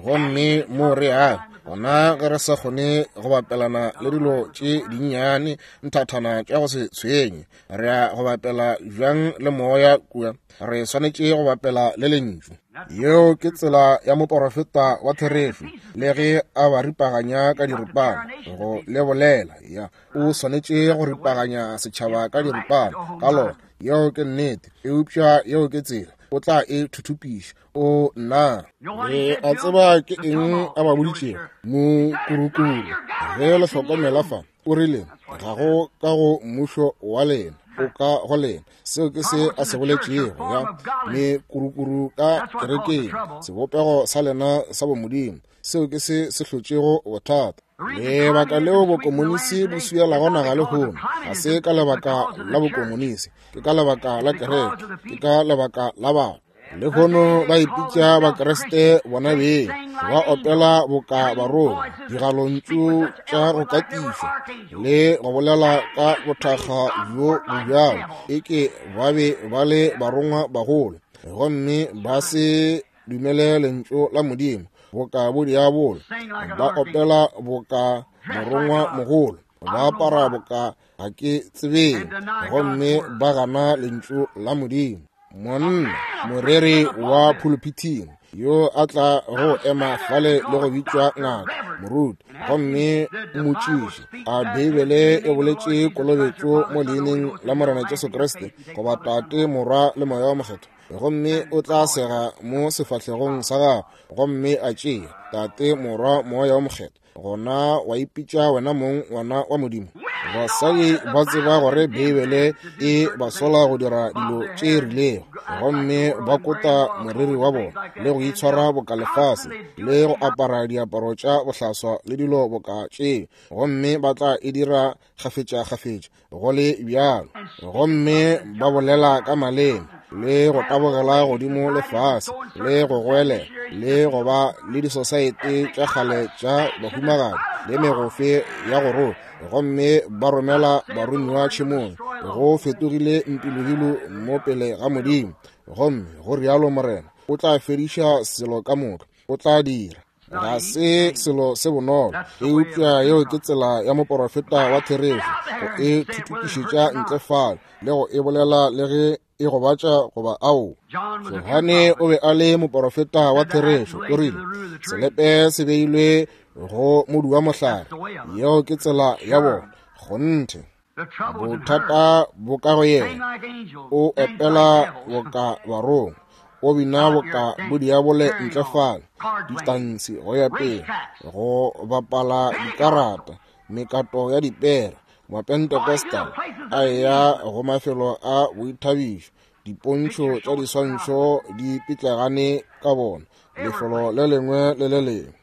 gomme mo re yago, gona ge re sa kgone go bapelana le dilo tše dinnyane nthathana tša go se tshwenye, re ya go bapela bjang le moya kua? Re swanetše go bapela le lentšu. Yeo ke tsela ya moporofeta wa therešo, le ge a ba ripaganya ka diripana go le bolela. Ya, o swanetše go ripaganya setšhaba ka diripana ka lona. Yeo ke nnete, eupša yeo ke tsela o tla e thuthupiša. O nna le a tseba ke eng a ba boditšego mokurukuru ge le hlokomela fa. O rile, ga go ka go mmušo wa lena, o ka go lena. Seo ke se a se boletšego, ya mekurukuru ka kerekeng, sebopego sa lena sa bomodimo. Seo ke se se hlotšego bothata. Lebaka leo bokomonisi bo swielago naga lehono ga se ka lebaka la bokomonisi, ke ka lebaka la kereke, ke ka lebaka la batho. Lehono ba ipitša Bakriste bona beng, ba opela boka barongwa, digalontšu tša go katišwa le go bolela ka bothakga bjo bo bjalo, eke ba be ba le barongwa bagolo, gomme ba se dumele lentšu la Modimo boka bo diabolo. Ba opela boka morongwa mogolo, ba apara boka ga ke tsebeng, gomme ba gana lentšu la Modimo. Monna moreri wa pulpiting yo a tla go ema fale le go bitšwa ngaka moruti, gomme mmotšiše, a Beibele e boletše kolobetšo mo leineng la Morena Jesu Kriste, goba Tate, Morwa le Moya wa Mokgethwa? Gomme o tla sega mo sefahlegong sa gago gomme a tšea Tate, Morwa, Moya wa Mokgethwa. Gona wa ipitša wena mong ngwana wa Modimo. Basadi ba tseba gore Beibele e ba sola go dira dilo tše rilego, gomme ba kota moriri wa bona le go itshwara boka lefase le go apara diaparo tša bohlaswa le dilo boka tše, gomme ba tla e dira kgafetša-kgafetša go le bjalo, gomme ba bolela ka maleme le go tabogela godimo le fase le go goelela le go ba le disosaete tša kgale tša bahumagadi le megofe ya go rola, gomme ba romela baromiwa tšhemong. Go fetogile mpilohilu mo pele ga Modimo, gomme go rialo Morena, o tla fediša selo ka moka, o tla dira. Ga se selo se bonolo, eupša yeo ke tsela ya moporofeta wa therešo, go e thuthupišetša ntle fale le go e bolela le ge e gobatša goba ao. Johane o be a le moporofeta wa therešo, o rile, selepe se beilwe go modu wa mohlare. Yeo ke tsela ya bona, kgonthe. Bothata bo ka go yena, o opela boka barongwa, o bina boka bodiabole ntle fale, ditansi go ya pele, go bapala dikarata, mekato ya dipere, Mapentecostal a eya go mafelo a boithabišo, dipontšho tša diswantšho di pitlegane ka bona, lefelo le lengwe le le lengwe.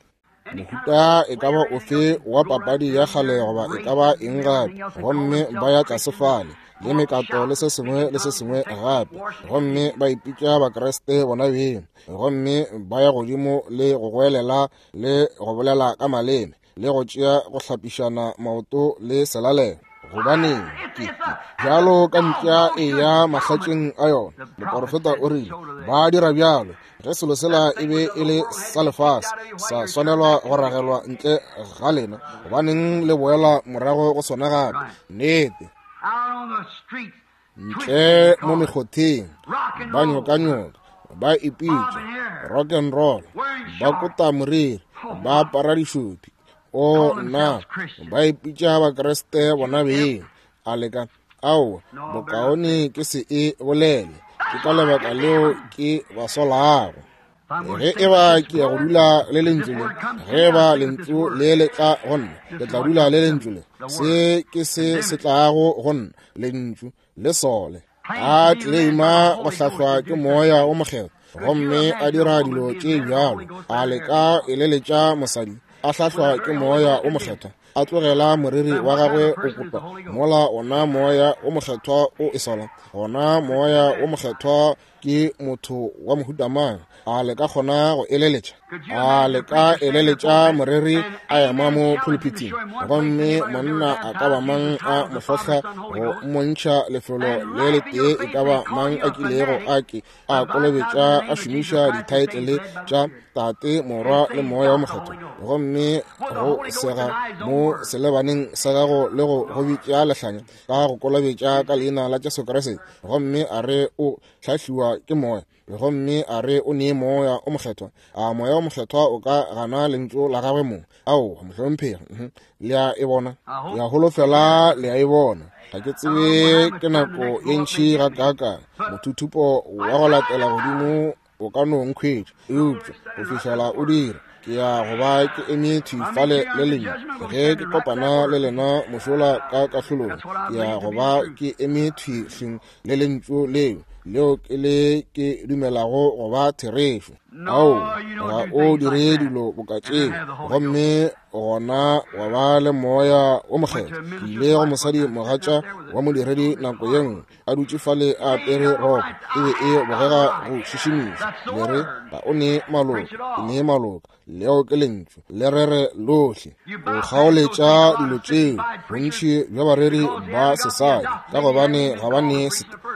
Mohuta e ka ba ofe wa papadi ya kgale goba e ka ba eng gape, gomme ba ya tlase fale le mekato le se sengwe le se sengwe gape, gomme ba ipitša Bakriste bona beng, gomme ba ya godimo le go goelela le go bolela ka maleme le go tšea go hlapišana maoto le selalelo. Gobaneng ke bjalo ka mpša e ya mahlatšeng a yona. Moporofeta o rile ba dira bjalo. Ge selo sela e be e le sa lefase, sa swanelwa go ragelwa ntle ga lena, gobaneng le boela morago go sona gape? Nnete. Ntle mo mekgotheng ba nyokanyoka, ba ipitša rock and roll, ba kota moriri, ba apara dišopi. O nna, ba ipitša Bakriste bona beng. A leka aowa, bokaone ke se e bolele. Ke ka lebaka leo ke ba solago. Ge e ba ke ya go dula le lentšu le, ge e ba lentšu le le tla go nna, ke tla dula le lentšu le. Se ke se se tlago go nna, lentšu le sole. A tleleima go hlahlwa ke Moya o Mokgethwa, gomme a dira dilo tše bjalo. A leka eleletša mosadi a hlahlwa ke Moya o Mokgethwa, a tlogela moriri wa gagwe o kotwa, mola ona Moya o Mokgethwa o e sola. Gona Moya o Mokgethwa ke motho wa mohuta mang? A le ka kgona go eleletša? A le ka eleletša moreri a ema mo pulpiting, gomme monna a ka ba mang a mo hlohla go mmontšha lefelo le letee e ka ba mang a kilego a ke a kolobetša a šomiša dithaetlele tša Tate, Morwa le Moya wa Mokgethwa, gomme go sega mo selebaneng sa gago le go go bitša lehlanya ka go kolobetša ka leina la Jesu Kriste, gomme a re o hlahliwa ke Moya, gomme a re o nee Moya o Mokgethwa? A Moya o Mokgethwa o ka gana lentšu la gagwe mong? Aowa, mohlomphegi. Le a e bona? Ke a holofela le a e bona. Ga ke tsebe ke nako ye ntši gakaakang mothuthupo wa go latela godimo o ka no nkhwetša, eupša go fihlela o dira, ke ya go ba ke eme thwi fale le lena. Ge ke kopana le lena mošola ka kahlolong, ke ya go ba ke eme thwi hleng le lentšu leo, leo ke le ke dumelago go ba therešo. Ao, ga o dire dilo boka tšeo, gomme gona wa ba le Moya wo Mokgethwa. Ke ile go mosadi mogatša wa modiredi nako ye nngwe, a dutše fale a apere roko, e be e bogega go šišimiša. Le re ga o ne maloka, ke ne maloka. Leo ke lentšu, le rere lohle. O kgaoletša dilo tšeo bontši bja bareri ba sesadi, ka gobane ga ba ne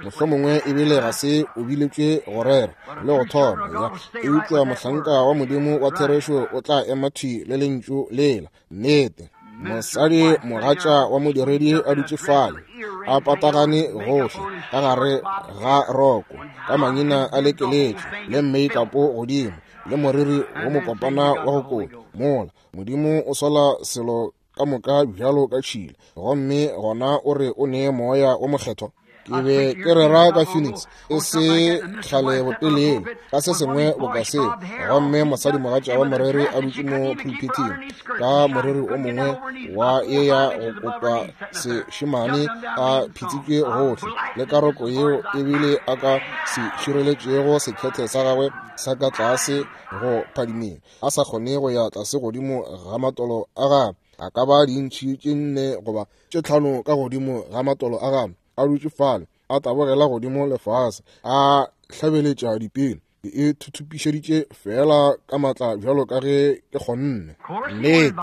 mohlomongwe ebile ga se o biletšwe go rera le go thoma ya. Eupša mohlanka wa Modimo wa therešo o tla ema thwi le lentšu lela. Nnete. Mosadi mogatša wa modiredi a dutše fale a patagane gohle ka gare ga roko, ka mangina a lekeletše le mmeikapo godimo le moriri wo mokopana wa go kota, mola Modimo o sola selo ka moka bjalo ka tšhila, gomme gona o re o nee Moya wo Mokgethwa. Ke be ke rera ka Phoenix e se kgale botelele ka se sengwe boka seo, gomme mosadi mogatša wa moreri a dutše mo pulpiting ka moreri o mongwe wa ye ya go kotwa sešemane a phitsitšwe gohle le karoko yeo ebile a ka se šireletšego sekhethe sa gagwe sa ka tlase go phadimeng, a sa kgone go ya tlase godimo ga matolo a gagwe, a ka ba dintšhi tše 4 goba tše 5 ka godimo ga matolo a gagwe, a dutše fale a tabogela godimo lefase, a hlabeletša dipele. Ke e thuthupišeditše feela ka maatla bjalo ka ge ke kgonne. Nnete,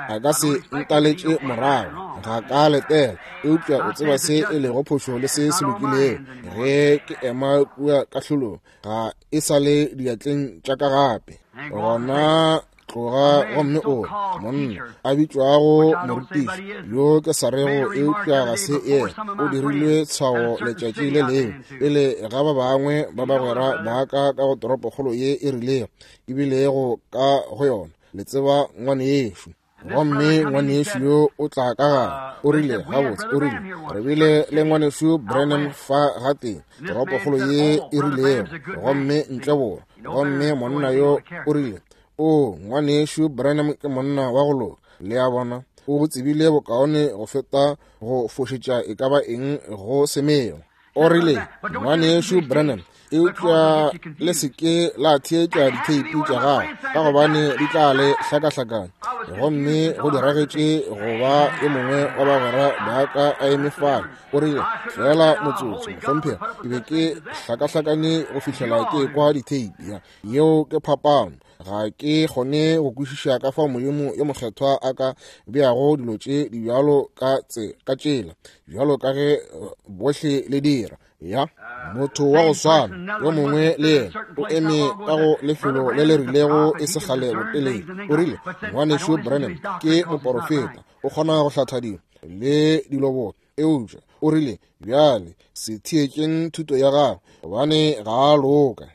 a ka se ntaletše morago, ga ka letela, eupša o tseba se e lego phošo le se se lokilego. Ge ke ema kua kahlolong, ga e sa le diatleng tša ka gape. Gona tloga gomme o monna a bitšwago morutiši yo ke sa rego eupša ga se yena, o dirilwe tshwao letšatši le lengwe pele ga ba bangwe ba bagwera ba ka ka go toropokgolo ye e rilego ebilego ka go yona. Le tseba ngwanešu. Gomme ngwanešu yo o tla ka gare, o rile, gabotse, o rile, re bile le ngwanešu Branham fa gatee, toropokgolo ye e rilego, gomme ntle borwa. Gomme monna yo o rile, o, ngwanešu Branham ke monna wa go loka. Le a bona, o tsebile bokaone go feta go fošetša e ka ba eng go semelo. O rile, ngwanešu Branham, eupša le se ke la theetša ditheipi tša gagwe, ka gobane di tla le hlakahlakanya. Gomme go diragetše go ba yo mongwe wa bagwera ba ka a eme fale. O rile, feela motsotso, mohlomphegi, ke be ke hlakahlakane go fihlela ke ekwa ditheipi. Yeo ke phapano. Ga ke kgone go kwešiša ka fao Modimo yo mokgethwa a ka beago dilo tše di bjalo ka tšela, bjalo ka ge bohle le dira. Ya motho wa go swana yo mongwe le yena o eme ka go lefelo le le rilego e se kgale botelele. O rile, ngwanešu Branham ke moporofeta, o kgona go hlatha dilo le dilo boka. Eupša o rile, bjale se theetšeng thuto ya gagwe, gobane ga a loka.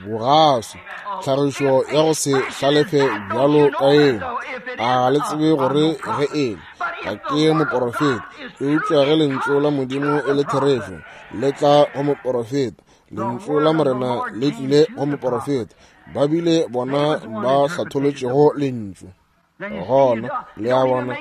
Bogaswi, tlhagišo ya go se hlalefe bjalo ka eo, a le tsebe gore ge e le ga ke moporofeta, eupša ge lentšu la Modimo e le therešo, le tla go moporofeta. Lentšu la Morena le tlile go moporofeta. Ba bile bona ba hlatholotšego lentšu. Gona le a bona,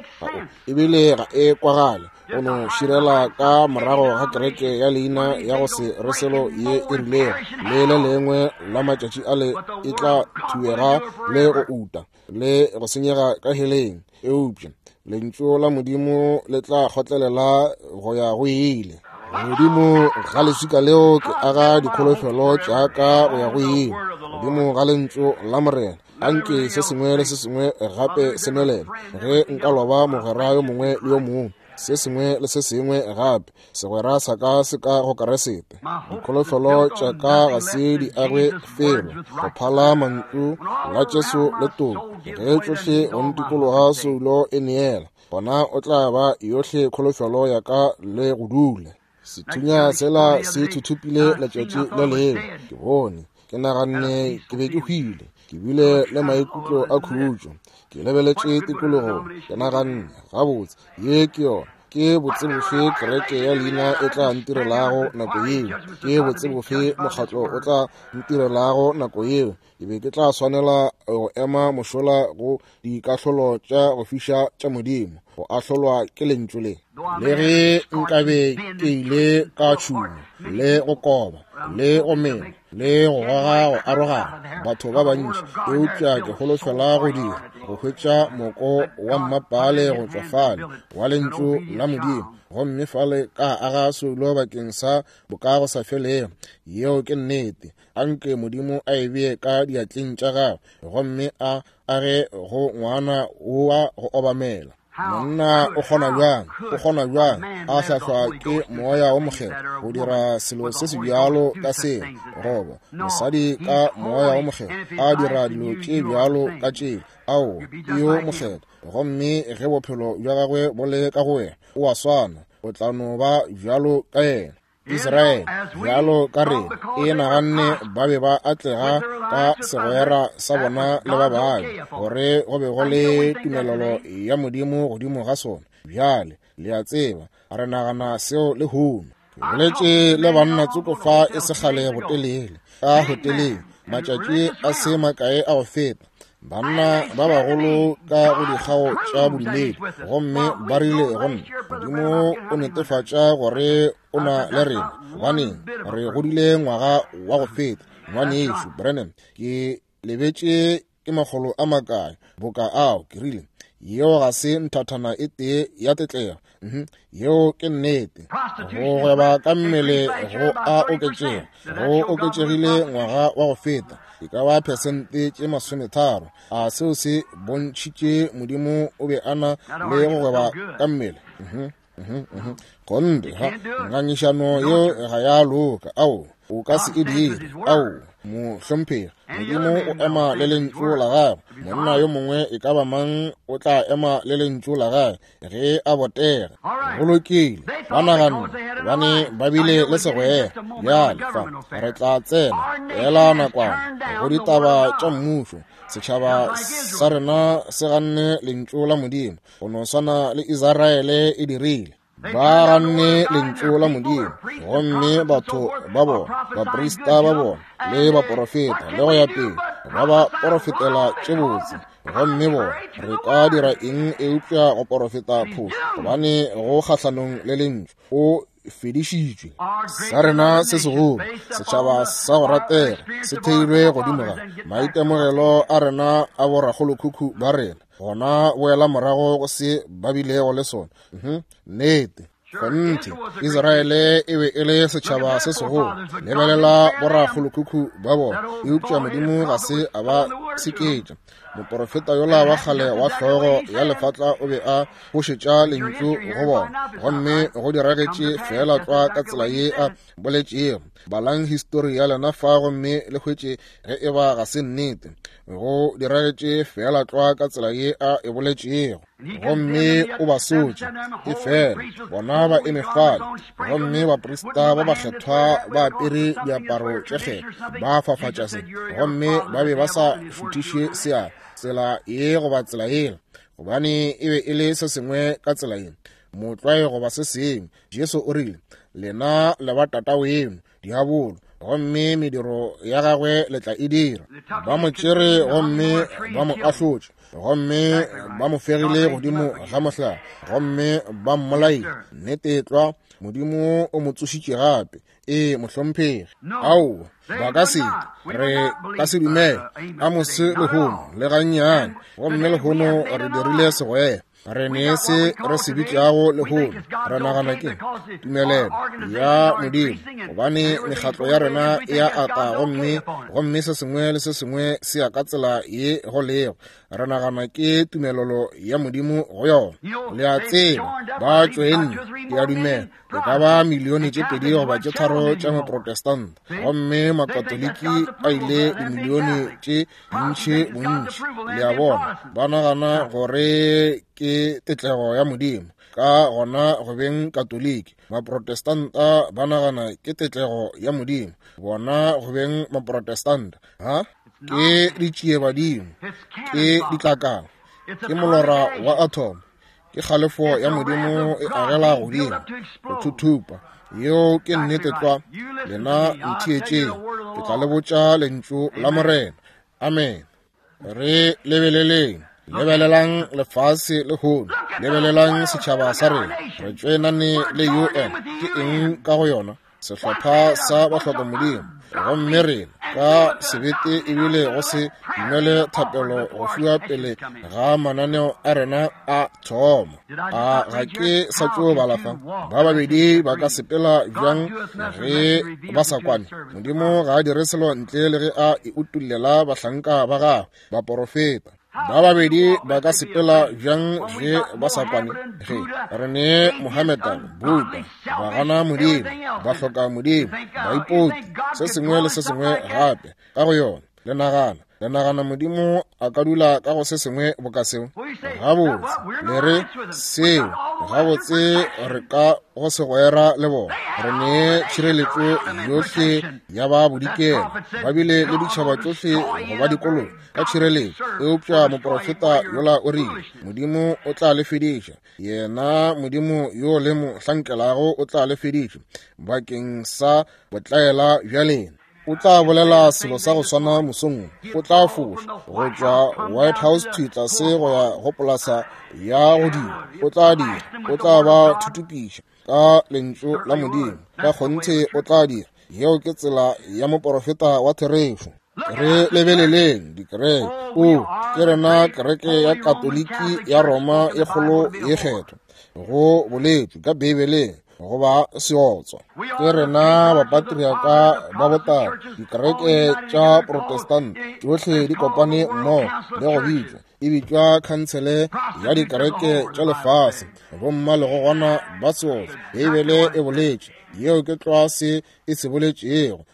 ebile ga e kwagale o no širela ka morago ga kereke ya leina ya go se re selo ye e rilego, le le lengwe la matšatši ale e tla thuega le go uta le go senyega ka heleng. Eupša lentšu la Modimo le tla kgotlelela go ya go ile. Godimo ga leswika leo ke aga dikholofelo tša ka go ya go ile. Godimo ga lentšu la Morena, anke se sengwe le se sengwe gape se nwelele. Ge nka loba mogwera yo mongwe le yo mongwe, se sengwe le se sengwe gape, segwera sa ka se ka go Keresete. Dikholofelo tša ka ga se di agwe felo go phala mantšu la Jesu le toko. Ge tšohle go ntikologa soulo e neela, gona o tla ba yohle kholofelo ya ka le go dula. Sethunya sela se thuthupile letšatši le lengwe. Ke bone, ke naganne ke be ke hwile. Ke bile le maikutlo a khutšo. Ke lebeletše tikologong, ke naganne, gabotse, ye ke yona. Ke botse bofe kereke ya leina e tla ntirelago nako yeo? Ke botse bofe mokgatlo o tla ntirelago nako yeo? Ke be ke tla swanela go ema mošola go dikahlolo tša go fiša tša Modimo, go ahlolwa ke lentšu le. Le ge nkabe ke ile ka tšhuma le go koba le go mela le go goga go arogana batho ba bantši, eupša ke holofela go dira go hwetša moko wa mmapale go tšwa fale wa lentšu la Modimo, gomme fale ka aga soulo bakeng sa bokago sa felego. Yeo ke nnete. Anke Modimo a e bee ka diatleng tša gagwe, gomme a age go ngwana wa go obamela. Monna o kgona bjang, o kgona bjang a hlahlwa ke moya wo mokgethwa go dira selo se se bjalo ka seo, goba mosadi ka moya wo mokgethwa a dira dilo tše bjalo ka tšeo? Aowa, ke yo mokgethwa, gomme ge bophelo bja gagwe bo le ka go wena, o a swana, o tla no ba bjalo ka yena. Israele, bjalo ka rena, e naganne ba be ba atlega ka segwera sa bona le ba bangwe, gore go be go le tumelelo ya Modimo godimo ga sona. Bjale, le a tseba, re nagana seo lehono. Ke boletše le banna tsoko fa e se kgale botelele, ka hoteleng, matšatši a se makae a go feta, banna ba bagolo ka go dikgao tša bodumedi, gomme ba rile go nna, Modimo o netefatša gore o na le rena, gobaneng re godile ngwaga wa go feta. Ngwanešu Branham, ke lebetše ke makgolo a makae boka ao. Ke rile, yeo ga se nthathana e tee ya tetlego. Yeo ke nnete. Go gweba ka mmele go a oketšega, go oketšegile ngwaga wa go feta, e ka ba phesente tše 30. A seo se bontšhitše Modimo o be a na le go gweba ka mmele? Gomme ga ngangišano yeo ga ya loka. Ao, o ka se e dire. Ao, mohlomphegi, Modimo o ema le lentšu la gagwe. Monna yo mongwe e ka ba mang o tla ema le lentšu la gagwe ge a botega. Go lokile, ba naganne gobane ba bile le segwera. Bjale fa re tla tsena fela nakwana go ditaba tša mmušo. Setšhaba sa rena se ganne lentšu la Modimo, go no swana le Israele e dirile. Ba ganne lentšu la Modimo, gomme batho ba bona, baprista ba bona, le baporofeta, le go ya pele, ba ba porofetela tše botse. Gomme bona, re ka dira eng eupša go porofeta phošo, gobane go kgahlanong le lentšu, o fedišitšwe. Sa rena se segolo, setšhaba sa go ratega, se theilwe godimo ga maitemogelo a rena a borakgolokhukhu ba rena. Gona boela morago go se ba bilego le sona. Nnete. Kgonthe, Israele e be e le setšhaba se segolo. Lebelela borakgolokhukhu ba bona, eupša Modimo ga se a ba seketša. Moporofeta yola wa kgale wa hlogo ya lefatla o be a bošetša lentšu go bona, gomme go diragetše feela tlwa ka tsela ye a boletšego. Balang histori ya lena fa gomme le hwetše ge e ba ga se nnete. Go diragetše feela tlwa ka tsela ye a e boletšego. Gomme o ba sotše, efela bona ba eme fale, gomme baprista ba bakgethwa ba apere diaparo tše kgethwa, ba fafatša se, gomme ba be ba sa šuthiše seatla tsela ye goba tsela yela, gobane e be e le se sengwe ka tsela ye, motlwae goba se sengwe. Jesu o rile, lena le ba tataweno diabolo, gomme mediro ya gagwe le tla e dira. Ba mo tšere gomme ba mo ahlotše, gomme ba mo fegile godimo ga mohlare, gomme ba mmolaile. Nnete tlwa, Modimo o mo tsošitše gape. Ee, mohlomphegi. Aowa, ba ka se, re ka se dumele Amose lehono le gannyane. Gomme lehono re dirile segwera. Re ne se re se bitšago lehono, re nagana ke tumelelo ya Modimo, gobane mekgatlo ya rena e a ata, gomme se sengwe le se sengwe se ya ka tsela ye go lego. Re nagana ke tumelelo ya Modimo go yona. Le a tseba, ba tšoenne, ke a dumela, e ka ba milione tše 2 goba tše 3 tša Maprotestanta, gomme Makatoliki a ile dimilione tše dintši bontši. Le a bona, ba nagana gore ke tetlego ya Modimo, ka gona go beng Katoliki. Maprotestanta ba nagana ke tetlego ya Modimo, bona go beng Maprotestanta. Ha? Ke ditšiebadimo, ke ditlakala, ke molora wa atom, ke kgalefo ya Modimo e agela godimo go thuthupa. Yeo ke nnete tlwa. Lena ntheetšeng, ke tla le botša lentšu la Morena. Amen. Re lebeleleng, lebelelang lefase lehono, lebelelang setšhaba sa rena. Re tšoenane le UN. Ke eng ka go yona? Sehlopha sa bahloka Modimo. Gomme rena ka sebete ebile go se dumele thapelo go fiwa pele ga mananeo a rena a thoma. A ga ke sa tšo bala fa? Ba babedi ba ka sepela bjang ge ba sa kwane? Modimo ga a dire selo ntle le ge a e utullela bahlanka ba gagwe, baporofeta. Ba babedi ba ka sepela bjang ge ba sa kwane? Ge re ne Mohammedan, Buddha, ba gana Modimo, ba hloka Modimo, ba ipoti, se sengwe le se sengwe gape ka go yona. Le nagana Modimo a ka dula ka go se sengwe boka seo? Gabotse, le re seo, gabotse re ka go segwera le bona. Re ne tšhireletšo yohle ya ba bodikela, ba bile le ditšhaba tšohle go ba dikoloi ka tšhireletšo. Eupša moprofeta yola o rile, Modimo o tla le fediša, yena Modimo yo le mo hlankelago o tla le fediša bakeng sa botlaela bja lena. O tla bolela selo sa go swana mosong, o tla foša go tšwa White House thwi tlase go ya go polasa ya godimo. O tla dira, o tla ba thutupiša ka lentšu la Modimo. Ka kgonthe o tla dira. Yeo ke tsela ya moporofeta wa therešo. Re lebeleleng dikereke. O, ke rena kereke ya Katoliki ya Roma e kgolo ye kgethwa, go boletšwe ka Beibeleng goba seotswa. Ke rena bapatriaka ba botala, dikereke tša Protestant tšohle di kopane mmogo le go bitšwa, e bitšwa khansele ya dikereke tša lefase. Bomma le gona ba seotswa, Beibele e boletše, yeo ke tlwa se e se boletšego.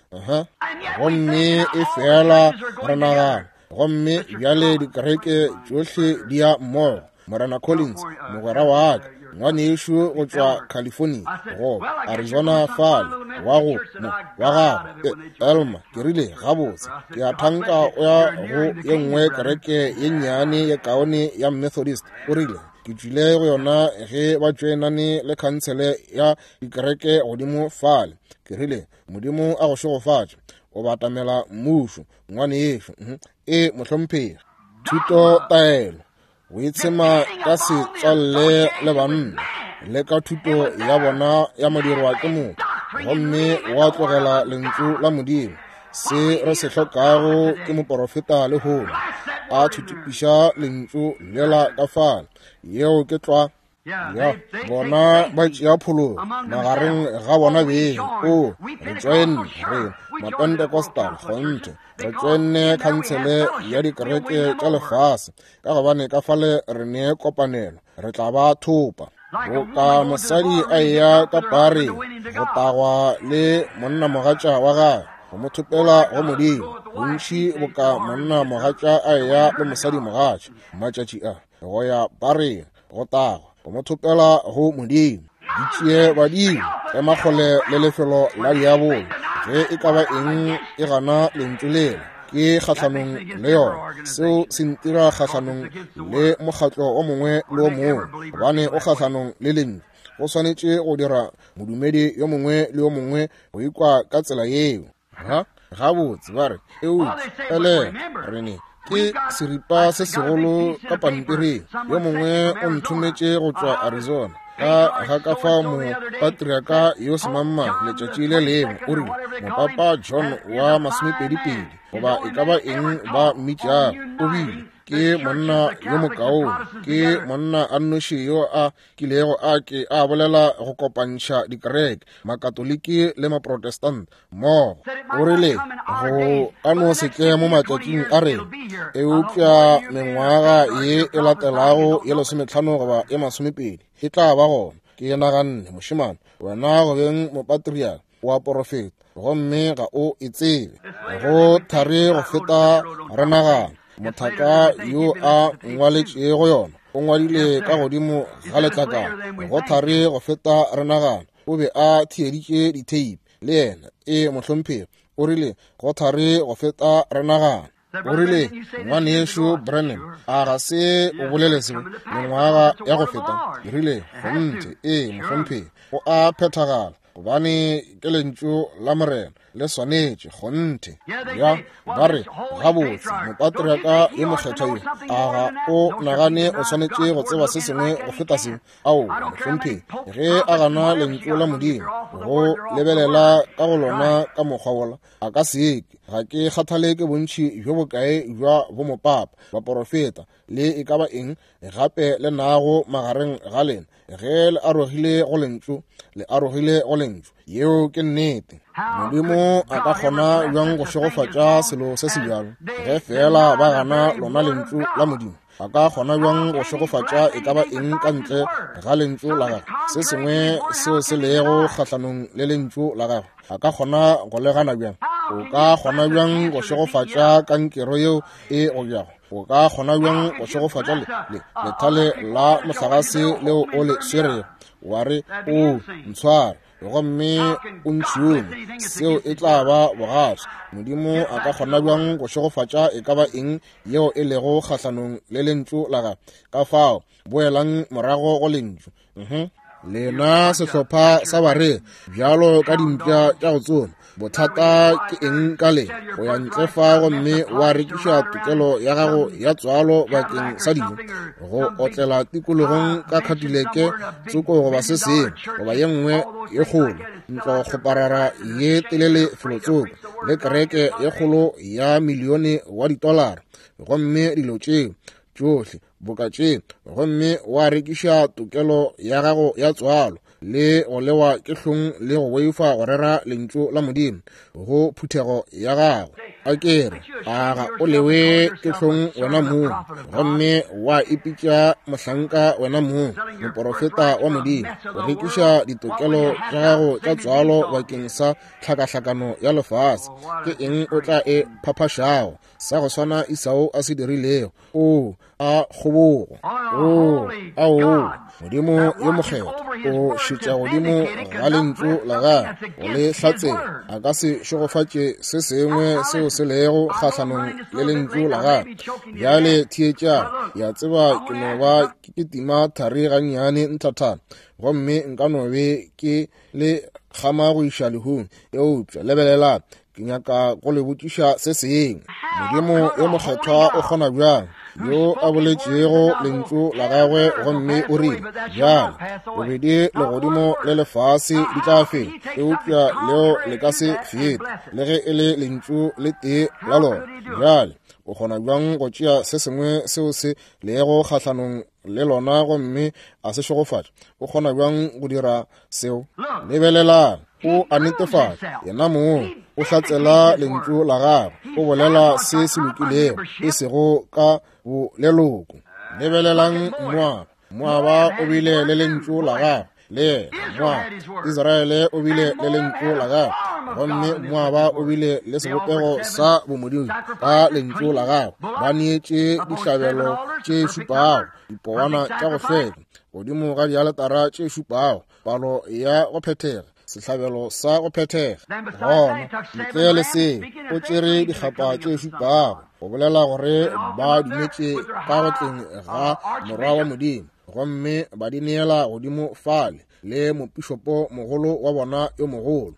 Gomme e fela re nagana, gomme bjale dikereke tšohle di ya mmogo. Morena Collins, mogwera wa ka, ngwanešu go tšwa California, goba Arizona fale, wa go mo, wa gagwe, Elmer. Ke rile, gabotse, ke a thanka o ya go ye nngwe kereke ye nnyane ye kaone ya Methodist. O rile, ke tšwile go yona ge ba tšoenane le khansele ya dikereke godimo fale. Ke rile, Modimo a go šegofatše, o batamela mmušo, ngwanešu. E, mohlomphegi. Thuto taelo, go itshema ka setswalle le banna le ka thuto ya bona ya modirwa ke motho, gomme wa tlogela lentšu la Modimo. Se re se hlokago ke moporofeta lehono a thuthupiša lentšu lela ka fale. Yeo ke tlwa. Ya, bona ba tšea phologo magareng ga bona beng. O, re tšoenne, re Mapentecostal, kgonthe, re tšoenne khansele ya dikereke tša lefase, ka gobane ka fale re ne kopanelo, re tla ba thopa. Boka mosadi a eya ka pareng go tagwa le monnamogatša wa gagwe, go mo thopela go Modimo, bontši boka monnamogatša a eya le mosadimogatša matšatši a, go ya pareng go tagwa, go mo thopela go Modimo. Di tšee badimo, ema kgole le lefelo la diabolo. Ge e ka ba eng e gana lentšu lela, ke kgahlanong le yona. Seo se ntira kgahlanong le mokgatlo o mongwe le o mongwe, gobane o kgahlanong le lentšu. Go swanetše go dira modumedi yo mongwe le yo mongwe go ikwa ka tsela yeo. Ha, gabotse ba re, eupša ele re ne ke seripa se segolo ka pampiring. Yo mongwe o nthometše go tšwa Arizona ka ga ka fao mopatriaka yo semangmang letšatši le lengwe o rile mopapa John wa masomepedipedi goba e ka ba eng ba mmitšago, o bile ke monna yo mokaone, ke monna a nnoši yo a kilego a ke a bolela go kopantšha dikereke, Makatoliki le Maprotestant mmogo. O rile go ka no se tle mo matšatšing a rena, eupša mengwaga ye e latelago ye 15 goba ye 20 e tla ba gona. Ke naganne, mošemane, wena go beng mopatriaka wa porofeta, gomme ga o e tsebe. Go thari go feta re nagana. Mothaka yo a ngwaletšego yona o ngwadile ka godimo ga letlakala, go thari go feta re nagana. O be a theeditše ditheipi le yena. E, mohlomphegi, o rile go thari go feta re nagana. O rile, ngwanešu Branham, a ga se o bolele seo mengwaga ya go feta? Ke rile, kgonthe, ee, mohlomphegi, go a phethagala, gobane ke lentšu la Morena, le swanetše, kgonthe. Ya, ba re, gabotse, mopatriaka yo mokgethwa yo, a ga o nagane o swanetše go tseba se sengwe go feta seo? Aowa, mohlomphegi, ge a gana lentšu la Modimo, go lebelela ka go lona ka mokgwa wola, a ka se ke. Ga ke kgathale ke bontši bjo bokae bja bomopapa, baporofeta, le e ka ba eng gape le nago magareng ga lena. Ge le arogile go lentšu, le arogile go lentšu. Yeo ke nnete. Modimo a ka kgona bjang go šegofatša selo se se bjalo ge feela ba gana lona lentšu la Modimo? A ka kgona bjang go šegofatša e ka ba eng ka ntle ga lentšu la gagwe, se sengwe seo se lego kgahlanong le lentšu la gagwe? A ka kgona go le gana bjang? O ka kgona bjang go šegofatša kankero yeo e go bjago? O ka kgona bjang go šegofatša lethale la mohlagase leo o le swerego? Wa re, O ntshware gomme o ntšhume, seo e tla ba bogaswi. Modimo a ka kgona bjang go šegofatša e ka ba eng yeo e lego kgahlanong le lentšu la gagwe? Ka fao, boelang morago go lentšu. Lena sehlopha sa bareri, bjalo ka dimpša tša go tsoma, bothata ke eng ka le go ya ntle fa gomme wa rekiša tokelo ya gago ya tswalo bakeng sa dijo, go otlela tikologong ka Cadillac tsoko goba se sengwe, goba ye nngwe ye kgolo ntlo kgoparara ye telele felotsoko, le kereke ye kgolo ya milione wa ditolara, gomme dilo tšeo tšohle boka tše, gomme wa rekiša tokelo ya gago ya tswalo, le go lewa ke hlong le go boifa go rera lentšu la Modimo go phuthego ya gago. A ke re, a ga o lewe ke hlong wena mong, gomme wa ipitša mohlanka wena mong, moporofeta wa Modimo, go rekiša ditokelo tša gago tša tswalo bakeng sa tlhakahlakano ya lefase? Ke eng o tla e phaphašago? Sa go swana Esau a se dirilego. Oo, a kgobogo. Oo, aoo, Modimo yo mokgethwa o šetša godimo ga lentšu la gagwe go le hlatsela. A ka se šegofatše se sengwe seo se lego kgahlanong le lentšu la gagwe. Bjale theetšang, ke a tseba ke no ba ke tima thari gannyane nthathana, gomme nka no be ke le kgama go iša lehung, eupša lebelelang, ke nyaka go le botšiša se sengwe. Modimo yo mokgethwa o kgona bjang, yo a boletšego lentšu la gagwe gomme o rile, bjale bobedi legodimo le lefase di tla fela, eupša leo le ka se fete, le ge e le lentšu le tee la lona. Bjale o kgona bjang go tšea se sengwe seo se lego kgahlanong le lona gomme a se šegofatša? O kgona bjang go dira seo? Lebelelang, o a netefatša yena mong, o hlatsela lentšu la gagwe, o bolela se se lokilego, e sego ka boleloko. Lebelelang Moaba, Moaba o bile le lentšu la gagwe, le yena Moaba. Israele o bile le lentšu la gagwe, gomme Moaba o bile le sebopego sa bomodimo ka lentšu la gagwe. Ba neetše dihlabelo tše šupago, dipowana tša go hlweka, godimo ga dialetara tše šupago, palo ya go phethega, sehlabelo sa go phethega. Gona ntle le seo, o tšere dikgapa tše šupago go bolela gore ba dumetše ka go tleng ga Morwa wa Modimo, gomme ba di neela godimo fale le mopišopo mogolo wa bona yo mogolo,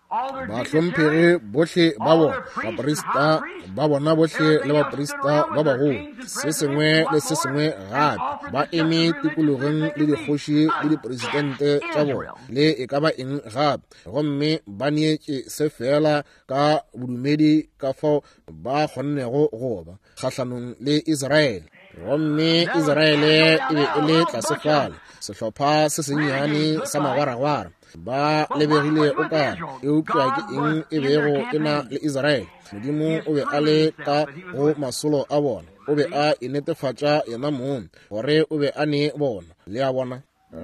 bahlomphegi bohle ba bona, baprista ba bona bohle le baprista ba bagolo, se sengwe le se sengwe gape, ba eme tikologong le dikgoši le dipresidente tša bona le e ka ba eng gape, gomme ba neetše se feela ka bodumedi ka fao ba kgonnego go ba kgahlanong le Israele. Gomme Israele e be e le tlase fale, sehlopha se sennyane sa magwaragwara, ba lebegile o kare, eupša ke eng e bego e na le Israele? Modimo o be a le ka go masolo a bona, o be a inetefatša yena mong gore o be a ne bona. Le a bona?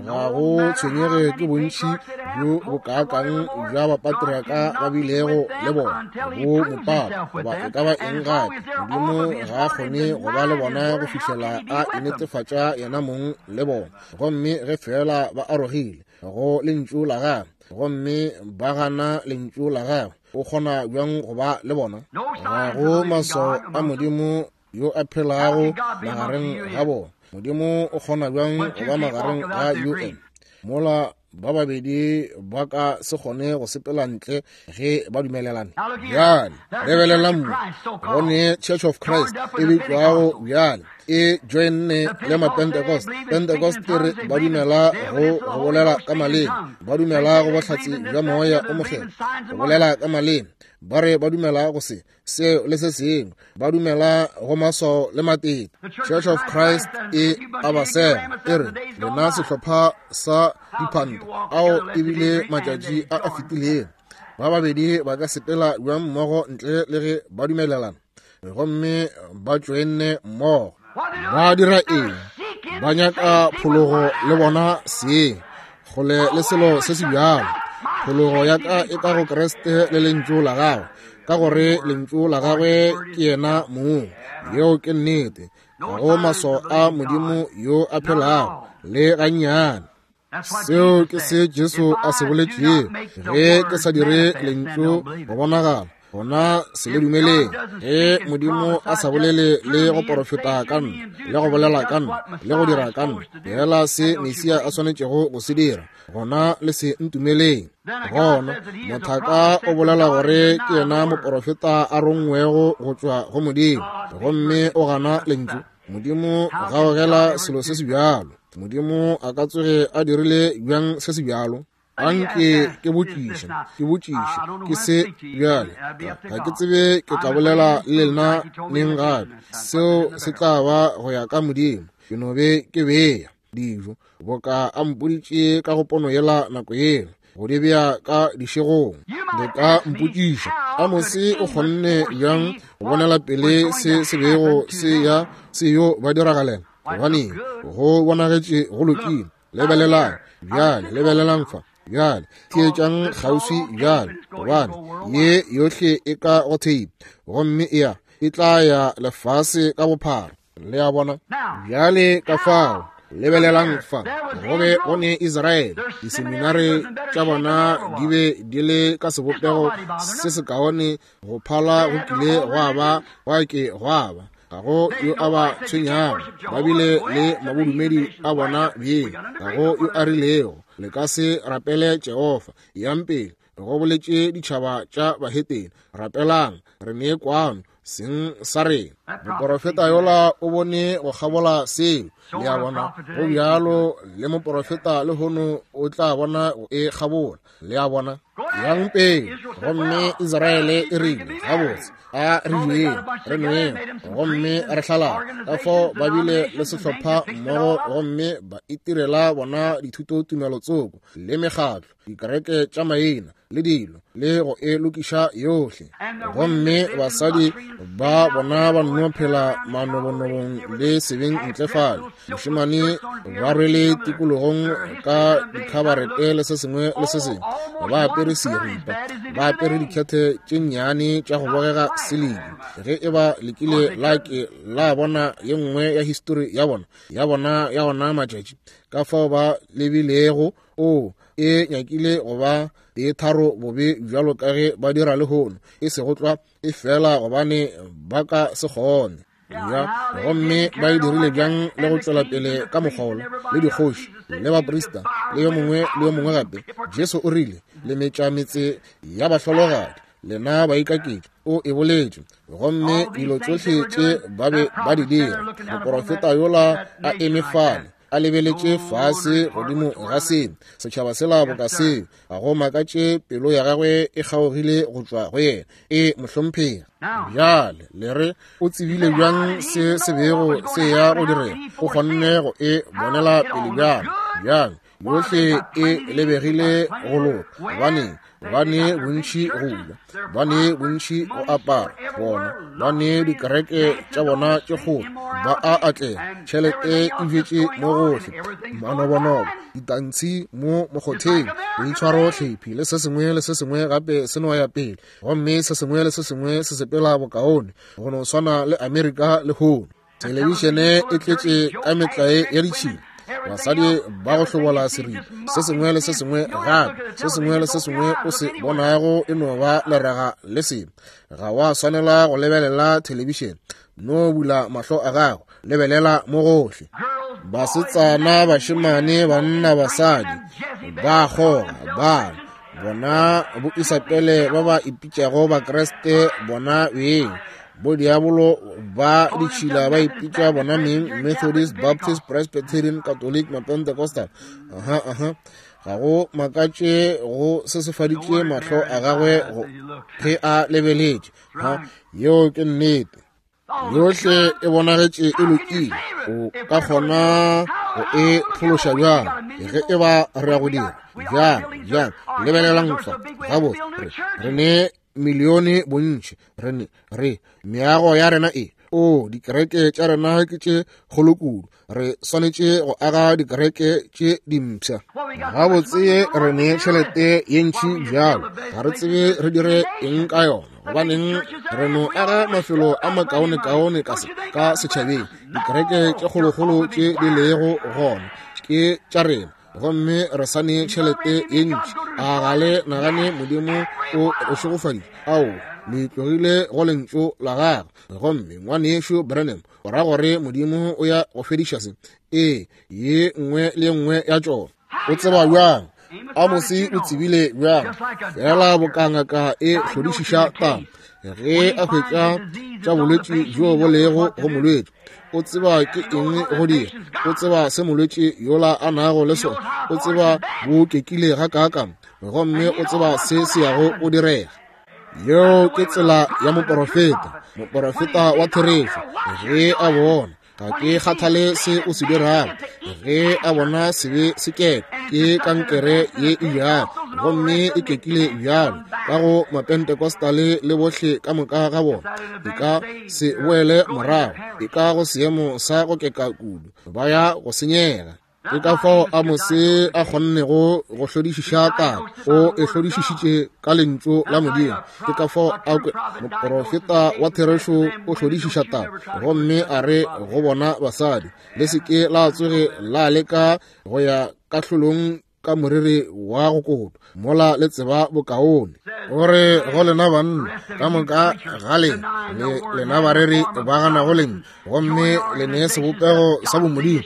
Ga go tshwenyege ke bontši bjo bokaakang bja bapatriaka ba bilego le bona, bo mopapa goba e ka ba eng gape, Modimo ga a kgone go ba le bona go fihlela a inetefatša yena mong le bona. Gomme ge feela ba arogile go lentšu la gagwe gomme ba gana lentšu la gagwe, o kgona bjang go ba le bona? Ga go maswao a Modimo yo a phelago magareng ga bona. Modimo o kgona bjang go ba magareng ga UN mola ba babedi ba ka se kgone go sepela ntle ge ba dumelelane? Bjale lebelelang mo go ne Church of Christ e bitšwago bjale e joinne le Mapentecost. Pentecost e re ba dumela go go bolela ka maleme, ba dumela go bohlatse bja Moya o Mokgethwa, go bolela ka maleme, ba re ba dumela go se seo le se sengwe, ba dumela go maswao le matete. Church of Christ e abasela e re lena sehlopha sa diphanta ao ebile matšatši a a fetilego. Ba babedi ba ka sepela bjang mmogo ntle le ge ba dumelelana? Gomme ba tšoenne mmogo. Ba dira eng? Ba nyaka phologo le bona seng, kgole le selo se se bjalo. Phologo ya ka e ka go Kriste le lentšu la gagwe, ka gore lentšu la gagwe ke yena mong. Yeo ke nnete. Ga go maswao a Modimo yo a phelago le gannyane. Seo ke se Jesu a se boletšego, ge ke sa dire lentšu go bonagala, gona se le dumeleng. Ge Modimo a sa bolele le go porofeta ka nna, le go bolela ka nna, le go dira ka nna, fela se Mesia a swanetšego go se dira, gona le se ntumeleng. Gona mothaka o bolela gore ke yena moporofeta a rongwego go tšwa go Modimo, gomme o gana lentšu. Modimo gaogela selo se se bjalo. Modimo a ka tsoge a dirile bjang se se bjalo? Anke ke botšiše, ke botšiše, ke se bjale. Ga ke tsebe ke tla bolela le lena neng gape. Seo se tla ba go ya ka Modimo. Ke no be ke bea dijo boka a mpoditše ka go pono yela nako yela, go di bea ka dišegong. Le ka mpotšiša, Amose o kgonne bjang go bonela pele se se bego se ya se yo ba diragalela? Gobaneng, go bonagetše go lokile. Lebelelang bjale, lebelelang fa bjale, theetšang kgauswi bjale, gobane ye yohle e ka go theipi, gomme e ya E tla ya lefase ka bophara. Le a bona? Bjale ka fao, lebelelang fa, go be go ne Israele, diseminare tša bona di be di le ka sebopego se sekaone go phala go kile gwa ba gwa ke gwa ba. Ga go yo a ba tshwenyago, ba bile le mabodumedi a bona bjeng. Ga go yo a rilego, le ka se rapele Jehofa. Yang pele, go boletše ditšhaba tša bahetene, rapelang, re ne kwano seng sa rena. Moporofeta yola o bone go kgabola seo. Le a bona? Go bjalo le moporofeta lehono o tla bona go e kgabola. Le a bona? Yang pele. Gomme Israele e rile, gabotse, a re jeng, re nweng, gomme re hlalane. Ka fao ba bile le sehlopha mmogo, gomme ba itirela bona dithutotumelo tsoko le mekgatlo, dikereke tša maina le dilo, le go e lokiša yohle. Gomme basadi ba bona ba nno phela manobonobong le sebeng ntle fale. Mošemane ba rwele tikologong ka dikhabarete le se sengwe le se sengwe, ba apere seripa, ba apere dikhethe tše nnyane tša go bogega siliki. Ge e ba le kile la ke la bona ye nngwe ya histori ya bona, ya bona ya ona matšatši, ka fao ba lebilego, o e nyakile go ba e tharo bobe bjalo ka ge ba dira lehono, e sego tlwa, e fela gobane ba ka se kgone. Ya, gomme ba e dirile bjang le go tšwela pele ka mokgwa wola, le dikgoši le baprista le yo mongwe le yo mongwe gape. Jesu o rile, le metša metse ya bahlologadi, lena baikaketši. O e boletše. Gomme dilo tšohle tše ba be ba di dira, moporofeta yola a eme fale a lebeletše fase godimo ga se setšhaba sela boka seo, ga go makatše pelo ya gagwe e kgaogile go tšwa go yena. E mohlomphegi. Bjale le re, o tsebile bjang se se bego se ya go direga? O kgonne go e bonela pele bjang? Bjang? Yohle e lebegile go loka. Gobaneng? Ba ne bontši go ja, ba ne bontši go apara, bona ba ne dikereke tša bona tše kgolo, ba a atlega, tšhelete e bjetše mo gohle, manobonobo, ditantshi mo mokgotheng, boitshwaro hlephi le se sengwe le se sengwe gape se no ya pele, gomme se sengwe le se sengwe se sepela bokaone go no swana le Amerika lehono. Thelebišene e tletše ka metlae ya ditšhila, basadi ba go hlobola seripa, se sengwe le se sengwe gape, se sengwe le se sengwe o se bonago e no ba leraga le sebe. Ga wa swanela go lebelela thelebišene, no bula mahlo a gago, lebelela mo gohle. Basetsana, bašemane, banna, basadi ba kgoga, ba bona bo Isabele ba ba ipitšago Bakriste bona beng, bo diabolo ba ditšhila ba ipitša bona meng Methodist, Baptist, Presbyterian, Catholic, Mapentecostal. Aha, aha. Ga go makatše go sesefaditše mahlo a gagwe ge a lebeletše. Ha, yeo ke nnete. Yohle e bonagetše e lokile. O ka kgona go e phološa bjang ge e ba re ya go dira? Bjang, bjang? Lebelelang fa. Gabotse, re ne milione bontši, re re meago ya rena e, o dikereke tša rena ke tše kgolo kudu, re swanetše go aga dikereke tše dimpsha. Gabotse re ne tšhelete ye ntši bjalo, ga re tsebe re dire eng ka yona. Gobaneng re no aga mafelo a makaonekaone ka setšhabeng. Dikereke tše kgolokgolo tše di lego gona ke tša rena, gomme re sa ne tšhelete ye ntši. A ga le nagane Modimo o re šegofaditše? Ao, le tlogile go lentšu la gagwe. Gomme ngwanešu Branham o ra gore Modimo o ya go fediša se? Ee, ye nngwe le ye nngwe ya tšona. O tseba bjang? Amose o tsebile bjang? Fela boka ngaka e hlodišiša taba, ge a hwetša tša bolwetši bjo bo lego go molwetši, o tseba ke eng go dira, o tseba se molwetši yola a nago le sona, o tseba bo kekile gakaakang, gomme o tseba se se yago go direga. Yeo ke tsela ya moporofeta, moporofeta wa therešo. Ge a bona, ga ke kgathale se o se dirago, ge a bona sebe se keka, ke kankere ye e bjalo, gomme e kekile bjalo ka go Mapentecostale le bohle ka moka ga bona, e ka se boele morago, e ka go seemo sa go keka kudu, ba ya go senyega. Ke ka fao Amose a kgonnego go hlodišiša taba. O e hlodišišitše ka lentšu la Modimo. Ke ka fao a moprofeta wa therešo o hlodišiša taba, gomme a re go bona basadi, le se ke la tsoge la leka go ya kahlolong ka moriri wa go kotwa, mola le tseba bokaone. Gore go lena banna ka moka ga lena, le lena bareri ba ganago lentšu, gomme le ne sebopego sa bomodimo,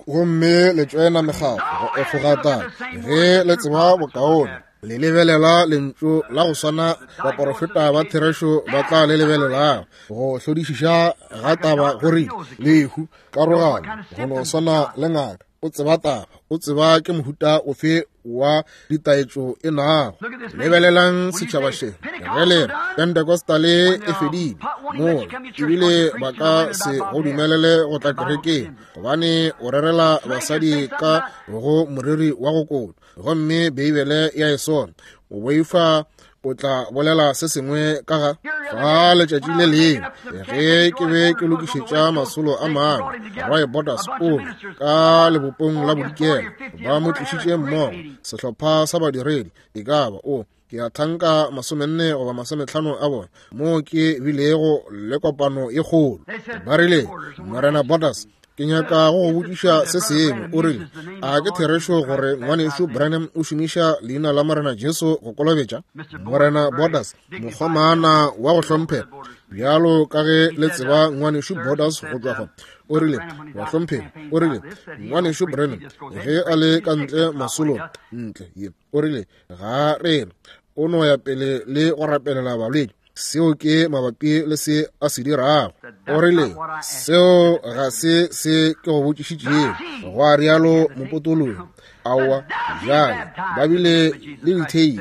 gomme le tšoena mekgatlo go efoga taba, ge le tseba bokaone, le lebelela lentšu la go swana baporofeta ba therešo ba tla le lebelelago. Go hlodišiša ga taba gore lehu, karogano, go no swana le ngaka, o tseba taba, o tseba ke mohuta ofe wa ditaetšo e nago. Lebelelang setšhaba še, ge le re Pentecostale e fedile mola, ebile ba ka se go dumelele go tla kerekeng, gobane o rerela basadi ka go moriri wa go kotwa, gomme Beibele ya e sona. O boifa o tla bolela se sengwe ka ga fa letšatši le lengwe ge ke be ke lokišetša masolo a mangwe. Roy Borders o ka lebopong la bodikela, ba mo tlišitše mmogo sehlopha sa badiredi, e ka ba o ke a thanka 40 goba 50 a bona, moo ke bilego le kopano e kgolo. Ba rile, Morena Borders, ke nyaka go go botšiša se sengwe. O rile, a ke therešo gore ngwanešu Branham o šomiša leina la Morena Jesu go kolobetša? Morena Borders, mokgomana wa go hlomphega, bjalo ka ge le tseba ngwanešu Borders go tšwa fa. O rile, wa hlomphega. O rile, ngwanešu Branham ge a le ka ntle masolong ntle ye, o rile, ga rena, o no ya pele le go rapelela balwetši. Seo ke mabapi le se a se dirago. O rile, seo ga se se ke go botšišitšego, gwa rialo mopotologi. Aowa, bjale ba bile le ditheipi,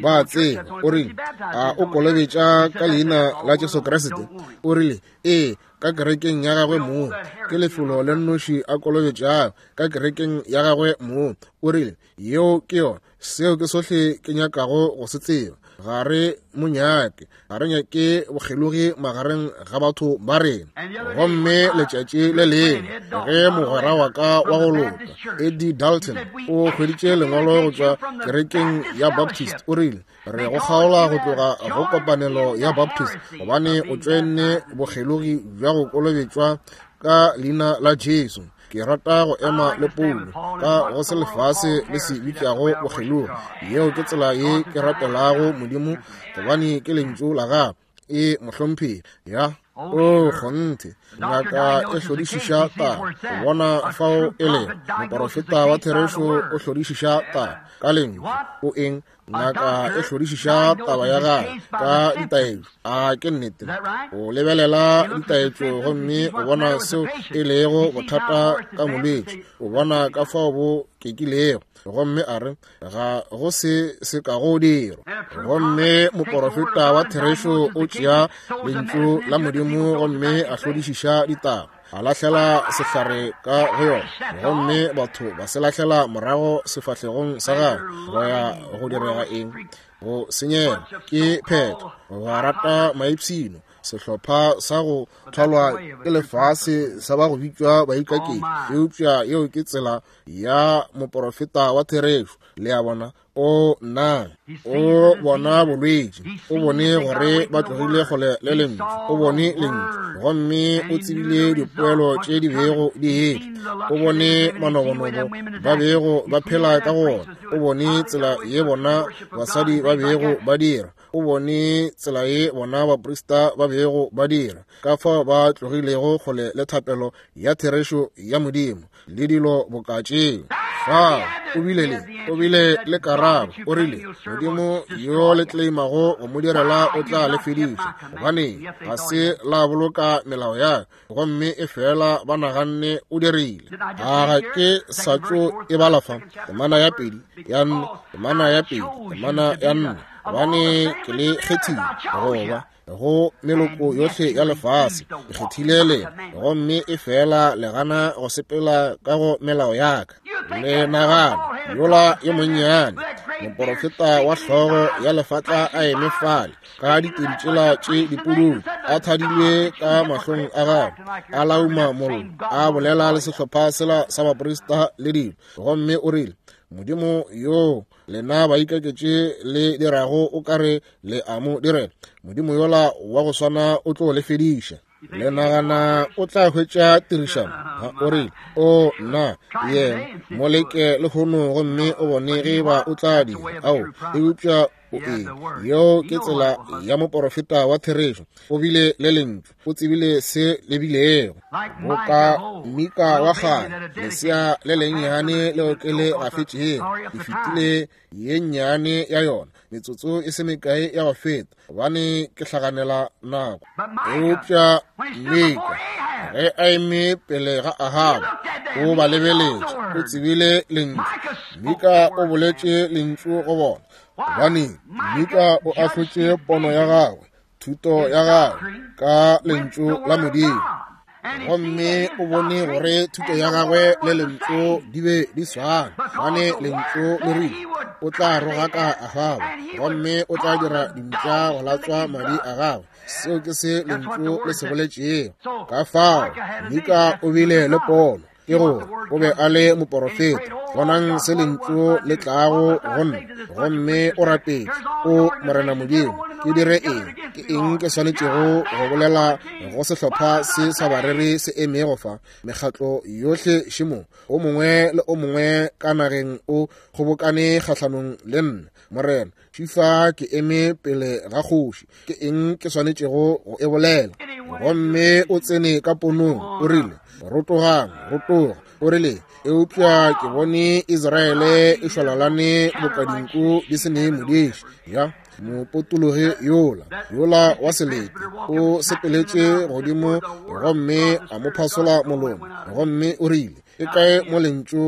ba tseba. O rile, a o kolobetša ka leina la Jesu Kriste? O rile, ee, ka kerekeng ya gagwe moo. Ke lefelo le nnoši a kolobetšago, ka kerekeng ya gagwe moo. O rile, yeo ke yona. Seo ke sohle ke nyakago go se tseba. Ga re mo nyake, ga re nyake bokgelogi magareng ga batho ba rena. Gomme letšatši le lengwe ge mogwera wa ka wa go loka Eddie Dalton o hweditše lengwalo go tšwa kerekeng ya Baptist, o rile, re go kgaola go tloga go kopanelo ya Baptist gobane o tšoenne bokgelogi bja go kolobetšwa ka leina la Jesu. Ke rata go ema le Paulo ka go se lefase le se bitšago bokgelogi. Yeo ke tsela ye ke rapelago Modimo, gobane ke lentšu la gagwe. E mohlomphegi ya o kgonthe, ngaka e hlodišiša taba go bona fao e lego. Moporofeta wa therešo o hlodišiša taba ka lentšu. O eng? Ngaka e hlodišiša taba ya gagwe ka ditaetšo. A ke nnete? O lebelela ditaetšo gomme o bona seo e lego bothata ka molwetši, o bona ka fao bo kekilego, gomme a re ga go se se ka go dirwa. Gomme moporofeta wa therešo o tšea lentšu la Modimo gomme a hlodišiša ditaba, a lahlela sehlare ka go yona, gomme batho ba se lahlela morago sefahlegong sa gagwe. Go ya go direga eng? Go senyega. Ke phetho. Ba rata maipshino, sehlopha sa go thwalwa ke lefase sa ba go bitšwa baikaketši, eupša yeo ke tsela ya moporofeta wa therešo. Le a bona? O na o bona bolwetši, o bone gore ba tlogile kgole le lentšu, o bone lentšu gomme o tsebile dipoelo tše di bego di etla, o bone manobonobo ba bego ba phela ka go ona, o bone tsela ye bona basadi ba bego ba dira, o bone tsela ye bona baprista ba bego ba dira, ka fao ba tlogilego kgole le thapelo ya therešo ya Modimo le dilo boka tšeo. Fao o bile le karabo. O rile, Modimo yo le tleimago go mo direla o tla le fediša, gobane ga se la boloka melao ya ka. Gomme e fela ba naganne o dirile. A ga ke sa tšo e bala fa? Temana ya 2 ya 4, temana ya 2, temana ya 4. Gobane ke le kgethile go ba go meloko yohle ya lefase, ke kgethile lena, gomme e fela le gana go sepela ka go melao ya ka. Le nagana yola yo monnyane Moporofeta wa hlogo ya lefatla a eme fale ka ditedi tšela tše dipududu, a thadilwe ka mahlong a gagwe, a lauma mollo, a bolela le sehlopha sela sa baprista le dilo, gomme o rile, Modimo yoo lena baikaketše le dirago o ka re le a mo direla, Modimo yola wa go swana o tlo le fediša. Le nagana o tla hwetša tirišano? O rile, O nna, yena mo leke lehono gomme o bone ge ba o tla dira. Ao, eupša o eng? Yeo ke tsela ya moporofeta wa therešo. O bile le lentšu, o tsebile se le bilego. Boka Mika wa kgale, lesea le lennyane leo ke le gafetšego, ke fetile ye nnyane ya yona metsotso e se mekae ya go feta, gobane ke hlaganela nako. Eupša Mika ge a eme pele ga Ahaba, o ba lebeletše, o tsebile lentšu. Mika o boletše lentšu go bona, gobane Mika o ahlotše pono ya gagwe, thuto ya gagwe ka lentšu la Modimo, gomme o bone gore thuto ya gagwe le lentšu di be di swana, gobane lentšu le rile o tla rogaka Ahaba gomme o tla dira dimpša go latswa madi a gagwe. Seo ke se lentšu le se boletšego. Ka fao Mika o bile le pono, ke gore o be a le moporofeta. Bonang se lentšu le tlago go nna, gomme o rapetše, O Morena Modimo, ke dire eng? Ke eng ke swanetšego go bolela go sehlopha se sa bareri se emego fa? Mekgatlo yohle šemo, o mongwe le o mongwe ka nageng o kgobokane kgahlanong le nna. Morena, šifa ke eme pele ga kgoši, ke eng ke swanetšego go e bolela? Gomme o tsene ka ponong, o rile, Rotogang, rotoga. O rile, Eupša ke bone Israele e šwalalane boka dinku di se ne modiši. Ya mopotologi yola, yola wa selete, o sepeletše godimo gomme a mo phasola molomo, gomme o rile, E kae mo lentšu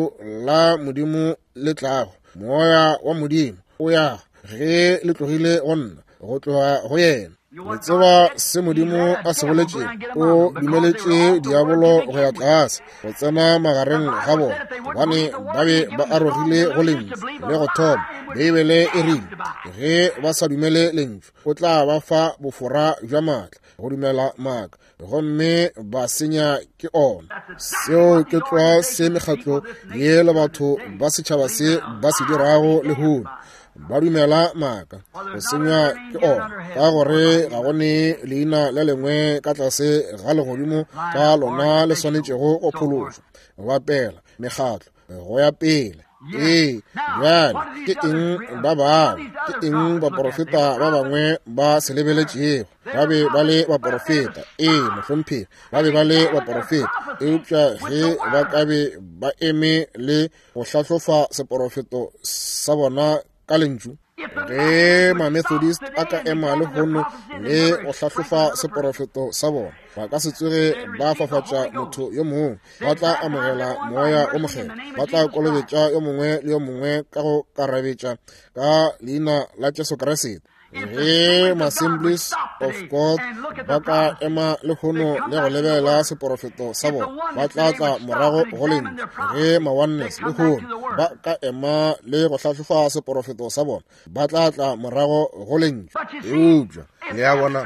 la Modimo le tlago? Moya wa Modimo o ya ge le tlogile go nna, go tloga go yena. Le tseba se Modimo a se boletšego? O dumeletše diabolo go ya tlase, go tsena magareng ga bona, gobane ba be ba arogile go lentšu le go thoma. Beibele e rile, ge ba sa dumele lentšu, o tla ba fa bofora bja maatla go dumela maaka, gomme ba senya ke ona. Seo ke tlwa se mekgatlo ye le batho ba setšhaba se ba se dirago lehono. Ba dumela maaka, go senywa ke ona, ka gore ga go ne leina le lengwe ka tlase ga legodimo ka lona le swanetšego go phološwa. Bapela mekgatlo go ya pele. Ee, bjale ke eng ba bangwe, ke eng baporofeta ba bangwe ba se lebeletšego? Ba be ba le baporofeta, ee mohlomphegi, ba be ba le baporofeta, eupša ge ba ka be ba eme le go hlahlofa seporofeto sa bona ka lentšu, ge ma-Methodist a ka ema lehono le go hlahlofa seporofeto sa bona, ba ka se tsoge ba fafatša motho yo mongwe, ba tla amogela moya o mokgethwa, ba tla kolobetša yo mongwe le yo mongwe ka go karabetša ka leina la Jesu Kriste. Ge ma-Assemblies of God ba ka ema lehono le go lebelela seporofeto sa bona, ba tla tla morago go lentšu. Ge ma-Oneness lehono ba ka ema le go hlahlofa seporofeto sa bona, ba tla tla morago go lentšu. Eupša le a bona,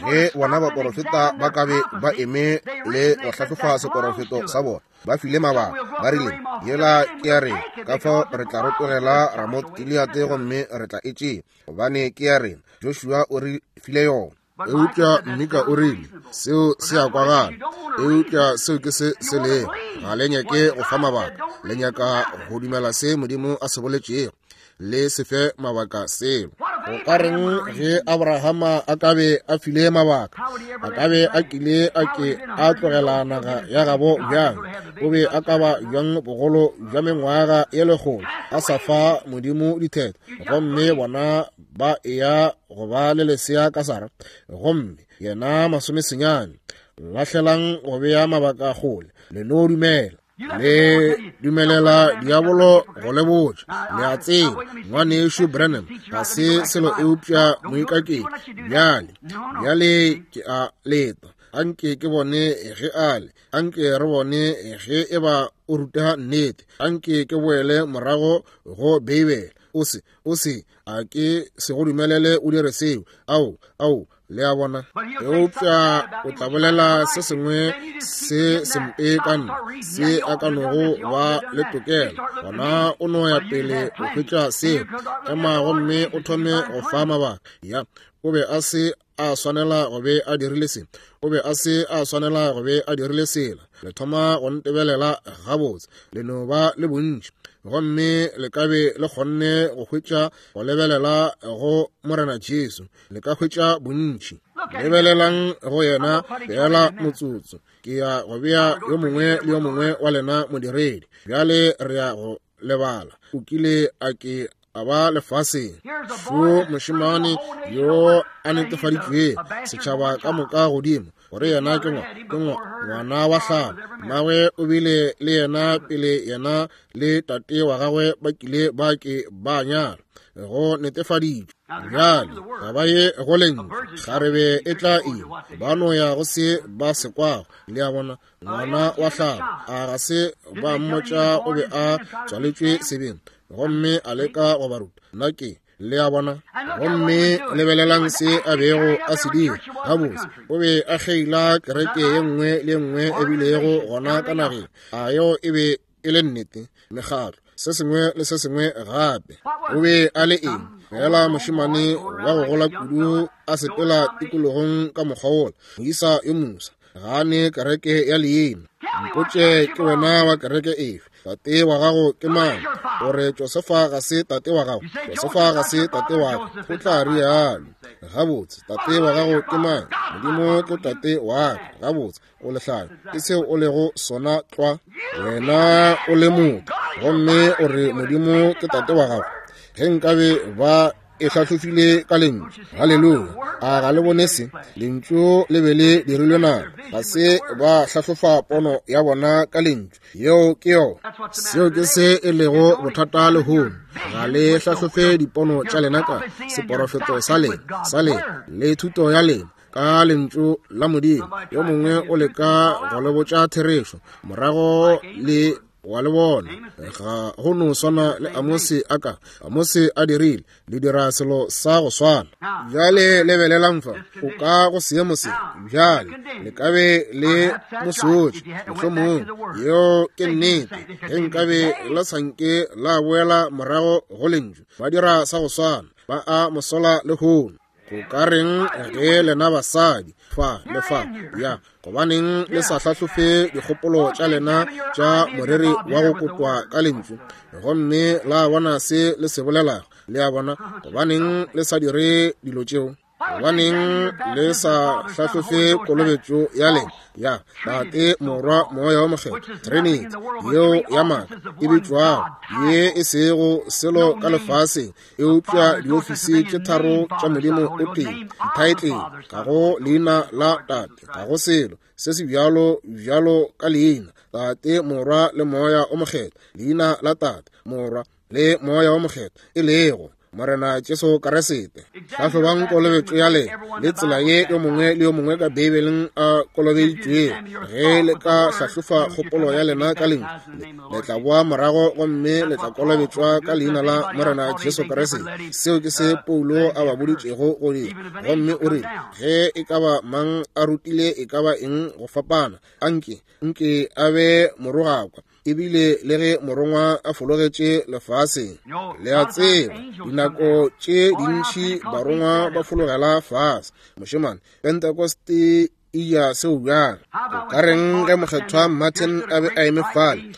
ge bona baporofeta ba ka be ba eme le go hlahlofa seporofeto sa bona, ba file mabaka, ba rile, Yela ke ya rena, ka fao re tla rotogela Ramoth Gilead gomme re tla e tšea, gobane ke ya rena, Joshua o re file yona. Eupša Mika o rile, Seo se a kwagala, eupša seo ke se se lego. Ga le nyake go fa mabaka, le nyaka go dumela se Modimo a se boletšego. Le se fe mabaka selo. Go ka reng ge Abrahama a ka be a file mabaka? A ka be a kile a ke a tlogela naga ya gabo bjang? O be a ka ba bjang bogolo bja mengwaga ye lekgolo a sa fa Modimo ditheto, gomme bona ba eya go ba le lesea ka Sara, gomme yena masomesenyane? Lahlelang go bea mabaka kgole, le no dumela. Le dumelela diabolo go le botša, le a tseba, Ngwanešu Branham ga se selo eupša moikaketši. Bjale, bjale ke a leta, anke ke bone ge a le, anke re bone ge e ba o ruta nnete, anke ke boele morago go Beibele. O se, o se, a ke se go dumelele o dire seo. Ao, ao, le a bona. Eupša o tla bolela se sengwe se sempe ka nna, se a ka nogo ba le tokelo. Gona o no ya pele o hwetša seo. Ema gomme o thome go fa mabaka. Ya, o be a se a swanela go be a dirile se, o be a se a swanela go be a dirile sela. Le thoma go ntebelela gabotse, le no ba le bontši, gomme le ka be le kgonne go hwetša go lebelela go Morena Jesu, le ka hwetša bontši. Lebelelang go yena feela motsotso. Ke ya go bea yo mongwe le yo mongwe wa lena modiredi. Bjale re ya go lebala. O kile a ke a ba lefaseng. Šo mošemane yo a netefaditšwego setšhaba ka moka godimo gore yena ke ngwana wa hlabo. Mmagwe o bile le yena pele yena le tate wa gagwe ba kile ba ke ba nyala. Go netefaditšwe. Bjale ga ba ye go lentšu, kgarebe e tla ima, ba no ya go se ba se kwago. Le a bona, ngwana wa hlabo, a ga se ba mmotša o be a tswaletšwe sebeng, gomme a leka go ba ruta. Nna ke, le a bona. Gomme lebelelang se a bego a se dira. Gabotse, o be a kgeila kereke ye nngwe le ye nngwe e bilego gona ka nageng. A yeo e be e le nnete? Mekgatlo, se sengwe le se sengwe gape. O be a le eng? Fela mošemane wa go gola kudu a sepela tikologong ka mokgwa wola, moisa yo mosa, ga a ne kereke ya leina. Mpotše ke wena wa kereke efe? Tate wa gago ke mang? O re Josefa ga se tate wa gago. Josefa ga se tate wa ka. O tla rialo. Gabotse, tate wa gago ke mang? Modimo ke tate wa ka. Gabotse, o lehlanya. Ke seo o lego sona tlwa. Wena o le motho, gomme o re Modimo ke tate wa gago. Ge nkabe ba e hlahlofile ka lentšu. Haleluya. A ga le bone se? Lentšu le be le dirilwe nama. Ga se ba hlahlofa pono ya bona ka lentšu. Yeo ke yona. Seo ke se e lego bothata lehono. Ga le hlahlofe dipono tša lena ka seporofeto sa lena, sa lena, le thuto ya lena ka lentšu la Modimo. Yo mongwe o leka go le botša therešo, morago le wa le bona. Ga go no swana le Amose a ka Amose a dirile, le dira selo sa go swana. Bjale lebelelang fa, o ka go seemo se. Bjale le ka be le mosotše, mohlomong yeo ke nnete. Ge nkabe la sanke la boela morago go lentšu, ba dira sa go swana, ba a mosola lehono. Go ka reng ge lena basadi fa le fa ya, gobaneng le sa hlahlofe dikgopolo tša lena tša moreri wa go kotwa ka lentšu, gomme la bona se le se bolelago? Le a bona, gobaneng le sa dire dilo tšeo? Gobaneng le sa hlahlofe kolobetšo ya lena ya Tate, Morwa, Moya wa Mokgethwa, Trinity yeo ya maaka e bitšwago, ye e sego selo ka lefaseng eupša diofisi tše tharo tša Modimo o tee, dithaetlele, ga go leina la Tate, ga go selo se se bjalo bjalo ka leina Tate, Morwa le Moya o Mokgethwa, leina la Tate, Morwa le Moya o Mokgethwa, e lego Morena Jesu Kriste. Hlahlobang kolobetšo ya lena le tsela ye yo mongwe le yo mongwe ka Beibeleng a kolobeditšwego. Ge le ka hlahlofa kgopolo ya lena ka lentšu le, le tla boa morago gomme le tla kolobetšwa ka leina la Morena Jesu Kriste. Seo ke se Paulo a ba boditšego go dira. Gomme o rile, ge e ka ba mang a rutile e ka ba eng go fapana, anke, nke a be morogakwa. Ebile le ge morongwa a fologetše lefaseng, le a tseba, dinako tše dintši barongwa ba fologela fase. Mošemane, Pentekoste e ja seo bjang? O ka reng ge mokgethwa Martin a be a eme fale,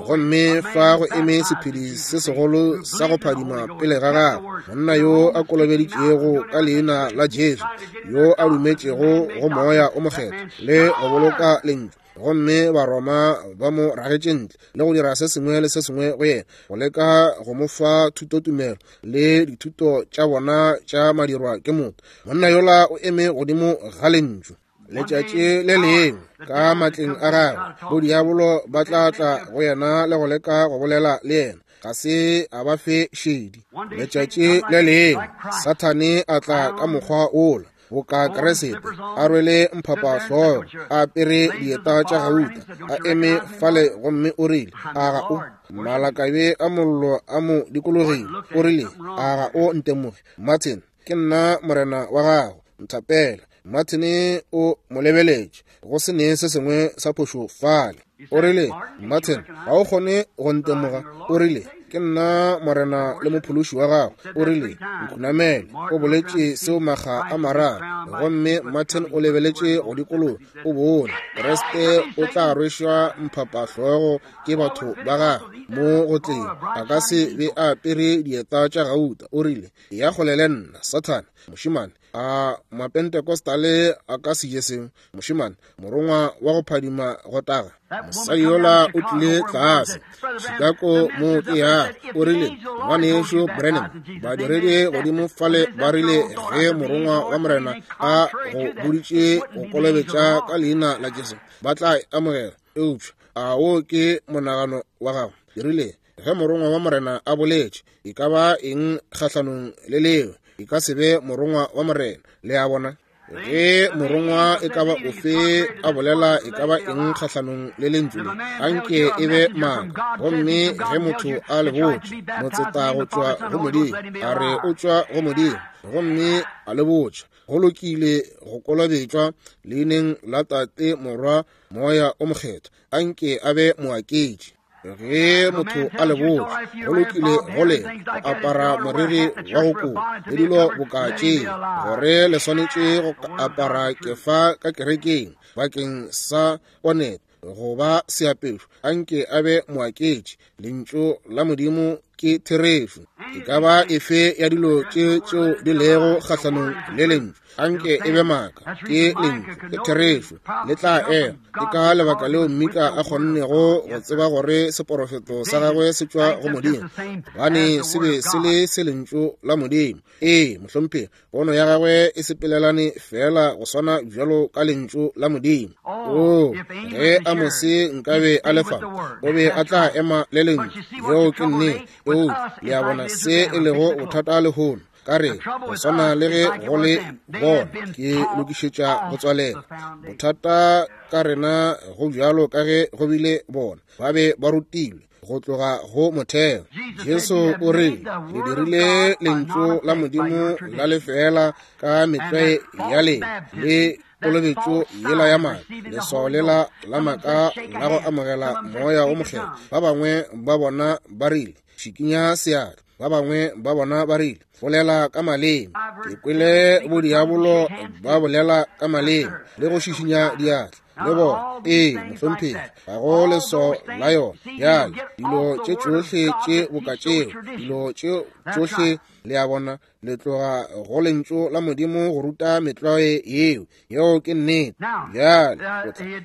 gomme fa go eme sephedi se segolo sa go phadima pele ga gagwe, monna yo a kolobeditšego ka leina la Jesu, yo a dumetšego go Moya o Mokgethwa le go boloka lentšu, gomme Baroma ba mo ragetše ntle le go dira se sengwe le se sengwe go yena, go leka go mo fa thutotumelo le dithuto tša bona tša madirwa ke motho. Monna yola o eme godimo ga lentšu. Letšatši le lengwe ka matleng a gagwe, bodiabolo ba tla tla go yena le go leka go bolela le yena. Ga se a ba fe šedi. Letšatši le lengwe Sathane a tla ka mokgwa wola. boka Kriste, a rwele mphapahlogo, a apere dieta tša gauta, a eme fale gomme o rile, a ga o malakabe a mollo a mo dikologile, o rile, a ga o ntemoge, Martin, ke nna morena wa gago, nthapela. Martin o mo lebeletše, go se ne se sengwe sa phošo fale. O rile, Martin, ga o kgone go ntemoga. O rile, ke nna morena le mophološi wa gago. O rile, nkhunamele. O boletše seo makga a mararo, gomme Martin o lebeletše go dikologa, o bone Kriste o tla rwešwa mphapahlogo ke batho ba gagwe mo go tleng. A ka se be a apere dieta tša gauta. O rile, ya kgole le nna, Sathane. Mošemane, a Mapentecostale a ka se je seo? Mošemane, morongwa wa go phadima go taga, mosadi yola o tlile tlase Chicago mo ke ya, o rile, ngwanešu Branham, badiredi godimo fale ba rile ge morongwa wa morena a go boditše go kolobetša ka leina la Jesu, ba tla e amogela. Eupša a wo ke monagano wa gago? Ke rile, ge morongwa wa morena a boletše, e ka ba eng kgahlanong le leo? E ka se be morongwa wa morena. Le a bona? Ge morongwa e ka ba ofe a bolela e ka ba eng kgahlanong le lentšu le, anke e be maaka. Gomme ge motho a le botše, motseta go tšwa go Modimo, a re o tšwa go Modimo, gomme a le botša, go lokile go kolobetšwa leineng la Tate, Morwa, Moya o Mokgethwa, anke a be moaketši. Ge motho a le botša, go lokile go le go apara moriri wa go koba le dilo boka tše, gore le swanetše go apara kefa ka kerekeng bakeng sa ponete goba seapešo, anke a be moaketši. Lentšu la Modimo ke therešo. E ka ba efe ya dilo tše tšeo di lego kgahlanong le lentšu, anke e be maaka. Ke lentšu, ke therešo, le tla ema. Ke ka lebaka leo Mika a kgonnego go tseba gore seporofeto sa gagwe se tšwa go Modimo, gobane se be se le se lentšu la Modimo. Ee, mohlomphegi, pono ya gagwe e sepelelane feela go swana bjalo ka lentšu la Modimo. Oo, ge Amose nkabe a le fa, o be a tla ema le lentšu. Yeo ke nnete. Eupša le a bona se e lego bothata lehono. Ka re, go swana le ge go le bona, ke lokišetša go tswalela. Bothata ka rena go bjalo ka ge go bile bona, ba be ba rutilwe go tloga go motheo. Jesu o rile, le dirile lentšu la Modimo la lefeela ka metlwae ya lena le kolobetšo yela ya maaka, leswao lela la maaka la go amogela Moya o Mokgethwa. Ba bangwe ba bona ba rile, šikinya seatla. Ba bangwe ba bona ba rile, bolela ka maleme. Ke kwele bodiabolo ba bolela ka maleme le go šišinya diatla le bona. Ee, mohlomphegi, ga go leswao la yona. Bjale, dilo tše tšohle tše boka tšeo, dilo tše tšohle, le a bona, le tloga go lentšu la Modimo go ruta metlwae yeo. Yeo ke nnete. Bjale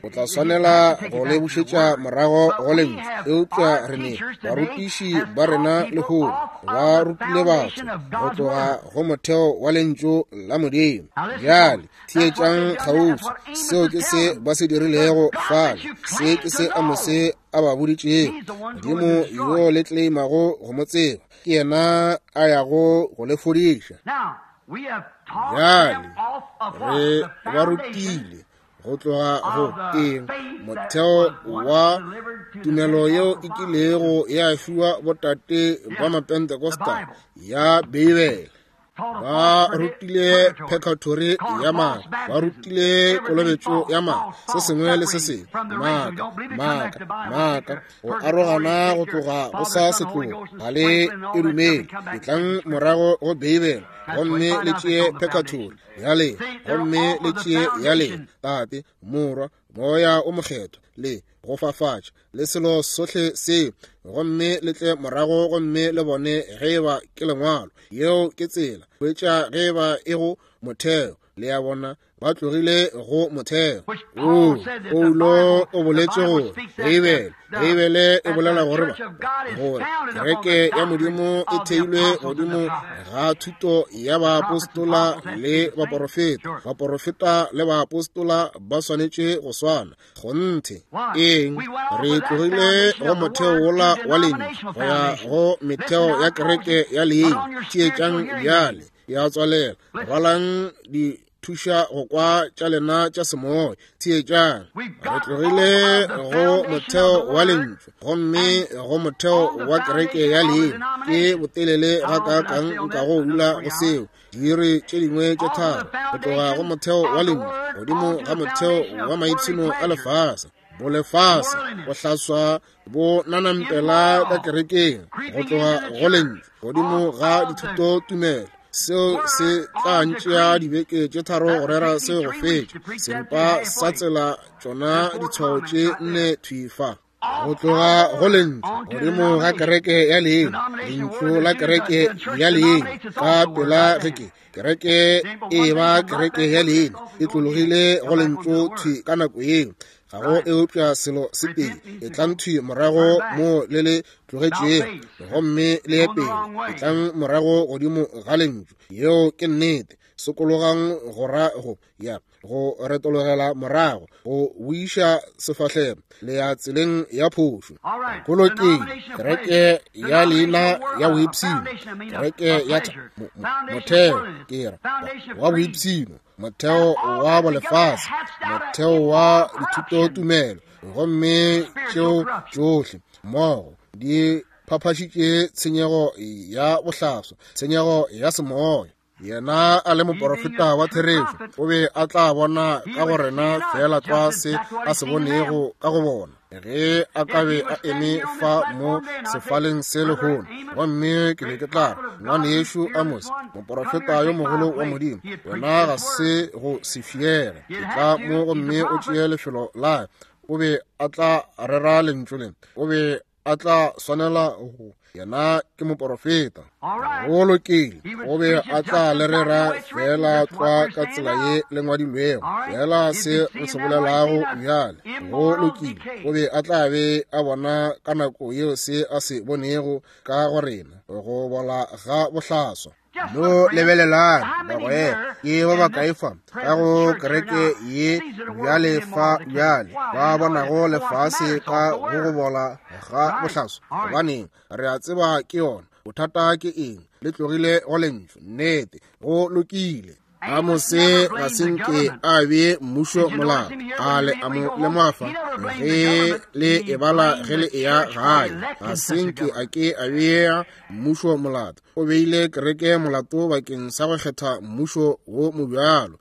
o tla swanela go le bušetša morago go lentšu. Eupša re ne barutiši ba rena lehono ba rutile batho go tloga go motheo wa lentšu la Modimo. Bjale theetšang kgauswi. Seo ke se ba se dirilego fale. Se ke se Amose a ba boditšego. Modimo yo le tleimago go mo tseba, ke yena a yago go le fodiša. Bjale re ba rutile go tloga go eng? Motheo wa tumelo yeo e kilego ya fiwa botate ba Mapentecostal ya Beibele. Ba rutile purgatory ya maaka, ba rutile kolobetšo ya maaka, se sengwe le se sengwe, maaka, maaka, maaka, go arogana go tloga go sa setlogo, ga le e dumele. Etlang morago go Beibele gomme le tšee purgatory ya lena, gomme le tšee ya lena, Tate, Morwa, Moya o Mokgethwa, le go fafatša le selo sohle seo, gomme le tle morago gomme le bone ge eba ke lengwalo. Yeo ke tsela hwetša ge eba e go motheo. Le a bona, ba tlogile go motheo. O Paulo o boletše gore Beibele, Beibele e bolela gore gore kereke ya Modimo e theilwe godimo ga thuto ya baapostola le baporofeta. Baporofeta le baapostola ba swanetše go swana. Kgonthe. Eng? Re tlogile go motheo wola wa lentšu go ya go metheo ya kereke ya leina. Theetšang bjale, ya tswalela. Rwalang di thuša go kwa tša lena tša semoya. Theetšang, re tlogile go motheo wa lentšu gomme go motheo wa kereke ya leina. Ke botelele gakaakang nkago dula go seo? Diiri tše dingwe tše tharo go tloga go motheo wa lentšu godimo ga motheo wa maipshino a lefase. Bolefase go hlaswa bo nanampela ka kerekeng go tloga go lentšu godimo ga dithutotumelo. Seo se tla ntšea dibeke tše tharo go rera seo go fetša seripa sa tsela tšona ditshwao tše nne thwi fa. Go tloga go lentšu godimo ga kereke ya leina, lentšu la kereke ya leina ka pela ge ke kereke e ba kereke ya leina e tlologile go lentšu thwi ka nako yeo. Ga go eupša selo se tee, e tlang thwi morago mo le le tlogetšego gomme le ye pele, e tlang morago godimo ga lentšu. Yeo ke nnete. Sokologang go ra go ya go retologela morago, go boiša sefahlego le ya tseleng ya phošo. Go lokile, kereke ya leina ya boipshino, kereke ya motheo, ke ra wa boipshino, motheo wa bolefase, motheo wa dithutotumelo, gomme tšeo tšohle mmogo di phaphašitše tshenyego ya bohlaswa, tshenyego ya semoya. Yena a le moporofeta wa therešo, o be a tla bona ka go rena feela tlwa se a se bonego ka go bona. Ge a ka be a eme fa mo sefaleng se lehono, gomme ke be ke tla re, Ngwanešu Amos, moporofeta yo mogolo wa Modimo, wena ga se go se fiege, etla mo gomme o tšee lefelo la. O be a tla rera lentšu le, o be a tla swanela go. Yena ke moporofeta. Go lokile, o be a tla le rera feela tlwa ka tsela ye le ngwadilwego, feela se re se bolelago bjale. Go lokile, o be a tla be a bona ka nako yeo se a se bonego ka go rena, go bola ga bohlaswa. No lebelelang, bagwera, ke ba bakae fa ka go kereke ye bjale fa bjale ba bonago lefase ka go go bola ga bohlaswa? Gobaneng, re a tseba ke yona. Bothata ke eng? Le tlogile go lentšu. Nnete. Go lokile. Amose ga se nke a be mmušo molao, a le a mo lemoga fa ge le e bala ge le eya gae. Ga se nke a ke a bea mmušo molato, o beile kereke molato bakeng sa go kgetha mmušo wo mobjalo.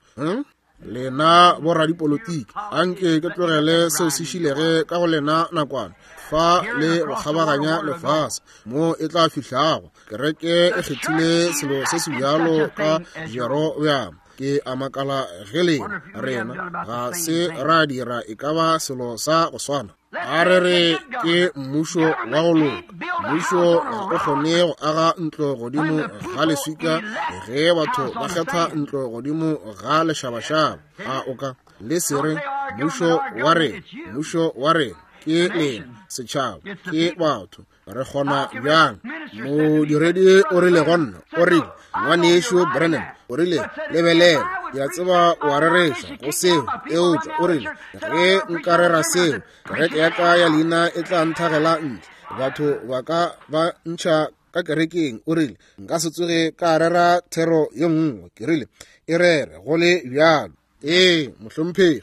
Lena boradipolotiki, anke ke tlogele seo se šilege ka go lena nakwana fa le go kgabaganya lefase mo e tla fihlago. Kereke e kgethile selo se se bjalo ka Jerobeam. Ke a makala ge lena rena ga se ra dira e ka ba selo sa go swana. A re re ke mmušo wa go loka. Mmušo ga o kgone go aga ntlo godimo ga leswika ge batho ba kgetha ntlo godimo ga lešabašaba. A o ka le se re mmušo wa rena, mmušo wa rena ke lena setšhaba, ke batho. Re kgona bjang? Modiredi o rile go nna, o rile, Ngwanešu Branham, o rile, lebelela, ke a tseba o a rereša go seo, eupša o rile, ge nka rera seo, kereke ya ka ya leina e tla nthagela ntle, batho ba ka ba ntšha ka kerekeng. O rile, nka se tsoge ka rera thero ye nngwe. Ke rile, e rere go le bjalo. Ee, mohlomphegi,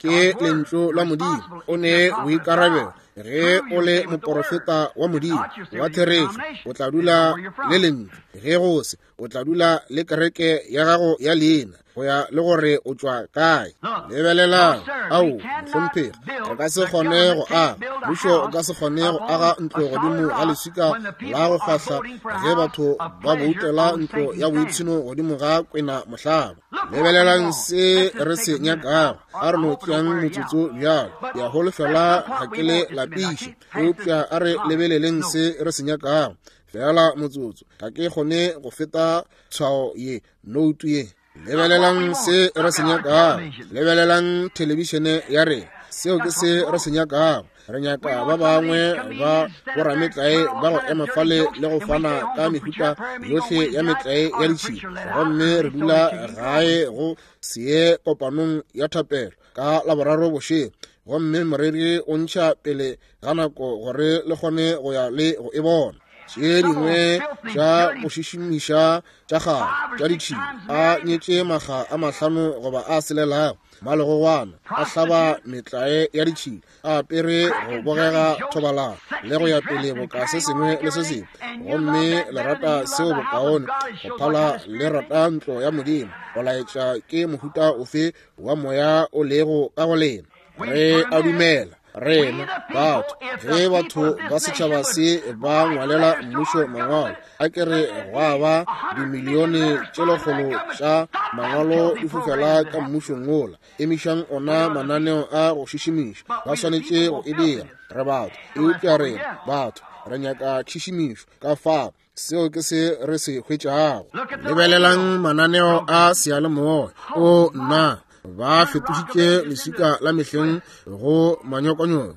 ke lentšu la Modimo. O ne boikarabelo ge o le moporofeta wa Modimo wa therešo, o tla dula le lentšu. Ge go se, o tla dula le kereke ya gago ya leina, go ya le gore o tšwa kae. Lebelelang, ao, mohlomphegi, re ka se kgone go aga mmušo, o ka se kgone go aga ntlo godimo ga leswika la go fahla ge batho ba boutela ntlo ya boipshino godimo ga kwena mohlaba. Lebelelang se re se nyakago. A re no tšeang motsotso bjalo. Ke a holofela ga ke le lapiše, eupša a re lebeleleng se re se nyakago. Feela motsotso, ga ke kgone go feta tshwao ye, noutu ye. Lebelelang se re se nyakago. Lebelelang thelebišene ya rena. Seo ke se re se nyakago. Re nyaka ba bangwe ba borametlae ba go ema fale le go fana ka mehuta yohle ya metlae ya ditšhila, gomme re dula gae go se ye kopanong ya thapelo ka Laboraro bošego, gomme moreri o ntšha pele ga nako gore le kgone go ya le go e bona. Tše dingwe tša go šišimiša tša kgale tša ditšhila, a nyetše makga a 5 goba a 6, malegogwana a hlaba metlae ya ditšhila, a apere go bogega thobalano le go ya pele boka se sengwe le se sengwe. Gomme le rata seo bokaone go phala le rata ntlo ya Modimo. Go laetša ke mohuta ofe wa moya o lego ka go lena. Re a dumela rena batho, ge batho ba setšhaba se ba ngwalela mmušo mangwalo, a ke re gwa ba dimilione tše 100 tša mangwalo di fofela ka mmušong wola. Emišang ona mananeo a go šišimiša, ba swanetše go e dira. Re batho, eupša rena batho re nyaka tšhišimišo. Ka fao seo ke se re se hwetšago. Lebelelang mananeo a seyalemoya. O nna, ba fetošitše leswika la mehleng go manyokonyoko.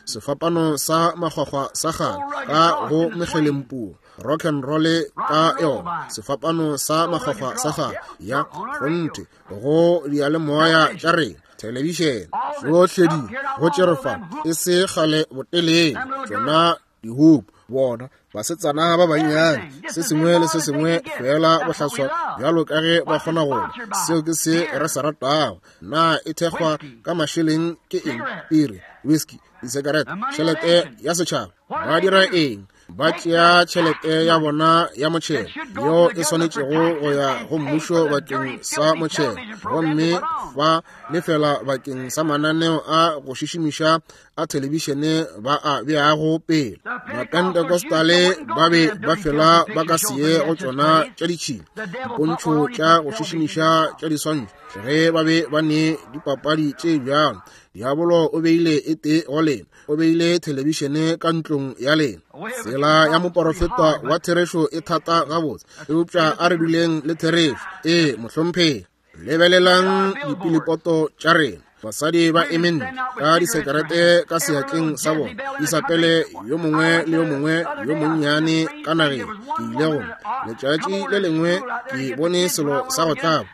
Sefapano sa makgwakgwa sa kgale ka go mekgelempuo, rock and roll ka yona, sefapano sa makgwakgwa sa kgale ya kgonthe go diyalemoya tša rena, thelebišene, tšohle di go tšere fa e se kgale botelele. Tšona dihupu, bona basetsana ba bannyane, se sengwe le se sengwe fela bohlaswa bjalo ka ge ba kgona go ba. Seo ke se re se ratago. Na e thekgwa ka mašeleng ke eng? Piri, whisky, disekerete, tšhelete ya setšhaba. Ba dira eng? Ba tšea tšhelete ya bona ya motšhelo yeo e swanetšego go ya go mmušo bakeng sa motšhelo, gomme ba lefela bakeng sa mananeo a go šišimiša a thelebišene ba a beago pele. Mapentecostale ba be ba fela ba ka se ye go tšona tša ditšhila, dipontšho tša go šišimiša tša diswantšho, ge ba be ba ne dipapadi tše bjalo. Diabolo o beile e tee go lena, o beile thelebišene ka ntlong ya lena. Tsela ya moporofeta wa therešo e thata gabotse, eupša a re duleng le therešo. Ee, mohlomphegi. Lebelelang dipilipoto tša rena. Basadi ba eme ntle ka disekerete ka seatleng sa bona, Isabele yo mongwe le yo mongwe yo monnyane ka nageng. Ke ile go letšatši le lengwe ke bone selo sa go tlaba.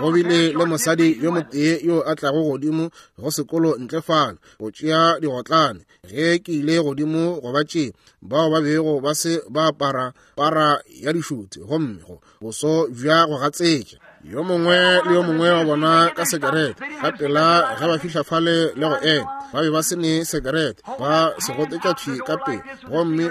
Go bile le mosadi yo motee yo a tlago godimo go sekolo ntle fale go tšea digotlane. Ge ke ile godimo go ba tšea, bao ba bego ba se ba apara para ya dišuthe, gomme go boso bja go gatsetša, yo mongwe le yo mongwe wa bona ka sekerete. Ka pela ge ba fihla fale le go ema, ba be ba se ne sekerete, ba se gotetša thwi ka pele. Gomme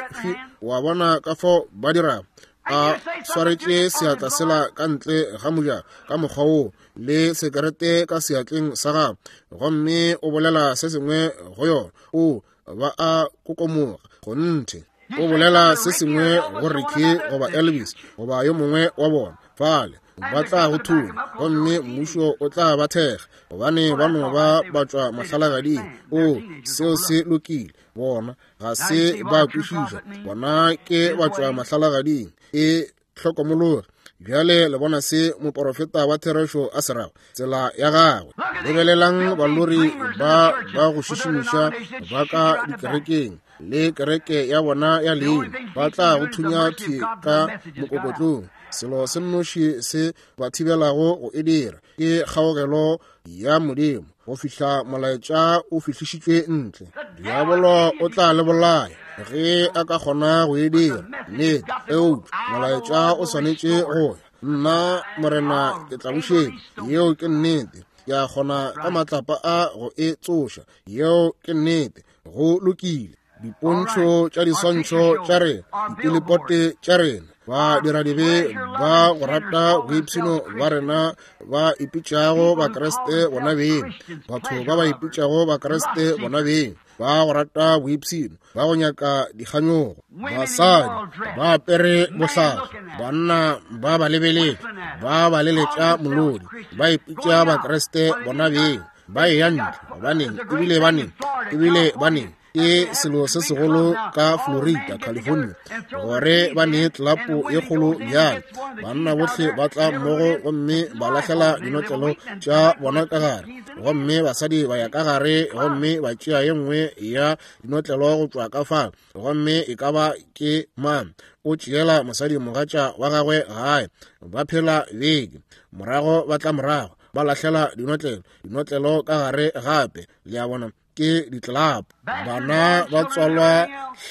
wa bona ka fao ba dirago, a swaretše seatla sela ka ntle ga mojako ka mokgwa woo, le sekerete ka seatleng sa gagwe, gomme o bolela se sengwe go yona. O ba a kokomoga kgonthe. O bolela se sengwe go Ricky goba Elvis goba yo mongwe wa bona fale, ba tla go thunya, gomme mmušo o tla ba thekga, gobane ba no ba ba tšwa mahlalagading. O, seo se lokile. Bona ga se ba kwešiša, bona ke ba tšwa mahlalagading. E hlokomologe. Bjale le bona se moporofeta wa therešo a se rago, tsela ya gagwe. Lebelelang balori ba ba go šišimiša ba ka dikerekeng le kereke ya bona ya leina, ba tla go thunya thwi ka mokokotlong. Selo se nnoši se ba thibelago go e dira ke kgaogelo ya Modimo go fihla molaetša o fihlišitšwe ntle. Diabolo o tla le bolaya ge a ka kgona go e dira, nnete, eupša molaetša o swanetše go ya. Nna Morena ke tla bušetša. Yeo ke nnete. Ke a kgona ka matlapa a go e tsoša. Yeo ke nnete. Go lokile. Dipontšho tša diswantšho tša rena, dipilipote tša rena, ba diradibe ba go rata boipshino ba rena ba ipitšago Bakriste bona beng, batho ba ba ipitšago Bakriste bona beng ba go rata boipshino, ba go nyaka dikganyogo, basadi ba apere bohlaswa, banna ba ba lebeletše, ba ba leletša molodi, ba ipitša Bakriste bona beng, ba eya ntle. Gobaneng? Ebile baneng, ebile baneng ke selo se segolo ka Florida, California, gore ba ne tlapo ye kgolo bjale. Banna bohle ba tla mmogo gomme ba lahlela dinotlelo tša bona ka gare, gomme basadi ba ya ka gare gomme ba tšea ye nngwe ya dinotlelo go tšwa ka fa, gomme e ka ba ke mang o tšeela mosadi mogatša wa gagwe gae. Ba phela beke morago, ba tla morago ba lahlela dinotlelo ka gare gape. Le a bona? ke ditlelapo. Bana ba tswalwa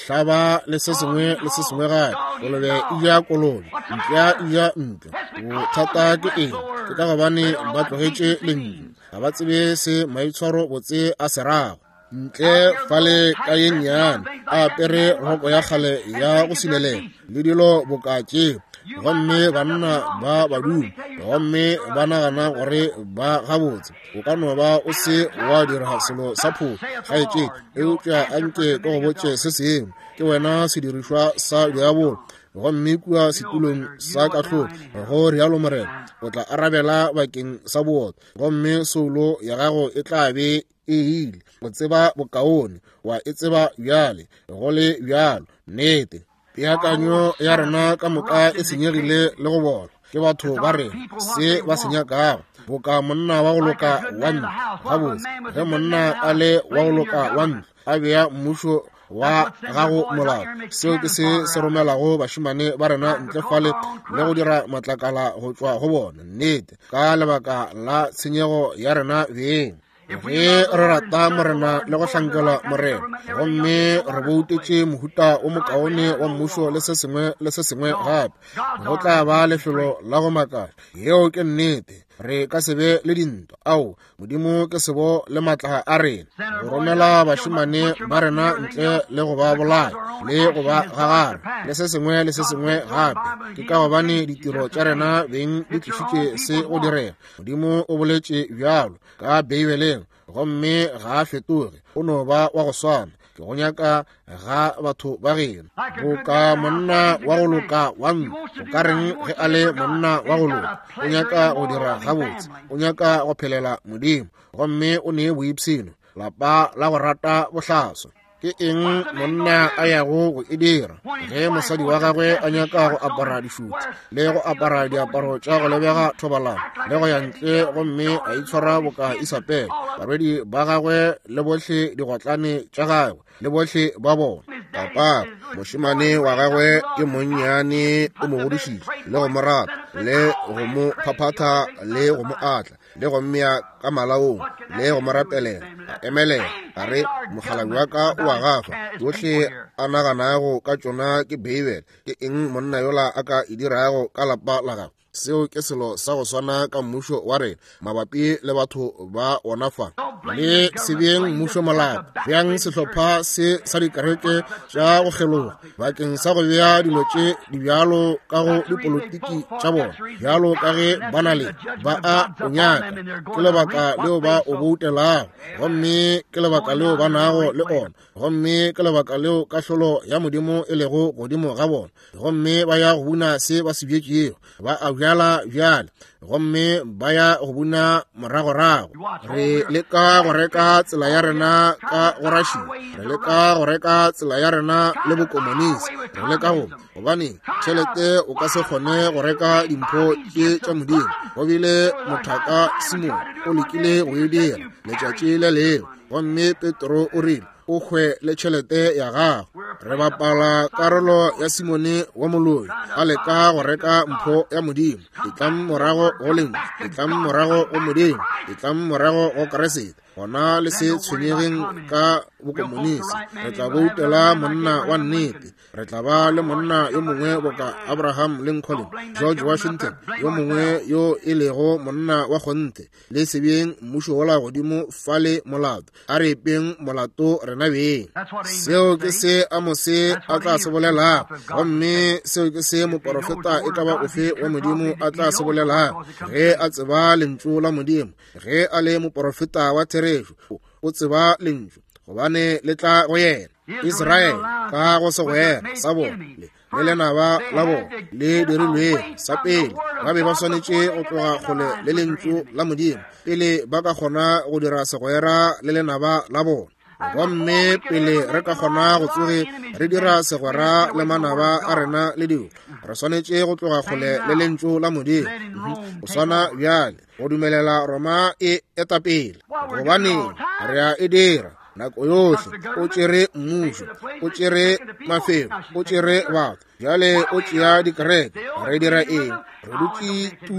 hlaba le se sengwe le se sengwe gape. Kolobe e ja kolobe, mpša e ja mpša. Bothata ke eng? Ke ka gobane ba tlogetše lentšu. Ga ba tsebe se maitshwaro botse a se rago. Ntle fale ka ye nnyane, a apere roko ya kgale ya go silelela le dilo boka tšeo, gomme banna ba baduma gomme ba nagana gore ba gabotse. O ka no ba o se wa dira selo sa phošo, kgaetšedi, eupša anke ke go botše se sengwe. Ke wena sedirišwa sa diabolo, gomme kua setulong sa kahlolo, go rialo Morena, o tla arabela bakeng sa bootswa, gomme soulo ya gago e tla be e ile. O tseba bokaone, wa e tseba bjale, go le bjalo. Nnete, peakanyo ya rena ka moka e senyegile le go bola. Ke batho ba rena se ba se nyakago, boka monna wa go loka wa ntlo. Gabotse, ge monna a le wa go loka wa ntlo, a bea mmušo wa gago molao, seo ke se se romelago bašemane ba rena ntle fale le go dira matlakala go tšwa go bona. Nnete, ka lebaka la tshenyego ya rena beng. Ge re rata Morena le go hlankela Morena, gomme re boutetše mohuta o mokaone wa mmušo le se sengwe le se sengwe gape, go tla ba lefelo la go makatša. Yeo ke nnete. Re ka se be le dintwa. Ao, Modimo ke sebo le matla a rena. Go romela bašemane ba rena ntle le go ba bolaya le go ba gagara le se sengwe le se sengwe gape, ke ka gobane ditiro tša rena beng di tlišitše se go direga. Modimo o boletše bjalo ka Beibeleng, gomme ga a fetoge, o no ba wa go swana. Ke go nyaka ga batho ba geno. Boka monna wa go loka wa ntlo, o ka reng ge a le monna wa go loka? O nyaka go dira gabotse, o nyaka go phelela Modimo, gomme o ne boipshino, lapa la go rata bohlaswa. Ke eng monna a yago go e dira ge mosadi wa gagwe a nyaka go apara dišuti le go apara diaparo tša go lebega thobalano le go ya ntle gomme a itshwara boka Isabel, barwedi ba gagwe le bohle digotlane tša gagwe le bohle ba bona? Papa, mošemane wa gagwe ke monnyane, o mo godišitše le go mo rata le go mo phaphatha le go mo atla le go mmea ka malaong le go mo rapelela. A emelela, a re, Mokgalabje wa ka o a gafa. Tšohle a naganago ka tšona ke Beibele. Ke eng monna yola a ka e dirago ka lapa la gagwe? Seo ke selo sa go swana ka mmušo wa rena mabapi le batho ba ona fa. Le se beeng mmušo molato, beang sehlopha se sa dikereke tša go kgeloga bakeng sa go bea dilo tše di bjalo ka go dipolotiki tša bona, bjalo ka ge ba na le, ba a o nyaka. Ke lebaka leo ba o boutelago, gomme ke lebaka leo ba nago le ona, gomme ke lebaka leo kahlolo ya Modimo e lego godimo ga bona, gomme ba ya go buna se ba se bjetšego. Ba a bjala bjale, gomme ba ya go buna moragorago. Re leka go reka tsela ya rena ka go Russia, re leka go reka tsela ya rena le bokomonisi, re leka go, gobane tšhelete o ka se kgone go reka dimpho tše tša Modimo. Go bile mothaka Simon o lekile go e dira letšatši le lengwe, gomme Petro o rile, o hwe le tšhelete ya gago. Re bapala karolo ya Simone wa moloi, a leka go reka mpho ya Modimo. Etlang morago go Lentšu, etlang morago go Modimo, etlang morago go Kriste. Gona le se tshwenyegeng ka bokomonisi. Re tla boutela monna wa nnete. Re tla ba le monna yo mongwe boka Abraham Lincoln, George Washington, yo mongwe yo e lego monna wa kgonthe. Le se beeng mmušo wola godimo fale molato. A re epeng molato rena beng. Seo ke se Amose a tla se bolelago, gomme seo ke se moporofeta e ka ba ofe wa Modimo a tla se bolelago ge a tseba lentšu la Modimo. Ge a le moporofeta wa therešo, o tseba lentšu, gobane le tla go yena. Israele ka go segwera sa bona le lenaba la bona le dirilwego sa pele, ba be ba swanetše go tloga kgole le lentšu la Modimo pele ba ka kgona go dira segwera le lenaba la bona. Gomme pele re ka kgona go tsoge re dira segwera le manaba a rena le dilo, re swanetše go tloga kgole le lentšu la Modimo. Go swana bjale go dumelela Roma e etapele, gobane re a e dira nako yohle. O tšere mmušo, o tšere mafelo, o tšere batho, bjale o tšea dikereke. Re dira eng? Re dutše tu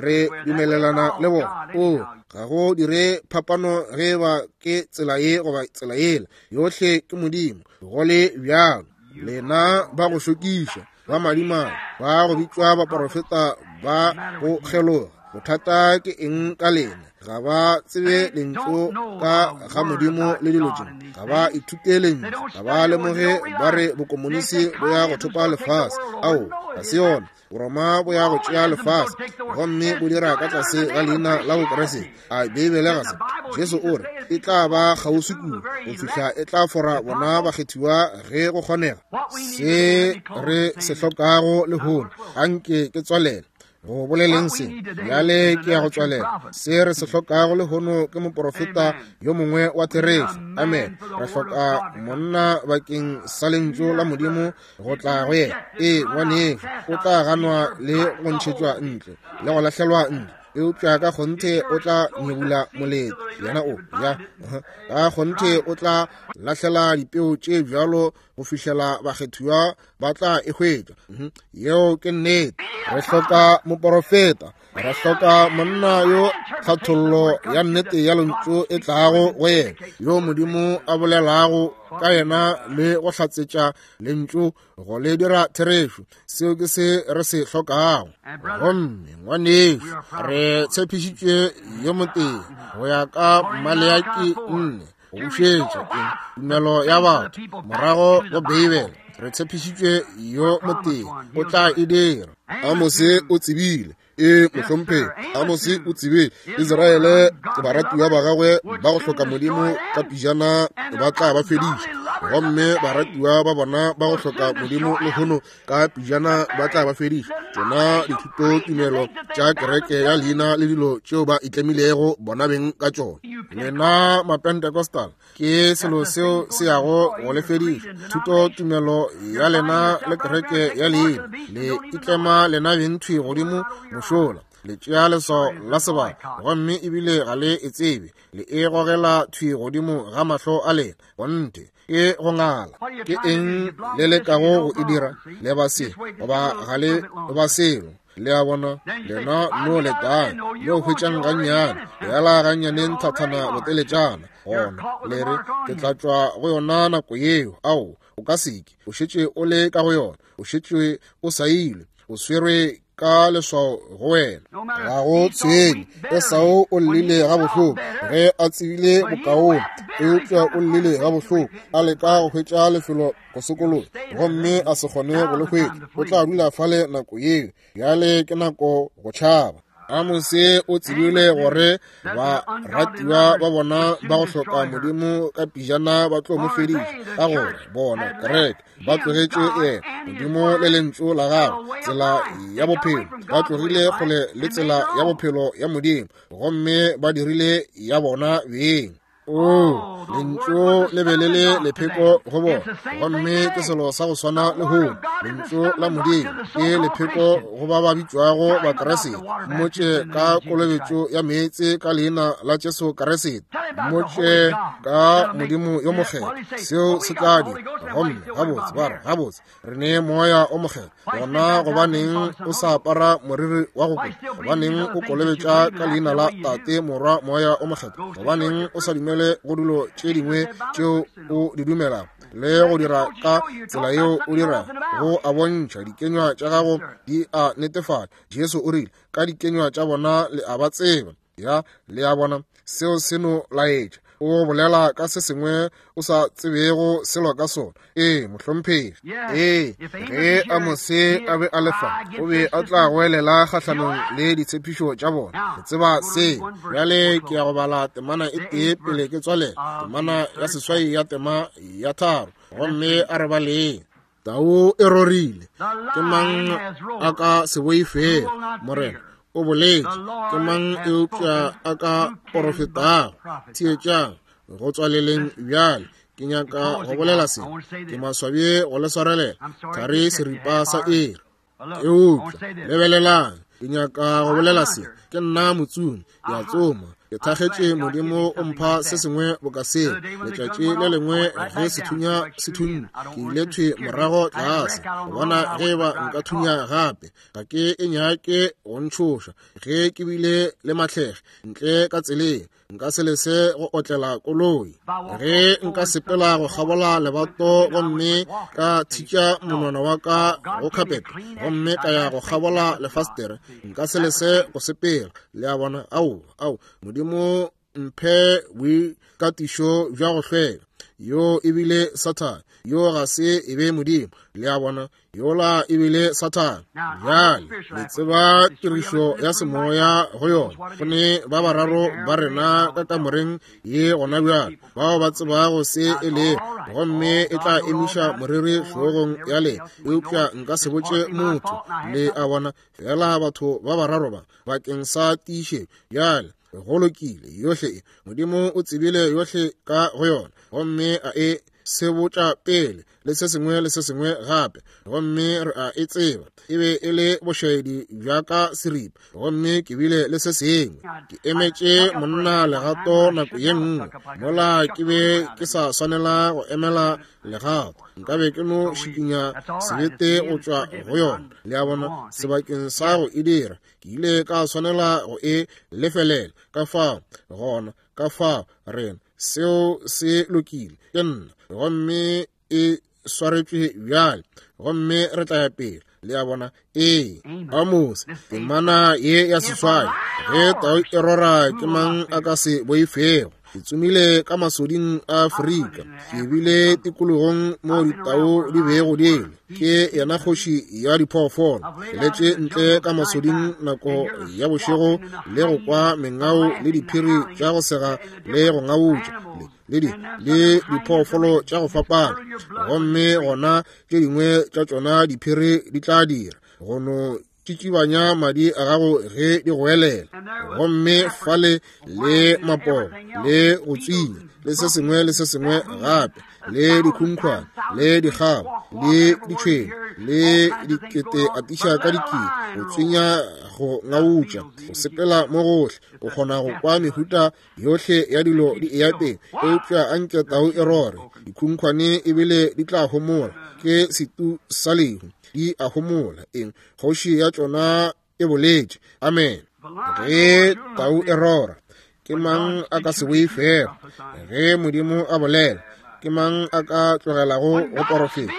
re dumelelana le bona. O, ga go dire phapano ge ba ke tsela ye goba tsela yela. Yohle ke Modimo, go le bjalo. Lena ba go šokiša, ba madimabe, ba go bitšwa baprofeta ba go kgeloga. Bothata ke eng ka lena? Ga ba tsebe lentšu ka ga Modimo le dilo tše. Ga ba ithute lentšu. Ga ba lemoge ba re bokomonisi bo ya go thopa lefase. Ao, ga se yona. Boroma bo ya go tšea lefase gomme bo dira ka tlase ga leina la Bokriste. A Beibele ga se? Jesu o re e tla ba kgauswi kudu go fihla e tla fora bona bakgethiwa ge go kgonega. Se re se hlokago lehono, anke ke tswalele go boleleng se bjale ke ya go tswalela. Se re se hlokago lehono ke moprofeta yo mongwe wa therešo. Amen. Re hloka monna bakeng sa lentšu la Modimo go tla go yena. Ee, ngwanešu, o tla ganwa le go ntšhetšwa ntle le go lahlelwa ntle, eupša ka kgonthe o tla nyebula molete. Yena o ya ka kgonthe o tla lahlela dipeo tše bjalo go fihlela bakgethiwa ba tla e hwetša. Yeo ke nnete. Re hloka moporofeta. Re hloka monna yo tlhathollo ya nnete ya lentšu e tlago go yena, yo Modimo a bolelago ka yena le go hlatsetša lentšu go le dira therešo. Seo ke se re se hlokago. Gomme ngwanešu, re tshepišitšwe yo motee go ya ka Maleaki 4, go bušetša tumelo ya batho morago go Beibele. Re tshepišitšwe yo motee, o tla e dira. Amose o tsebile. Ee, mohlomphegi, Amose o tsebile Israele baratiwa ba gagwe ba go hloka Modimo ka pijana ba tla ba fediša, gomme baratiwa ba bona ba go hloka Modimo lehono ka pijana ba tla ba fediša. Tšona dithutotumelo tša kereke ya leina le dilo tšeo ba itlemilego bona beng ka tšona. Lena Mapentecostal, ke selo seo se yago go le fediša. Thutotumelo ya lena le kereke ya leina le itlema lena beng thwi godimo mošola. Le tšea leswao la sebaka gomme ebile ga le e tsebe. Le e gogela thwi godimo ga mahlo a lena. Kgonthe, ke go ngala. Ke eng le lekago go e dira? Le ba se goba ga le ba selo. Le a bona, lena no letang, no hwetšang gannyane, bjala gannyane nthathana boteletšana. Gona le re, ke tla tšwa go yona nako yeo. Ao, o ka seke. O šetše o le ka go yona. O šetše o sailwe. O swerwe ka leswao go wena. Ga go tshwenye. Esau o llile gabohloko ge a tsebile bokaone, eupša o llile gabohloko a leka go hwetša lefelo go sokologa, gomme a se kgone go le hwetša. O tla dula fale nako yeo. Bjale ke nako go tšhaba. Amose o tsebile gore baratiwa ba bona ba go hloka Modimo ka pijana ba tlo mo fediša, ka gore bona kereke ba tlogetše yena Modimo le lentšu la gagwe, tsela ya bophelo. Ba tlogile kgole le tsela ya bophelo ya Modimo, gomme ba dirile ya bona beng. O, lentšu le be le le lepheko go bona, gomme ke selo sa go swana lehono. Lentšu la Modimo ke lepheko go ba ba bitšwago Bakriste. Mmotše ka kolobetšo ya meetse ka leina la Jesu Kriste. Mmotše ka Modimo yo mokgethwa. Seo se tla dira. Gomme gabotse ba re, gabotse re ne Moya o Mokgethwa. Gona gobaneng o sa apara moriri wa go kota? Gobaneng o kolobetša ka leina la Tate, Morwa, Moya o Mokgethwa? Gobaneng o sa dumele go dilo tše dingwe tšeo o di dumelago le go dira ka tsela yeo o dirago? Go a bontšha, dikenywa tša gago di a netefatša. Jesu o rile, ka dikenywa tša bona le a ba tseba. Ya, le a bona, seo se no laetša o bolela ka se sengwe o sa tsebego selo ka sona. Ee, mohlomphegi. Ee, ge Amose a be a le fa, o be a tla goelela kgahlanong le ditshepišo tša bona. Ke tseba se. Bjale ke ya go bala temana e tee pele ke tswalela, temana ya 8 ya tema ya 3, gomme a re baleng. Tau e rorile. Ke mang a ka se boifego? Morena o boletše. Ke mang eupša a ka porofetago? Theetšang go tswaleleng bjale. Ke nyaka go bolela se. Ke maswabi go le swarelela thari seripa sa iri. Eupša lebelelang, ke nyaka go bolela se. Ke nna motsomi, ke a tsoma. Ke thakgetše Modimo o mpha se sengwe boka seo. Letšatši le lengwe ge sethunya se thunya, ke ile thwi morago tlase go bona ge eba nka thunya gape. Ga ke e nyake go ntšhoša ge ke bile le mahlege ntle ka tseleng. Nka se lese go otlela koloi. Ge nka sepela go kgabola lebato gomme ka thitša monwana wa ka go khapete gomme ka ya go kgabola lefastere, nka se lese go sepela. Le a bona? Ao, ao, Modimo mphe boikatišo bja go hlweka. Yo e bile Sathane, yo ga se e be Modimo. Le a bona? Yola e bile Sathane. Bjale le tseba tirišo ya semoya go yona. Go ne ba bararo ba rena ka kamoreng ye gona bjale bao ba tsebago se e lego, gomme e tla emiša moriri hlogong ya lena, eupša nka se botše motho. Le a bona? Fela batho ba bararo ba bakeng sa tiišetšo. Bjale go lokile, yohle e Modimo o tsebile yohle ka go yona, gomme a e sebotša pele le se sengwe le se sengwe gape, gomme re a e tseba. E be e le bošaedi bja ka seripa, gomme ke bile le se sengwe. Ke emetše monna legato nako ye nngwe, mola ke be ke sa swanela go emela legato, nka be ke no šikinya sebete go tšwa go yona. Le a bona, sebakeng sa go e dira, ke ile ka swanela go e lefelela. Ka fao gona, ka fao rena, seo se lokile, ke nna, gomme e swaretšwe bjale, gomme re tla ya pele. Le a bona? Ee, Amose, temana ye ya seswai, ge tau e rora ke mang a ka se boifego? Ke tsomile ka masoding a Afrika, ke bile tikologong mo ditau di bego di le. Ke yena kgoši ya diphoofolo. Ke letše ntle ka masoding nako ya bošego le go kwa mengao le diphiri tša go sega le go ngautša le le le diphoofolo tša go fapana, gomme gona tše dingwe tša tšona diphiri di tla dira go no tšitšibanya madi a gago ge di goelela, gomme fale le mapoo le go tswinya le se sengwe le se sengwe gape, le dikhunkhwane le dikgabo le ditšhwene le dikete atiša ka dikete, go tswinya, go ngautša, go sepela mo gohle, o kgona go kwa mehuta yohle ya dilo di eya pele. Eupša a nke tau e rore, dikhunkhwane ebile di tla homola, ke setu sa lehu, di a homola. Eng? Kgoši ya tšona e boletše. Amen. Ge tau e rora, ke mang a ka se boifego? Ge Modimo a bolela, ke mang a ka tlogelago go porofeta?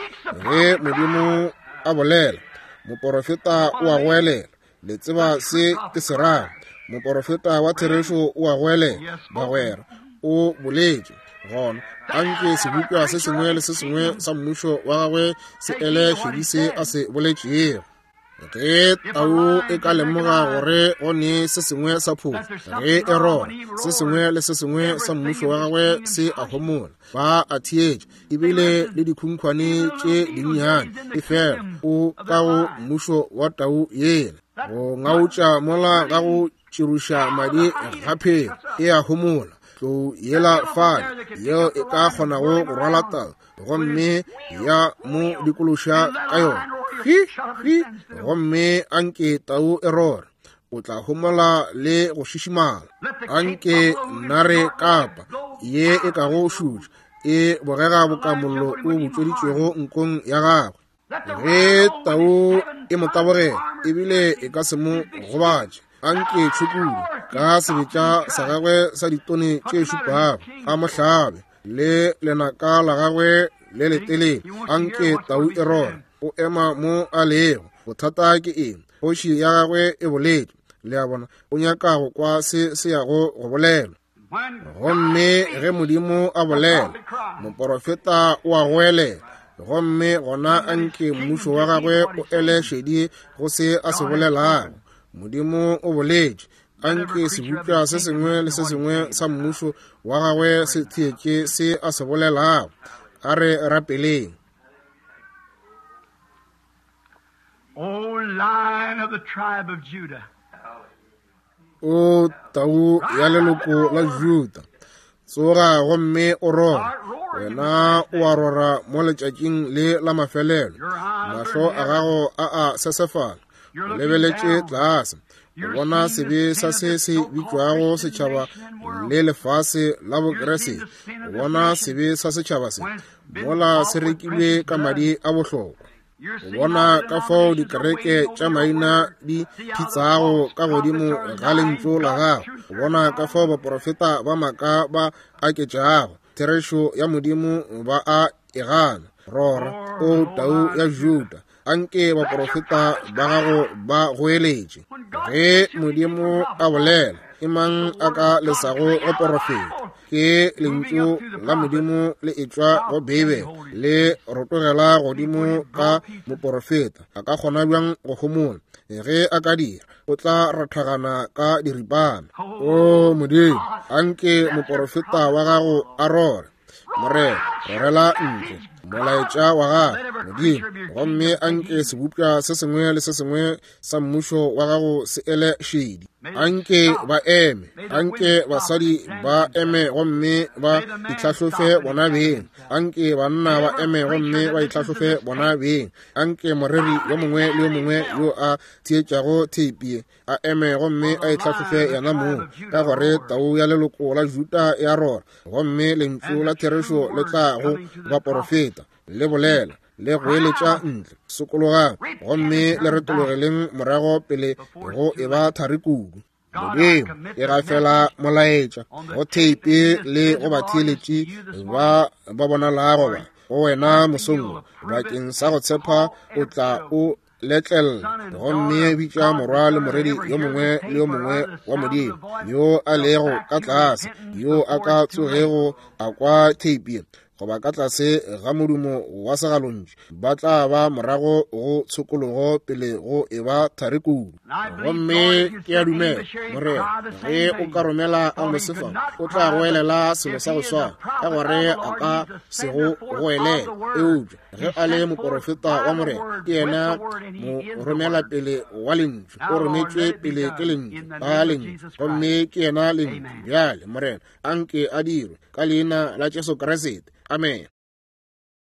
Ge Modimo a bolela, moporofeta o a goelela. Le tseba se ke se rago? Moporofeta wa therešo o a goelela, bagwera, o boletše. Gona a nke sebopša se sengwe le se sengwe sa mmušo wa gagwe se ele šedi se a se boletšego. Ge tau e ka lemoga gore go ne se sengwe sa phofu, ge e rora, se sengwe le se sengwe sa mmušo wa gagwe se a homola, ba a theetša, ebile le dikhunkhwane tše dinnyane, efela o ka go mmušo wa tau yela. Go ngautša mola ga go tširuša madi ga phelo, e a homola. Tlou yela fale yeo e ka kgonago go rwala tau gomme ya mo dikološa ka yona, hwi hwi, gomme a nke tau e rore, o tla homola le go šišimala. A nke nare kapa ye e kago šutša e bogega boka mollo o butšweditšwego nkong ya gagwe. Ge tau e mo tabogela, ebile e ka se mo gobatše. A nke tšhukudu ka sebetša sa gagwe sa ditone tše šupago a mo hlabe le lenaka la gagwe le letelele. A nke tau e rore, o ema mo a lego. Bothata ke eng? Kgoši ya gagwe e boletše. Le a bona? O nyaka go kwa se se yago go bolelwa. Gomme ge Modimo a bolela, moporofeta o a goelela, gomme gona a nke mmušo wa gagwe o ele šedi go se a se bolelago. Modimo o boletše, a nke sebopša se sengwe le se sengwe sa mmušo wa gagwe se theetše se a se bolelago. A re rapeleng. O Lion of the tribe of Judah. O tau ya leloko la Juda, tsoga gomme o rore. Wena o a rora mo letšatšing le la mafelelo. Mahlo a gago a a sesefala, o lebeletše tlase. O bona sebe sa se se bitšwago setšhaba le lefase la Bokriste. O bona sebe sa setšhaba se mola se rekilwe ka madi a bohlokwa. O bona ka fao dikereke tša maina di phitsago ka godimo ga lentšu la gago. O bona ka fao baprofeta ba maaka ba aketšago therešo ya Modimo ba a e gana. Rora, o tau ya Juda, anke baprofeta ba gago ba goeletše. Ge Modimo a bolela, ke mang a ka lesago go porofeta? Ke lentšu la Modimo le etšwa go Beibele, le rotogela godimo ka moporofeta. A ka kgona bjang go homola? Ge a ka dira, o tla rathagana ka diripana. O Modimo, anke moporofeta wa gago a rore. Morena, rorela ntle molaetša wa gago, Modimo, gomme anke sebopša se sengwe le se sengwe sa mmušo wa gago se ele šedi. Anke ba eme, anke basadi ba eme gomme ba itlhahlofe bona beng. Anke banna ba eme gomme ba itlhahlofe bona beng. Anke moreri yo mongwe le yo mongwe yo a theetšago theipi a eme gomme a itlhahlofe yena mong, ka gore tau ya leloko la Juda ya rora, gomme lentšu la therešo le tla go baporofeta le bolela le goeletša ntle. Sokologang gomme le retologeleng morago pele go e ba thari kudu. Modimo e gafela molaetša go theipi le go batheeletši ba ba bonalago ba go wena mosong wo, bakeng sa go tshepa o tla o letlella gomme bitša morwa le moredi yo mongwe le yo mongwe wa Modimo yo a lego ka tlase, yo a ka tsogego a kwa theipi goba ka tlase ga modumo wa segalontšu, ba tla ba morago go tshokologo pele go e ba thari kudu. Gomme ke a dumela, Morena, ge o ka romela Amose fa, o tla goelela selo sa go swana, ka gore a ka se go goelele. Eupša ge a le moporofeta wa Morena, ke yena mo romela pele wa lentšu, o rometšwe pele ke lentšu, ka lentšu, gomme ke yena lentšu. Bjale, Morena, anke a dirwe ka leina la Jesu Kriste. Amen.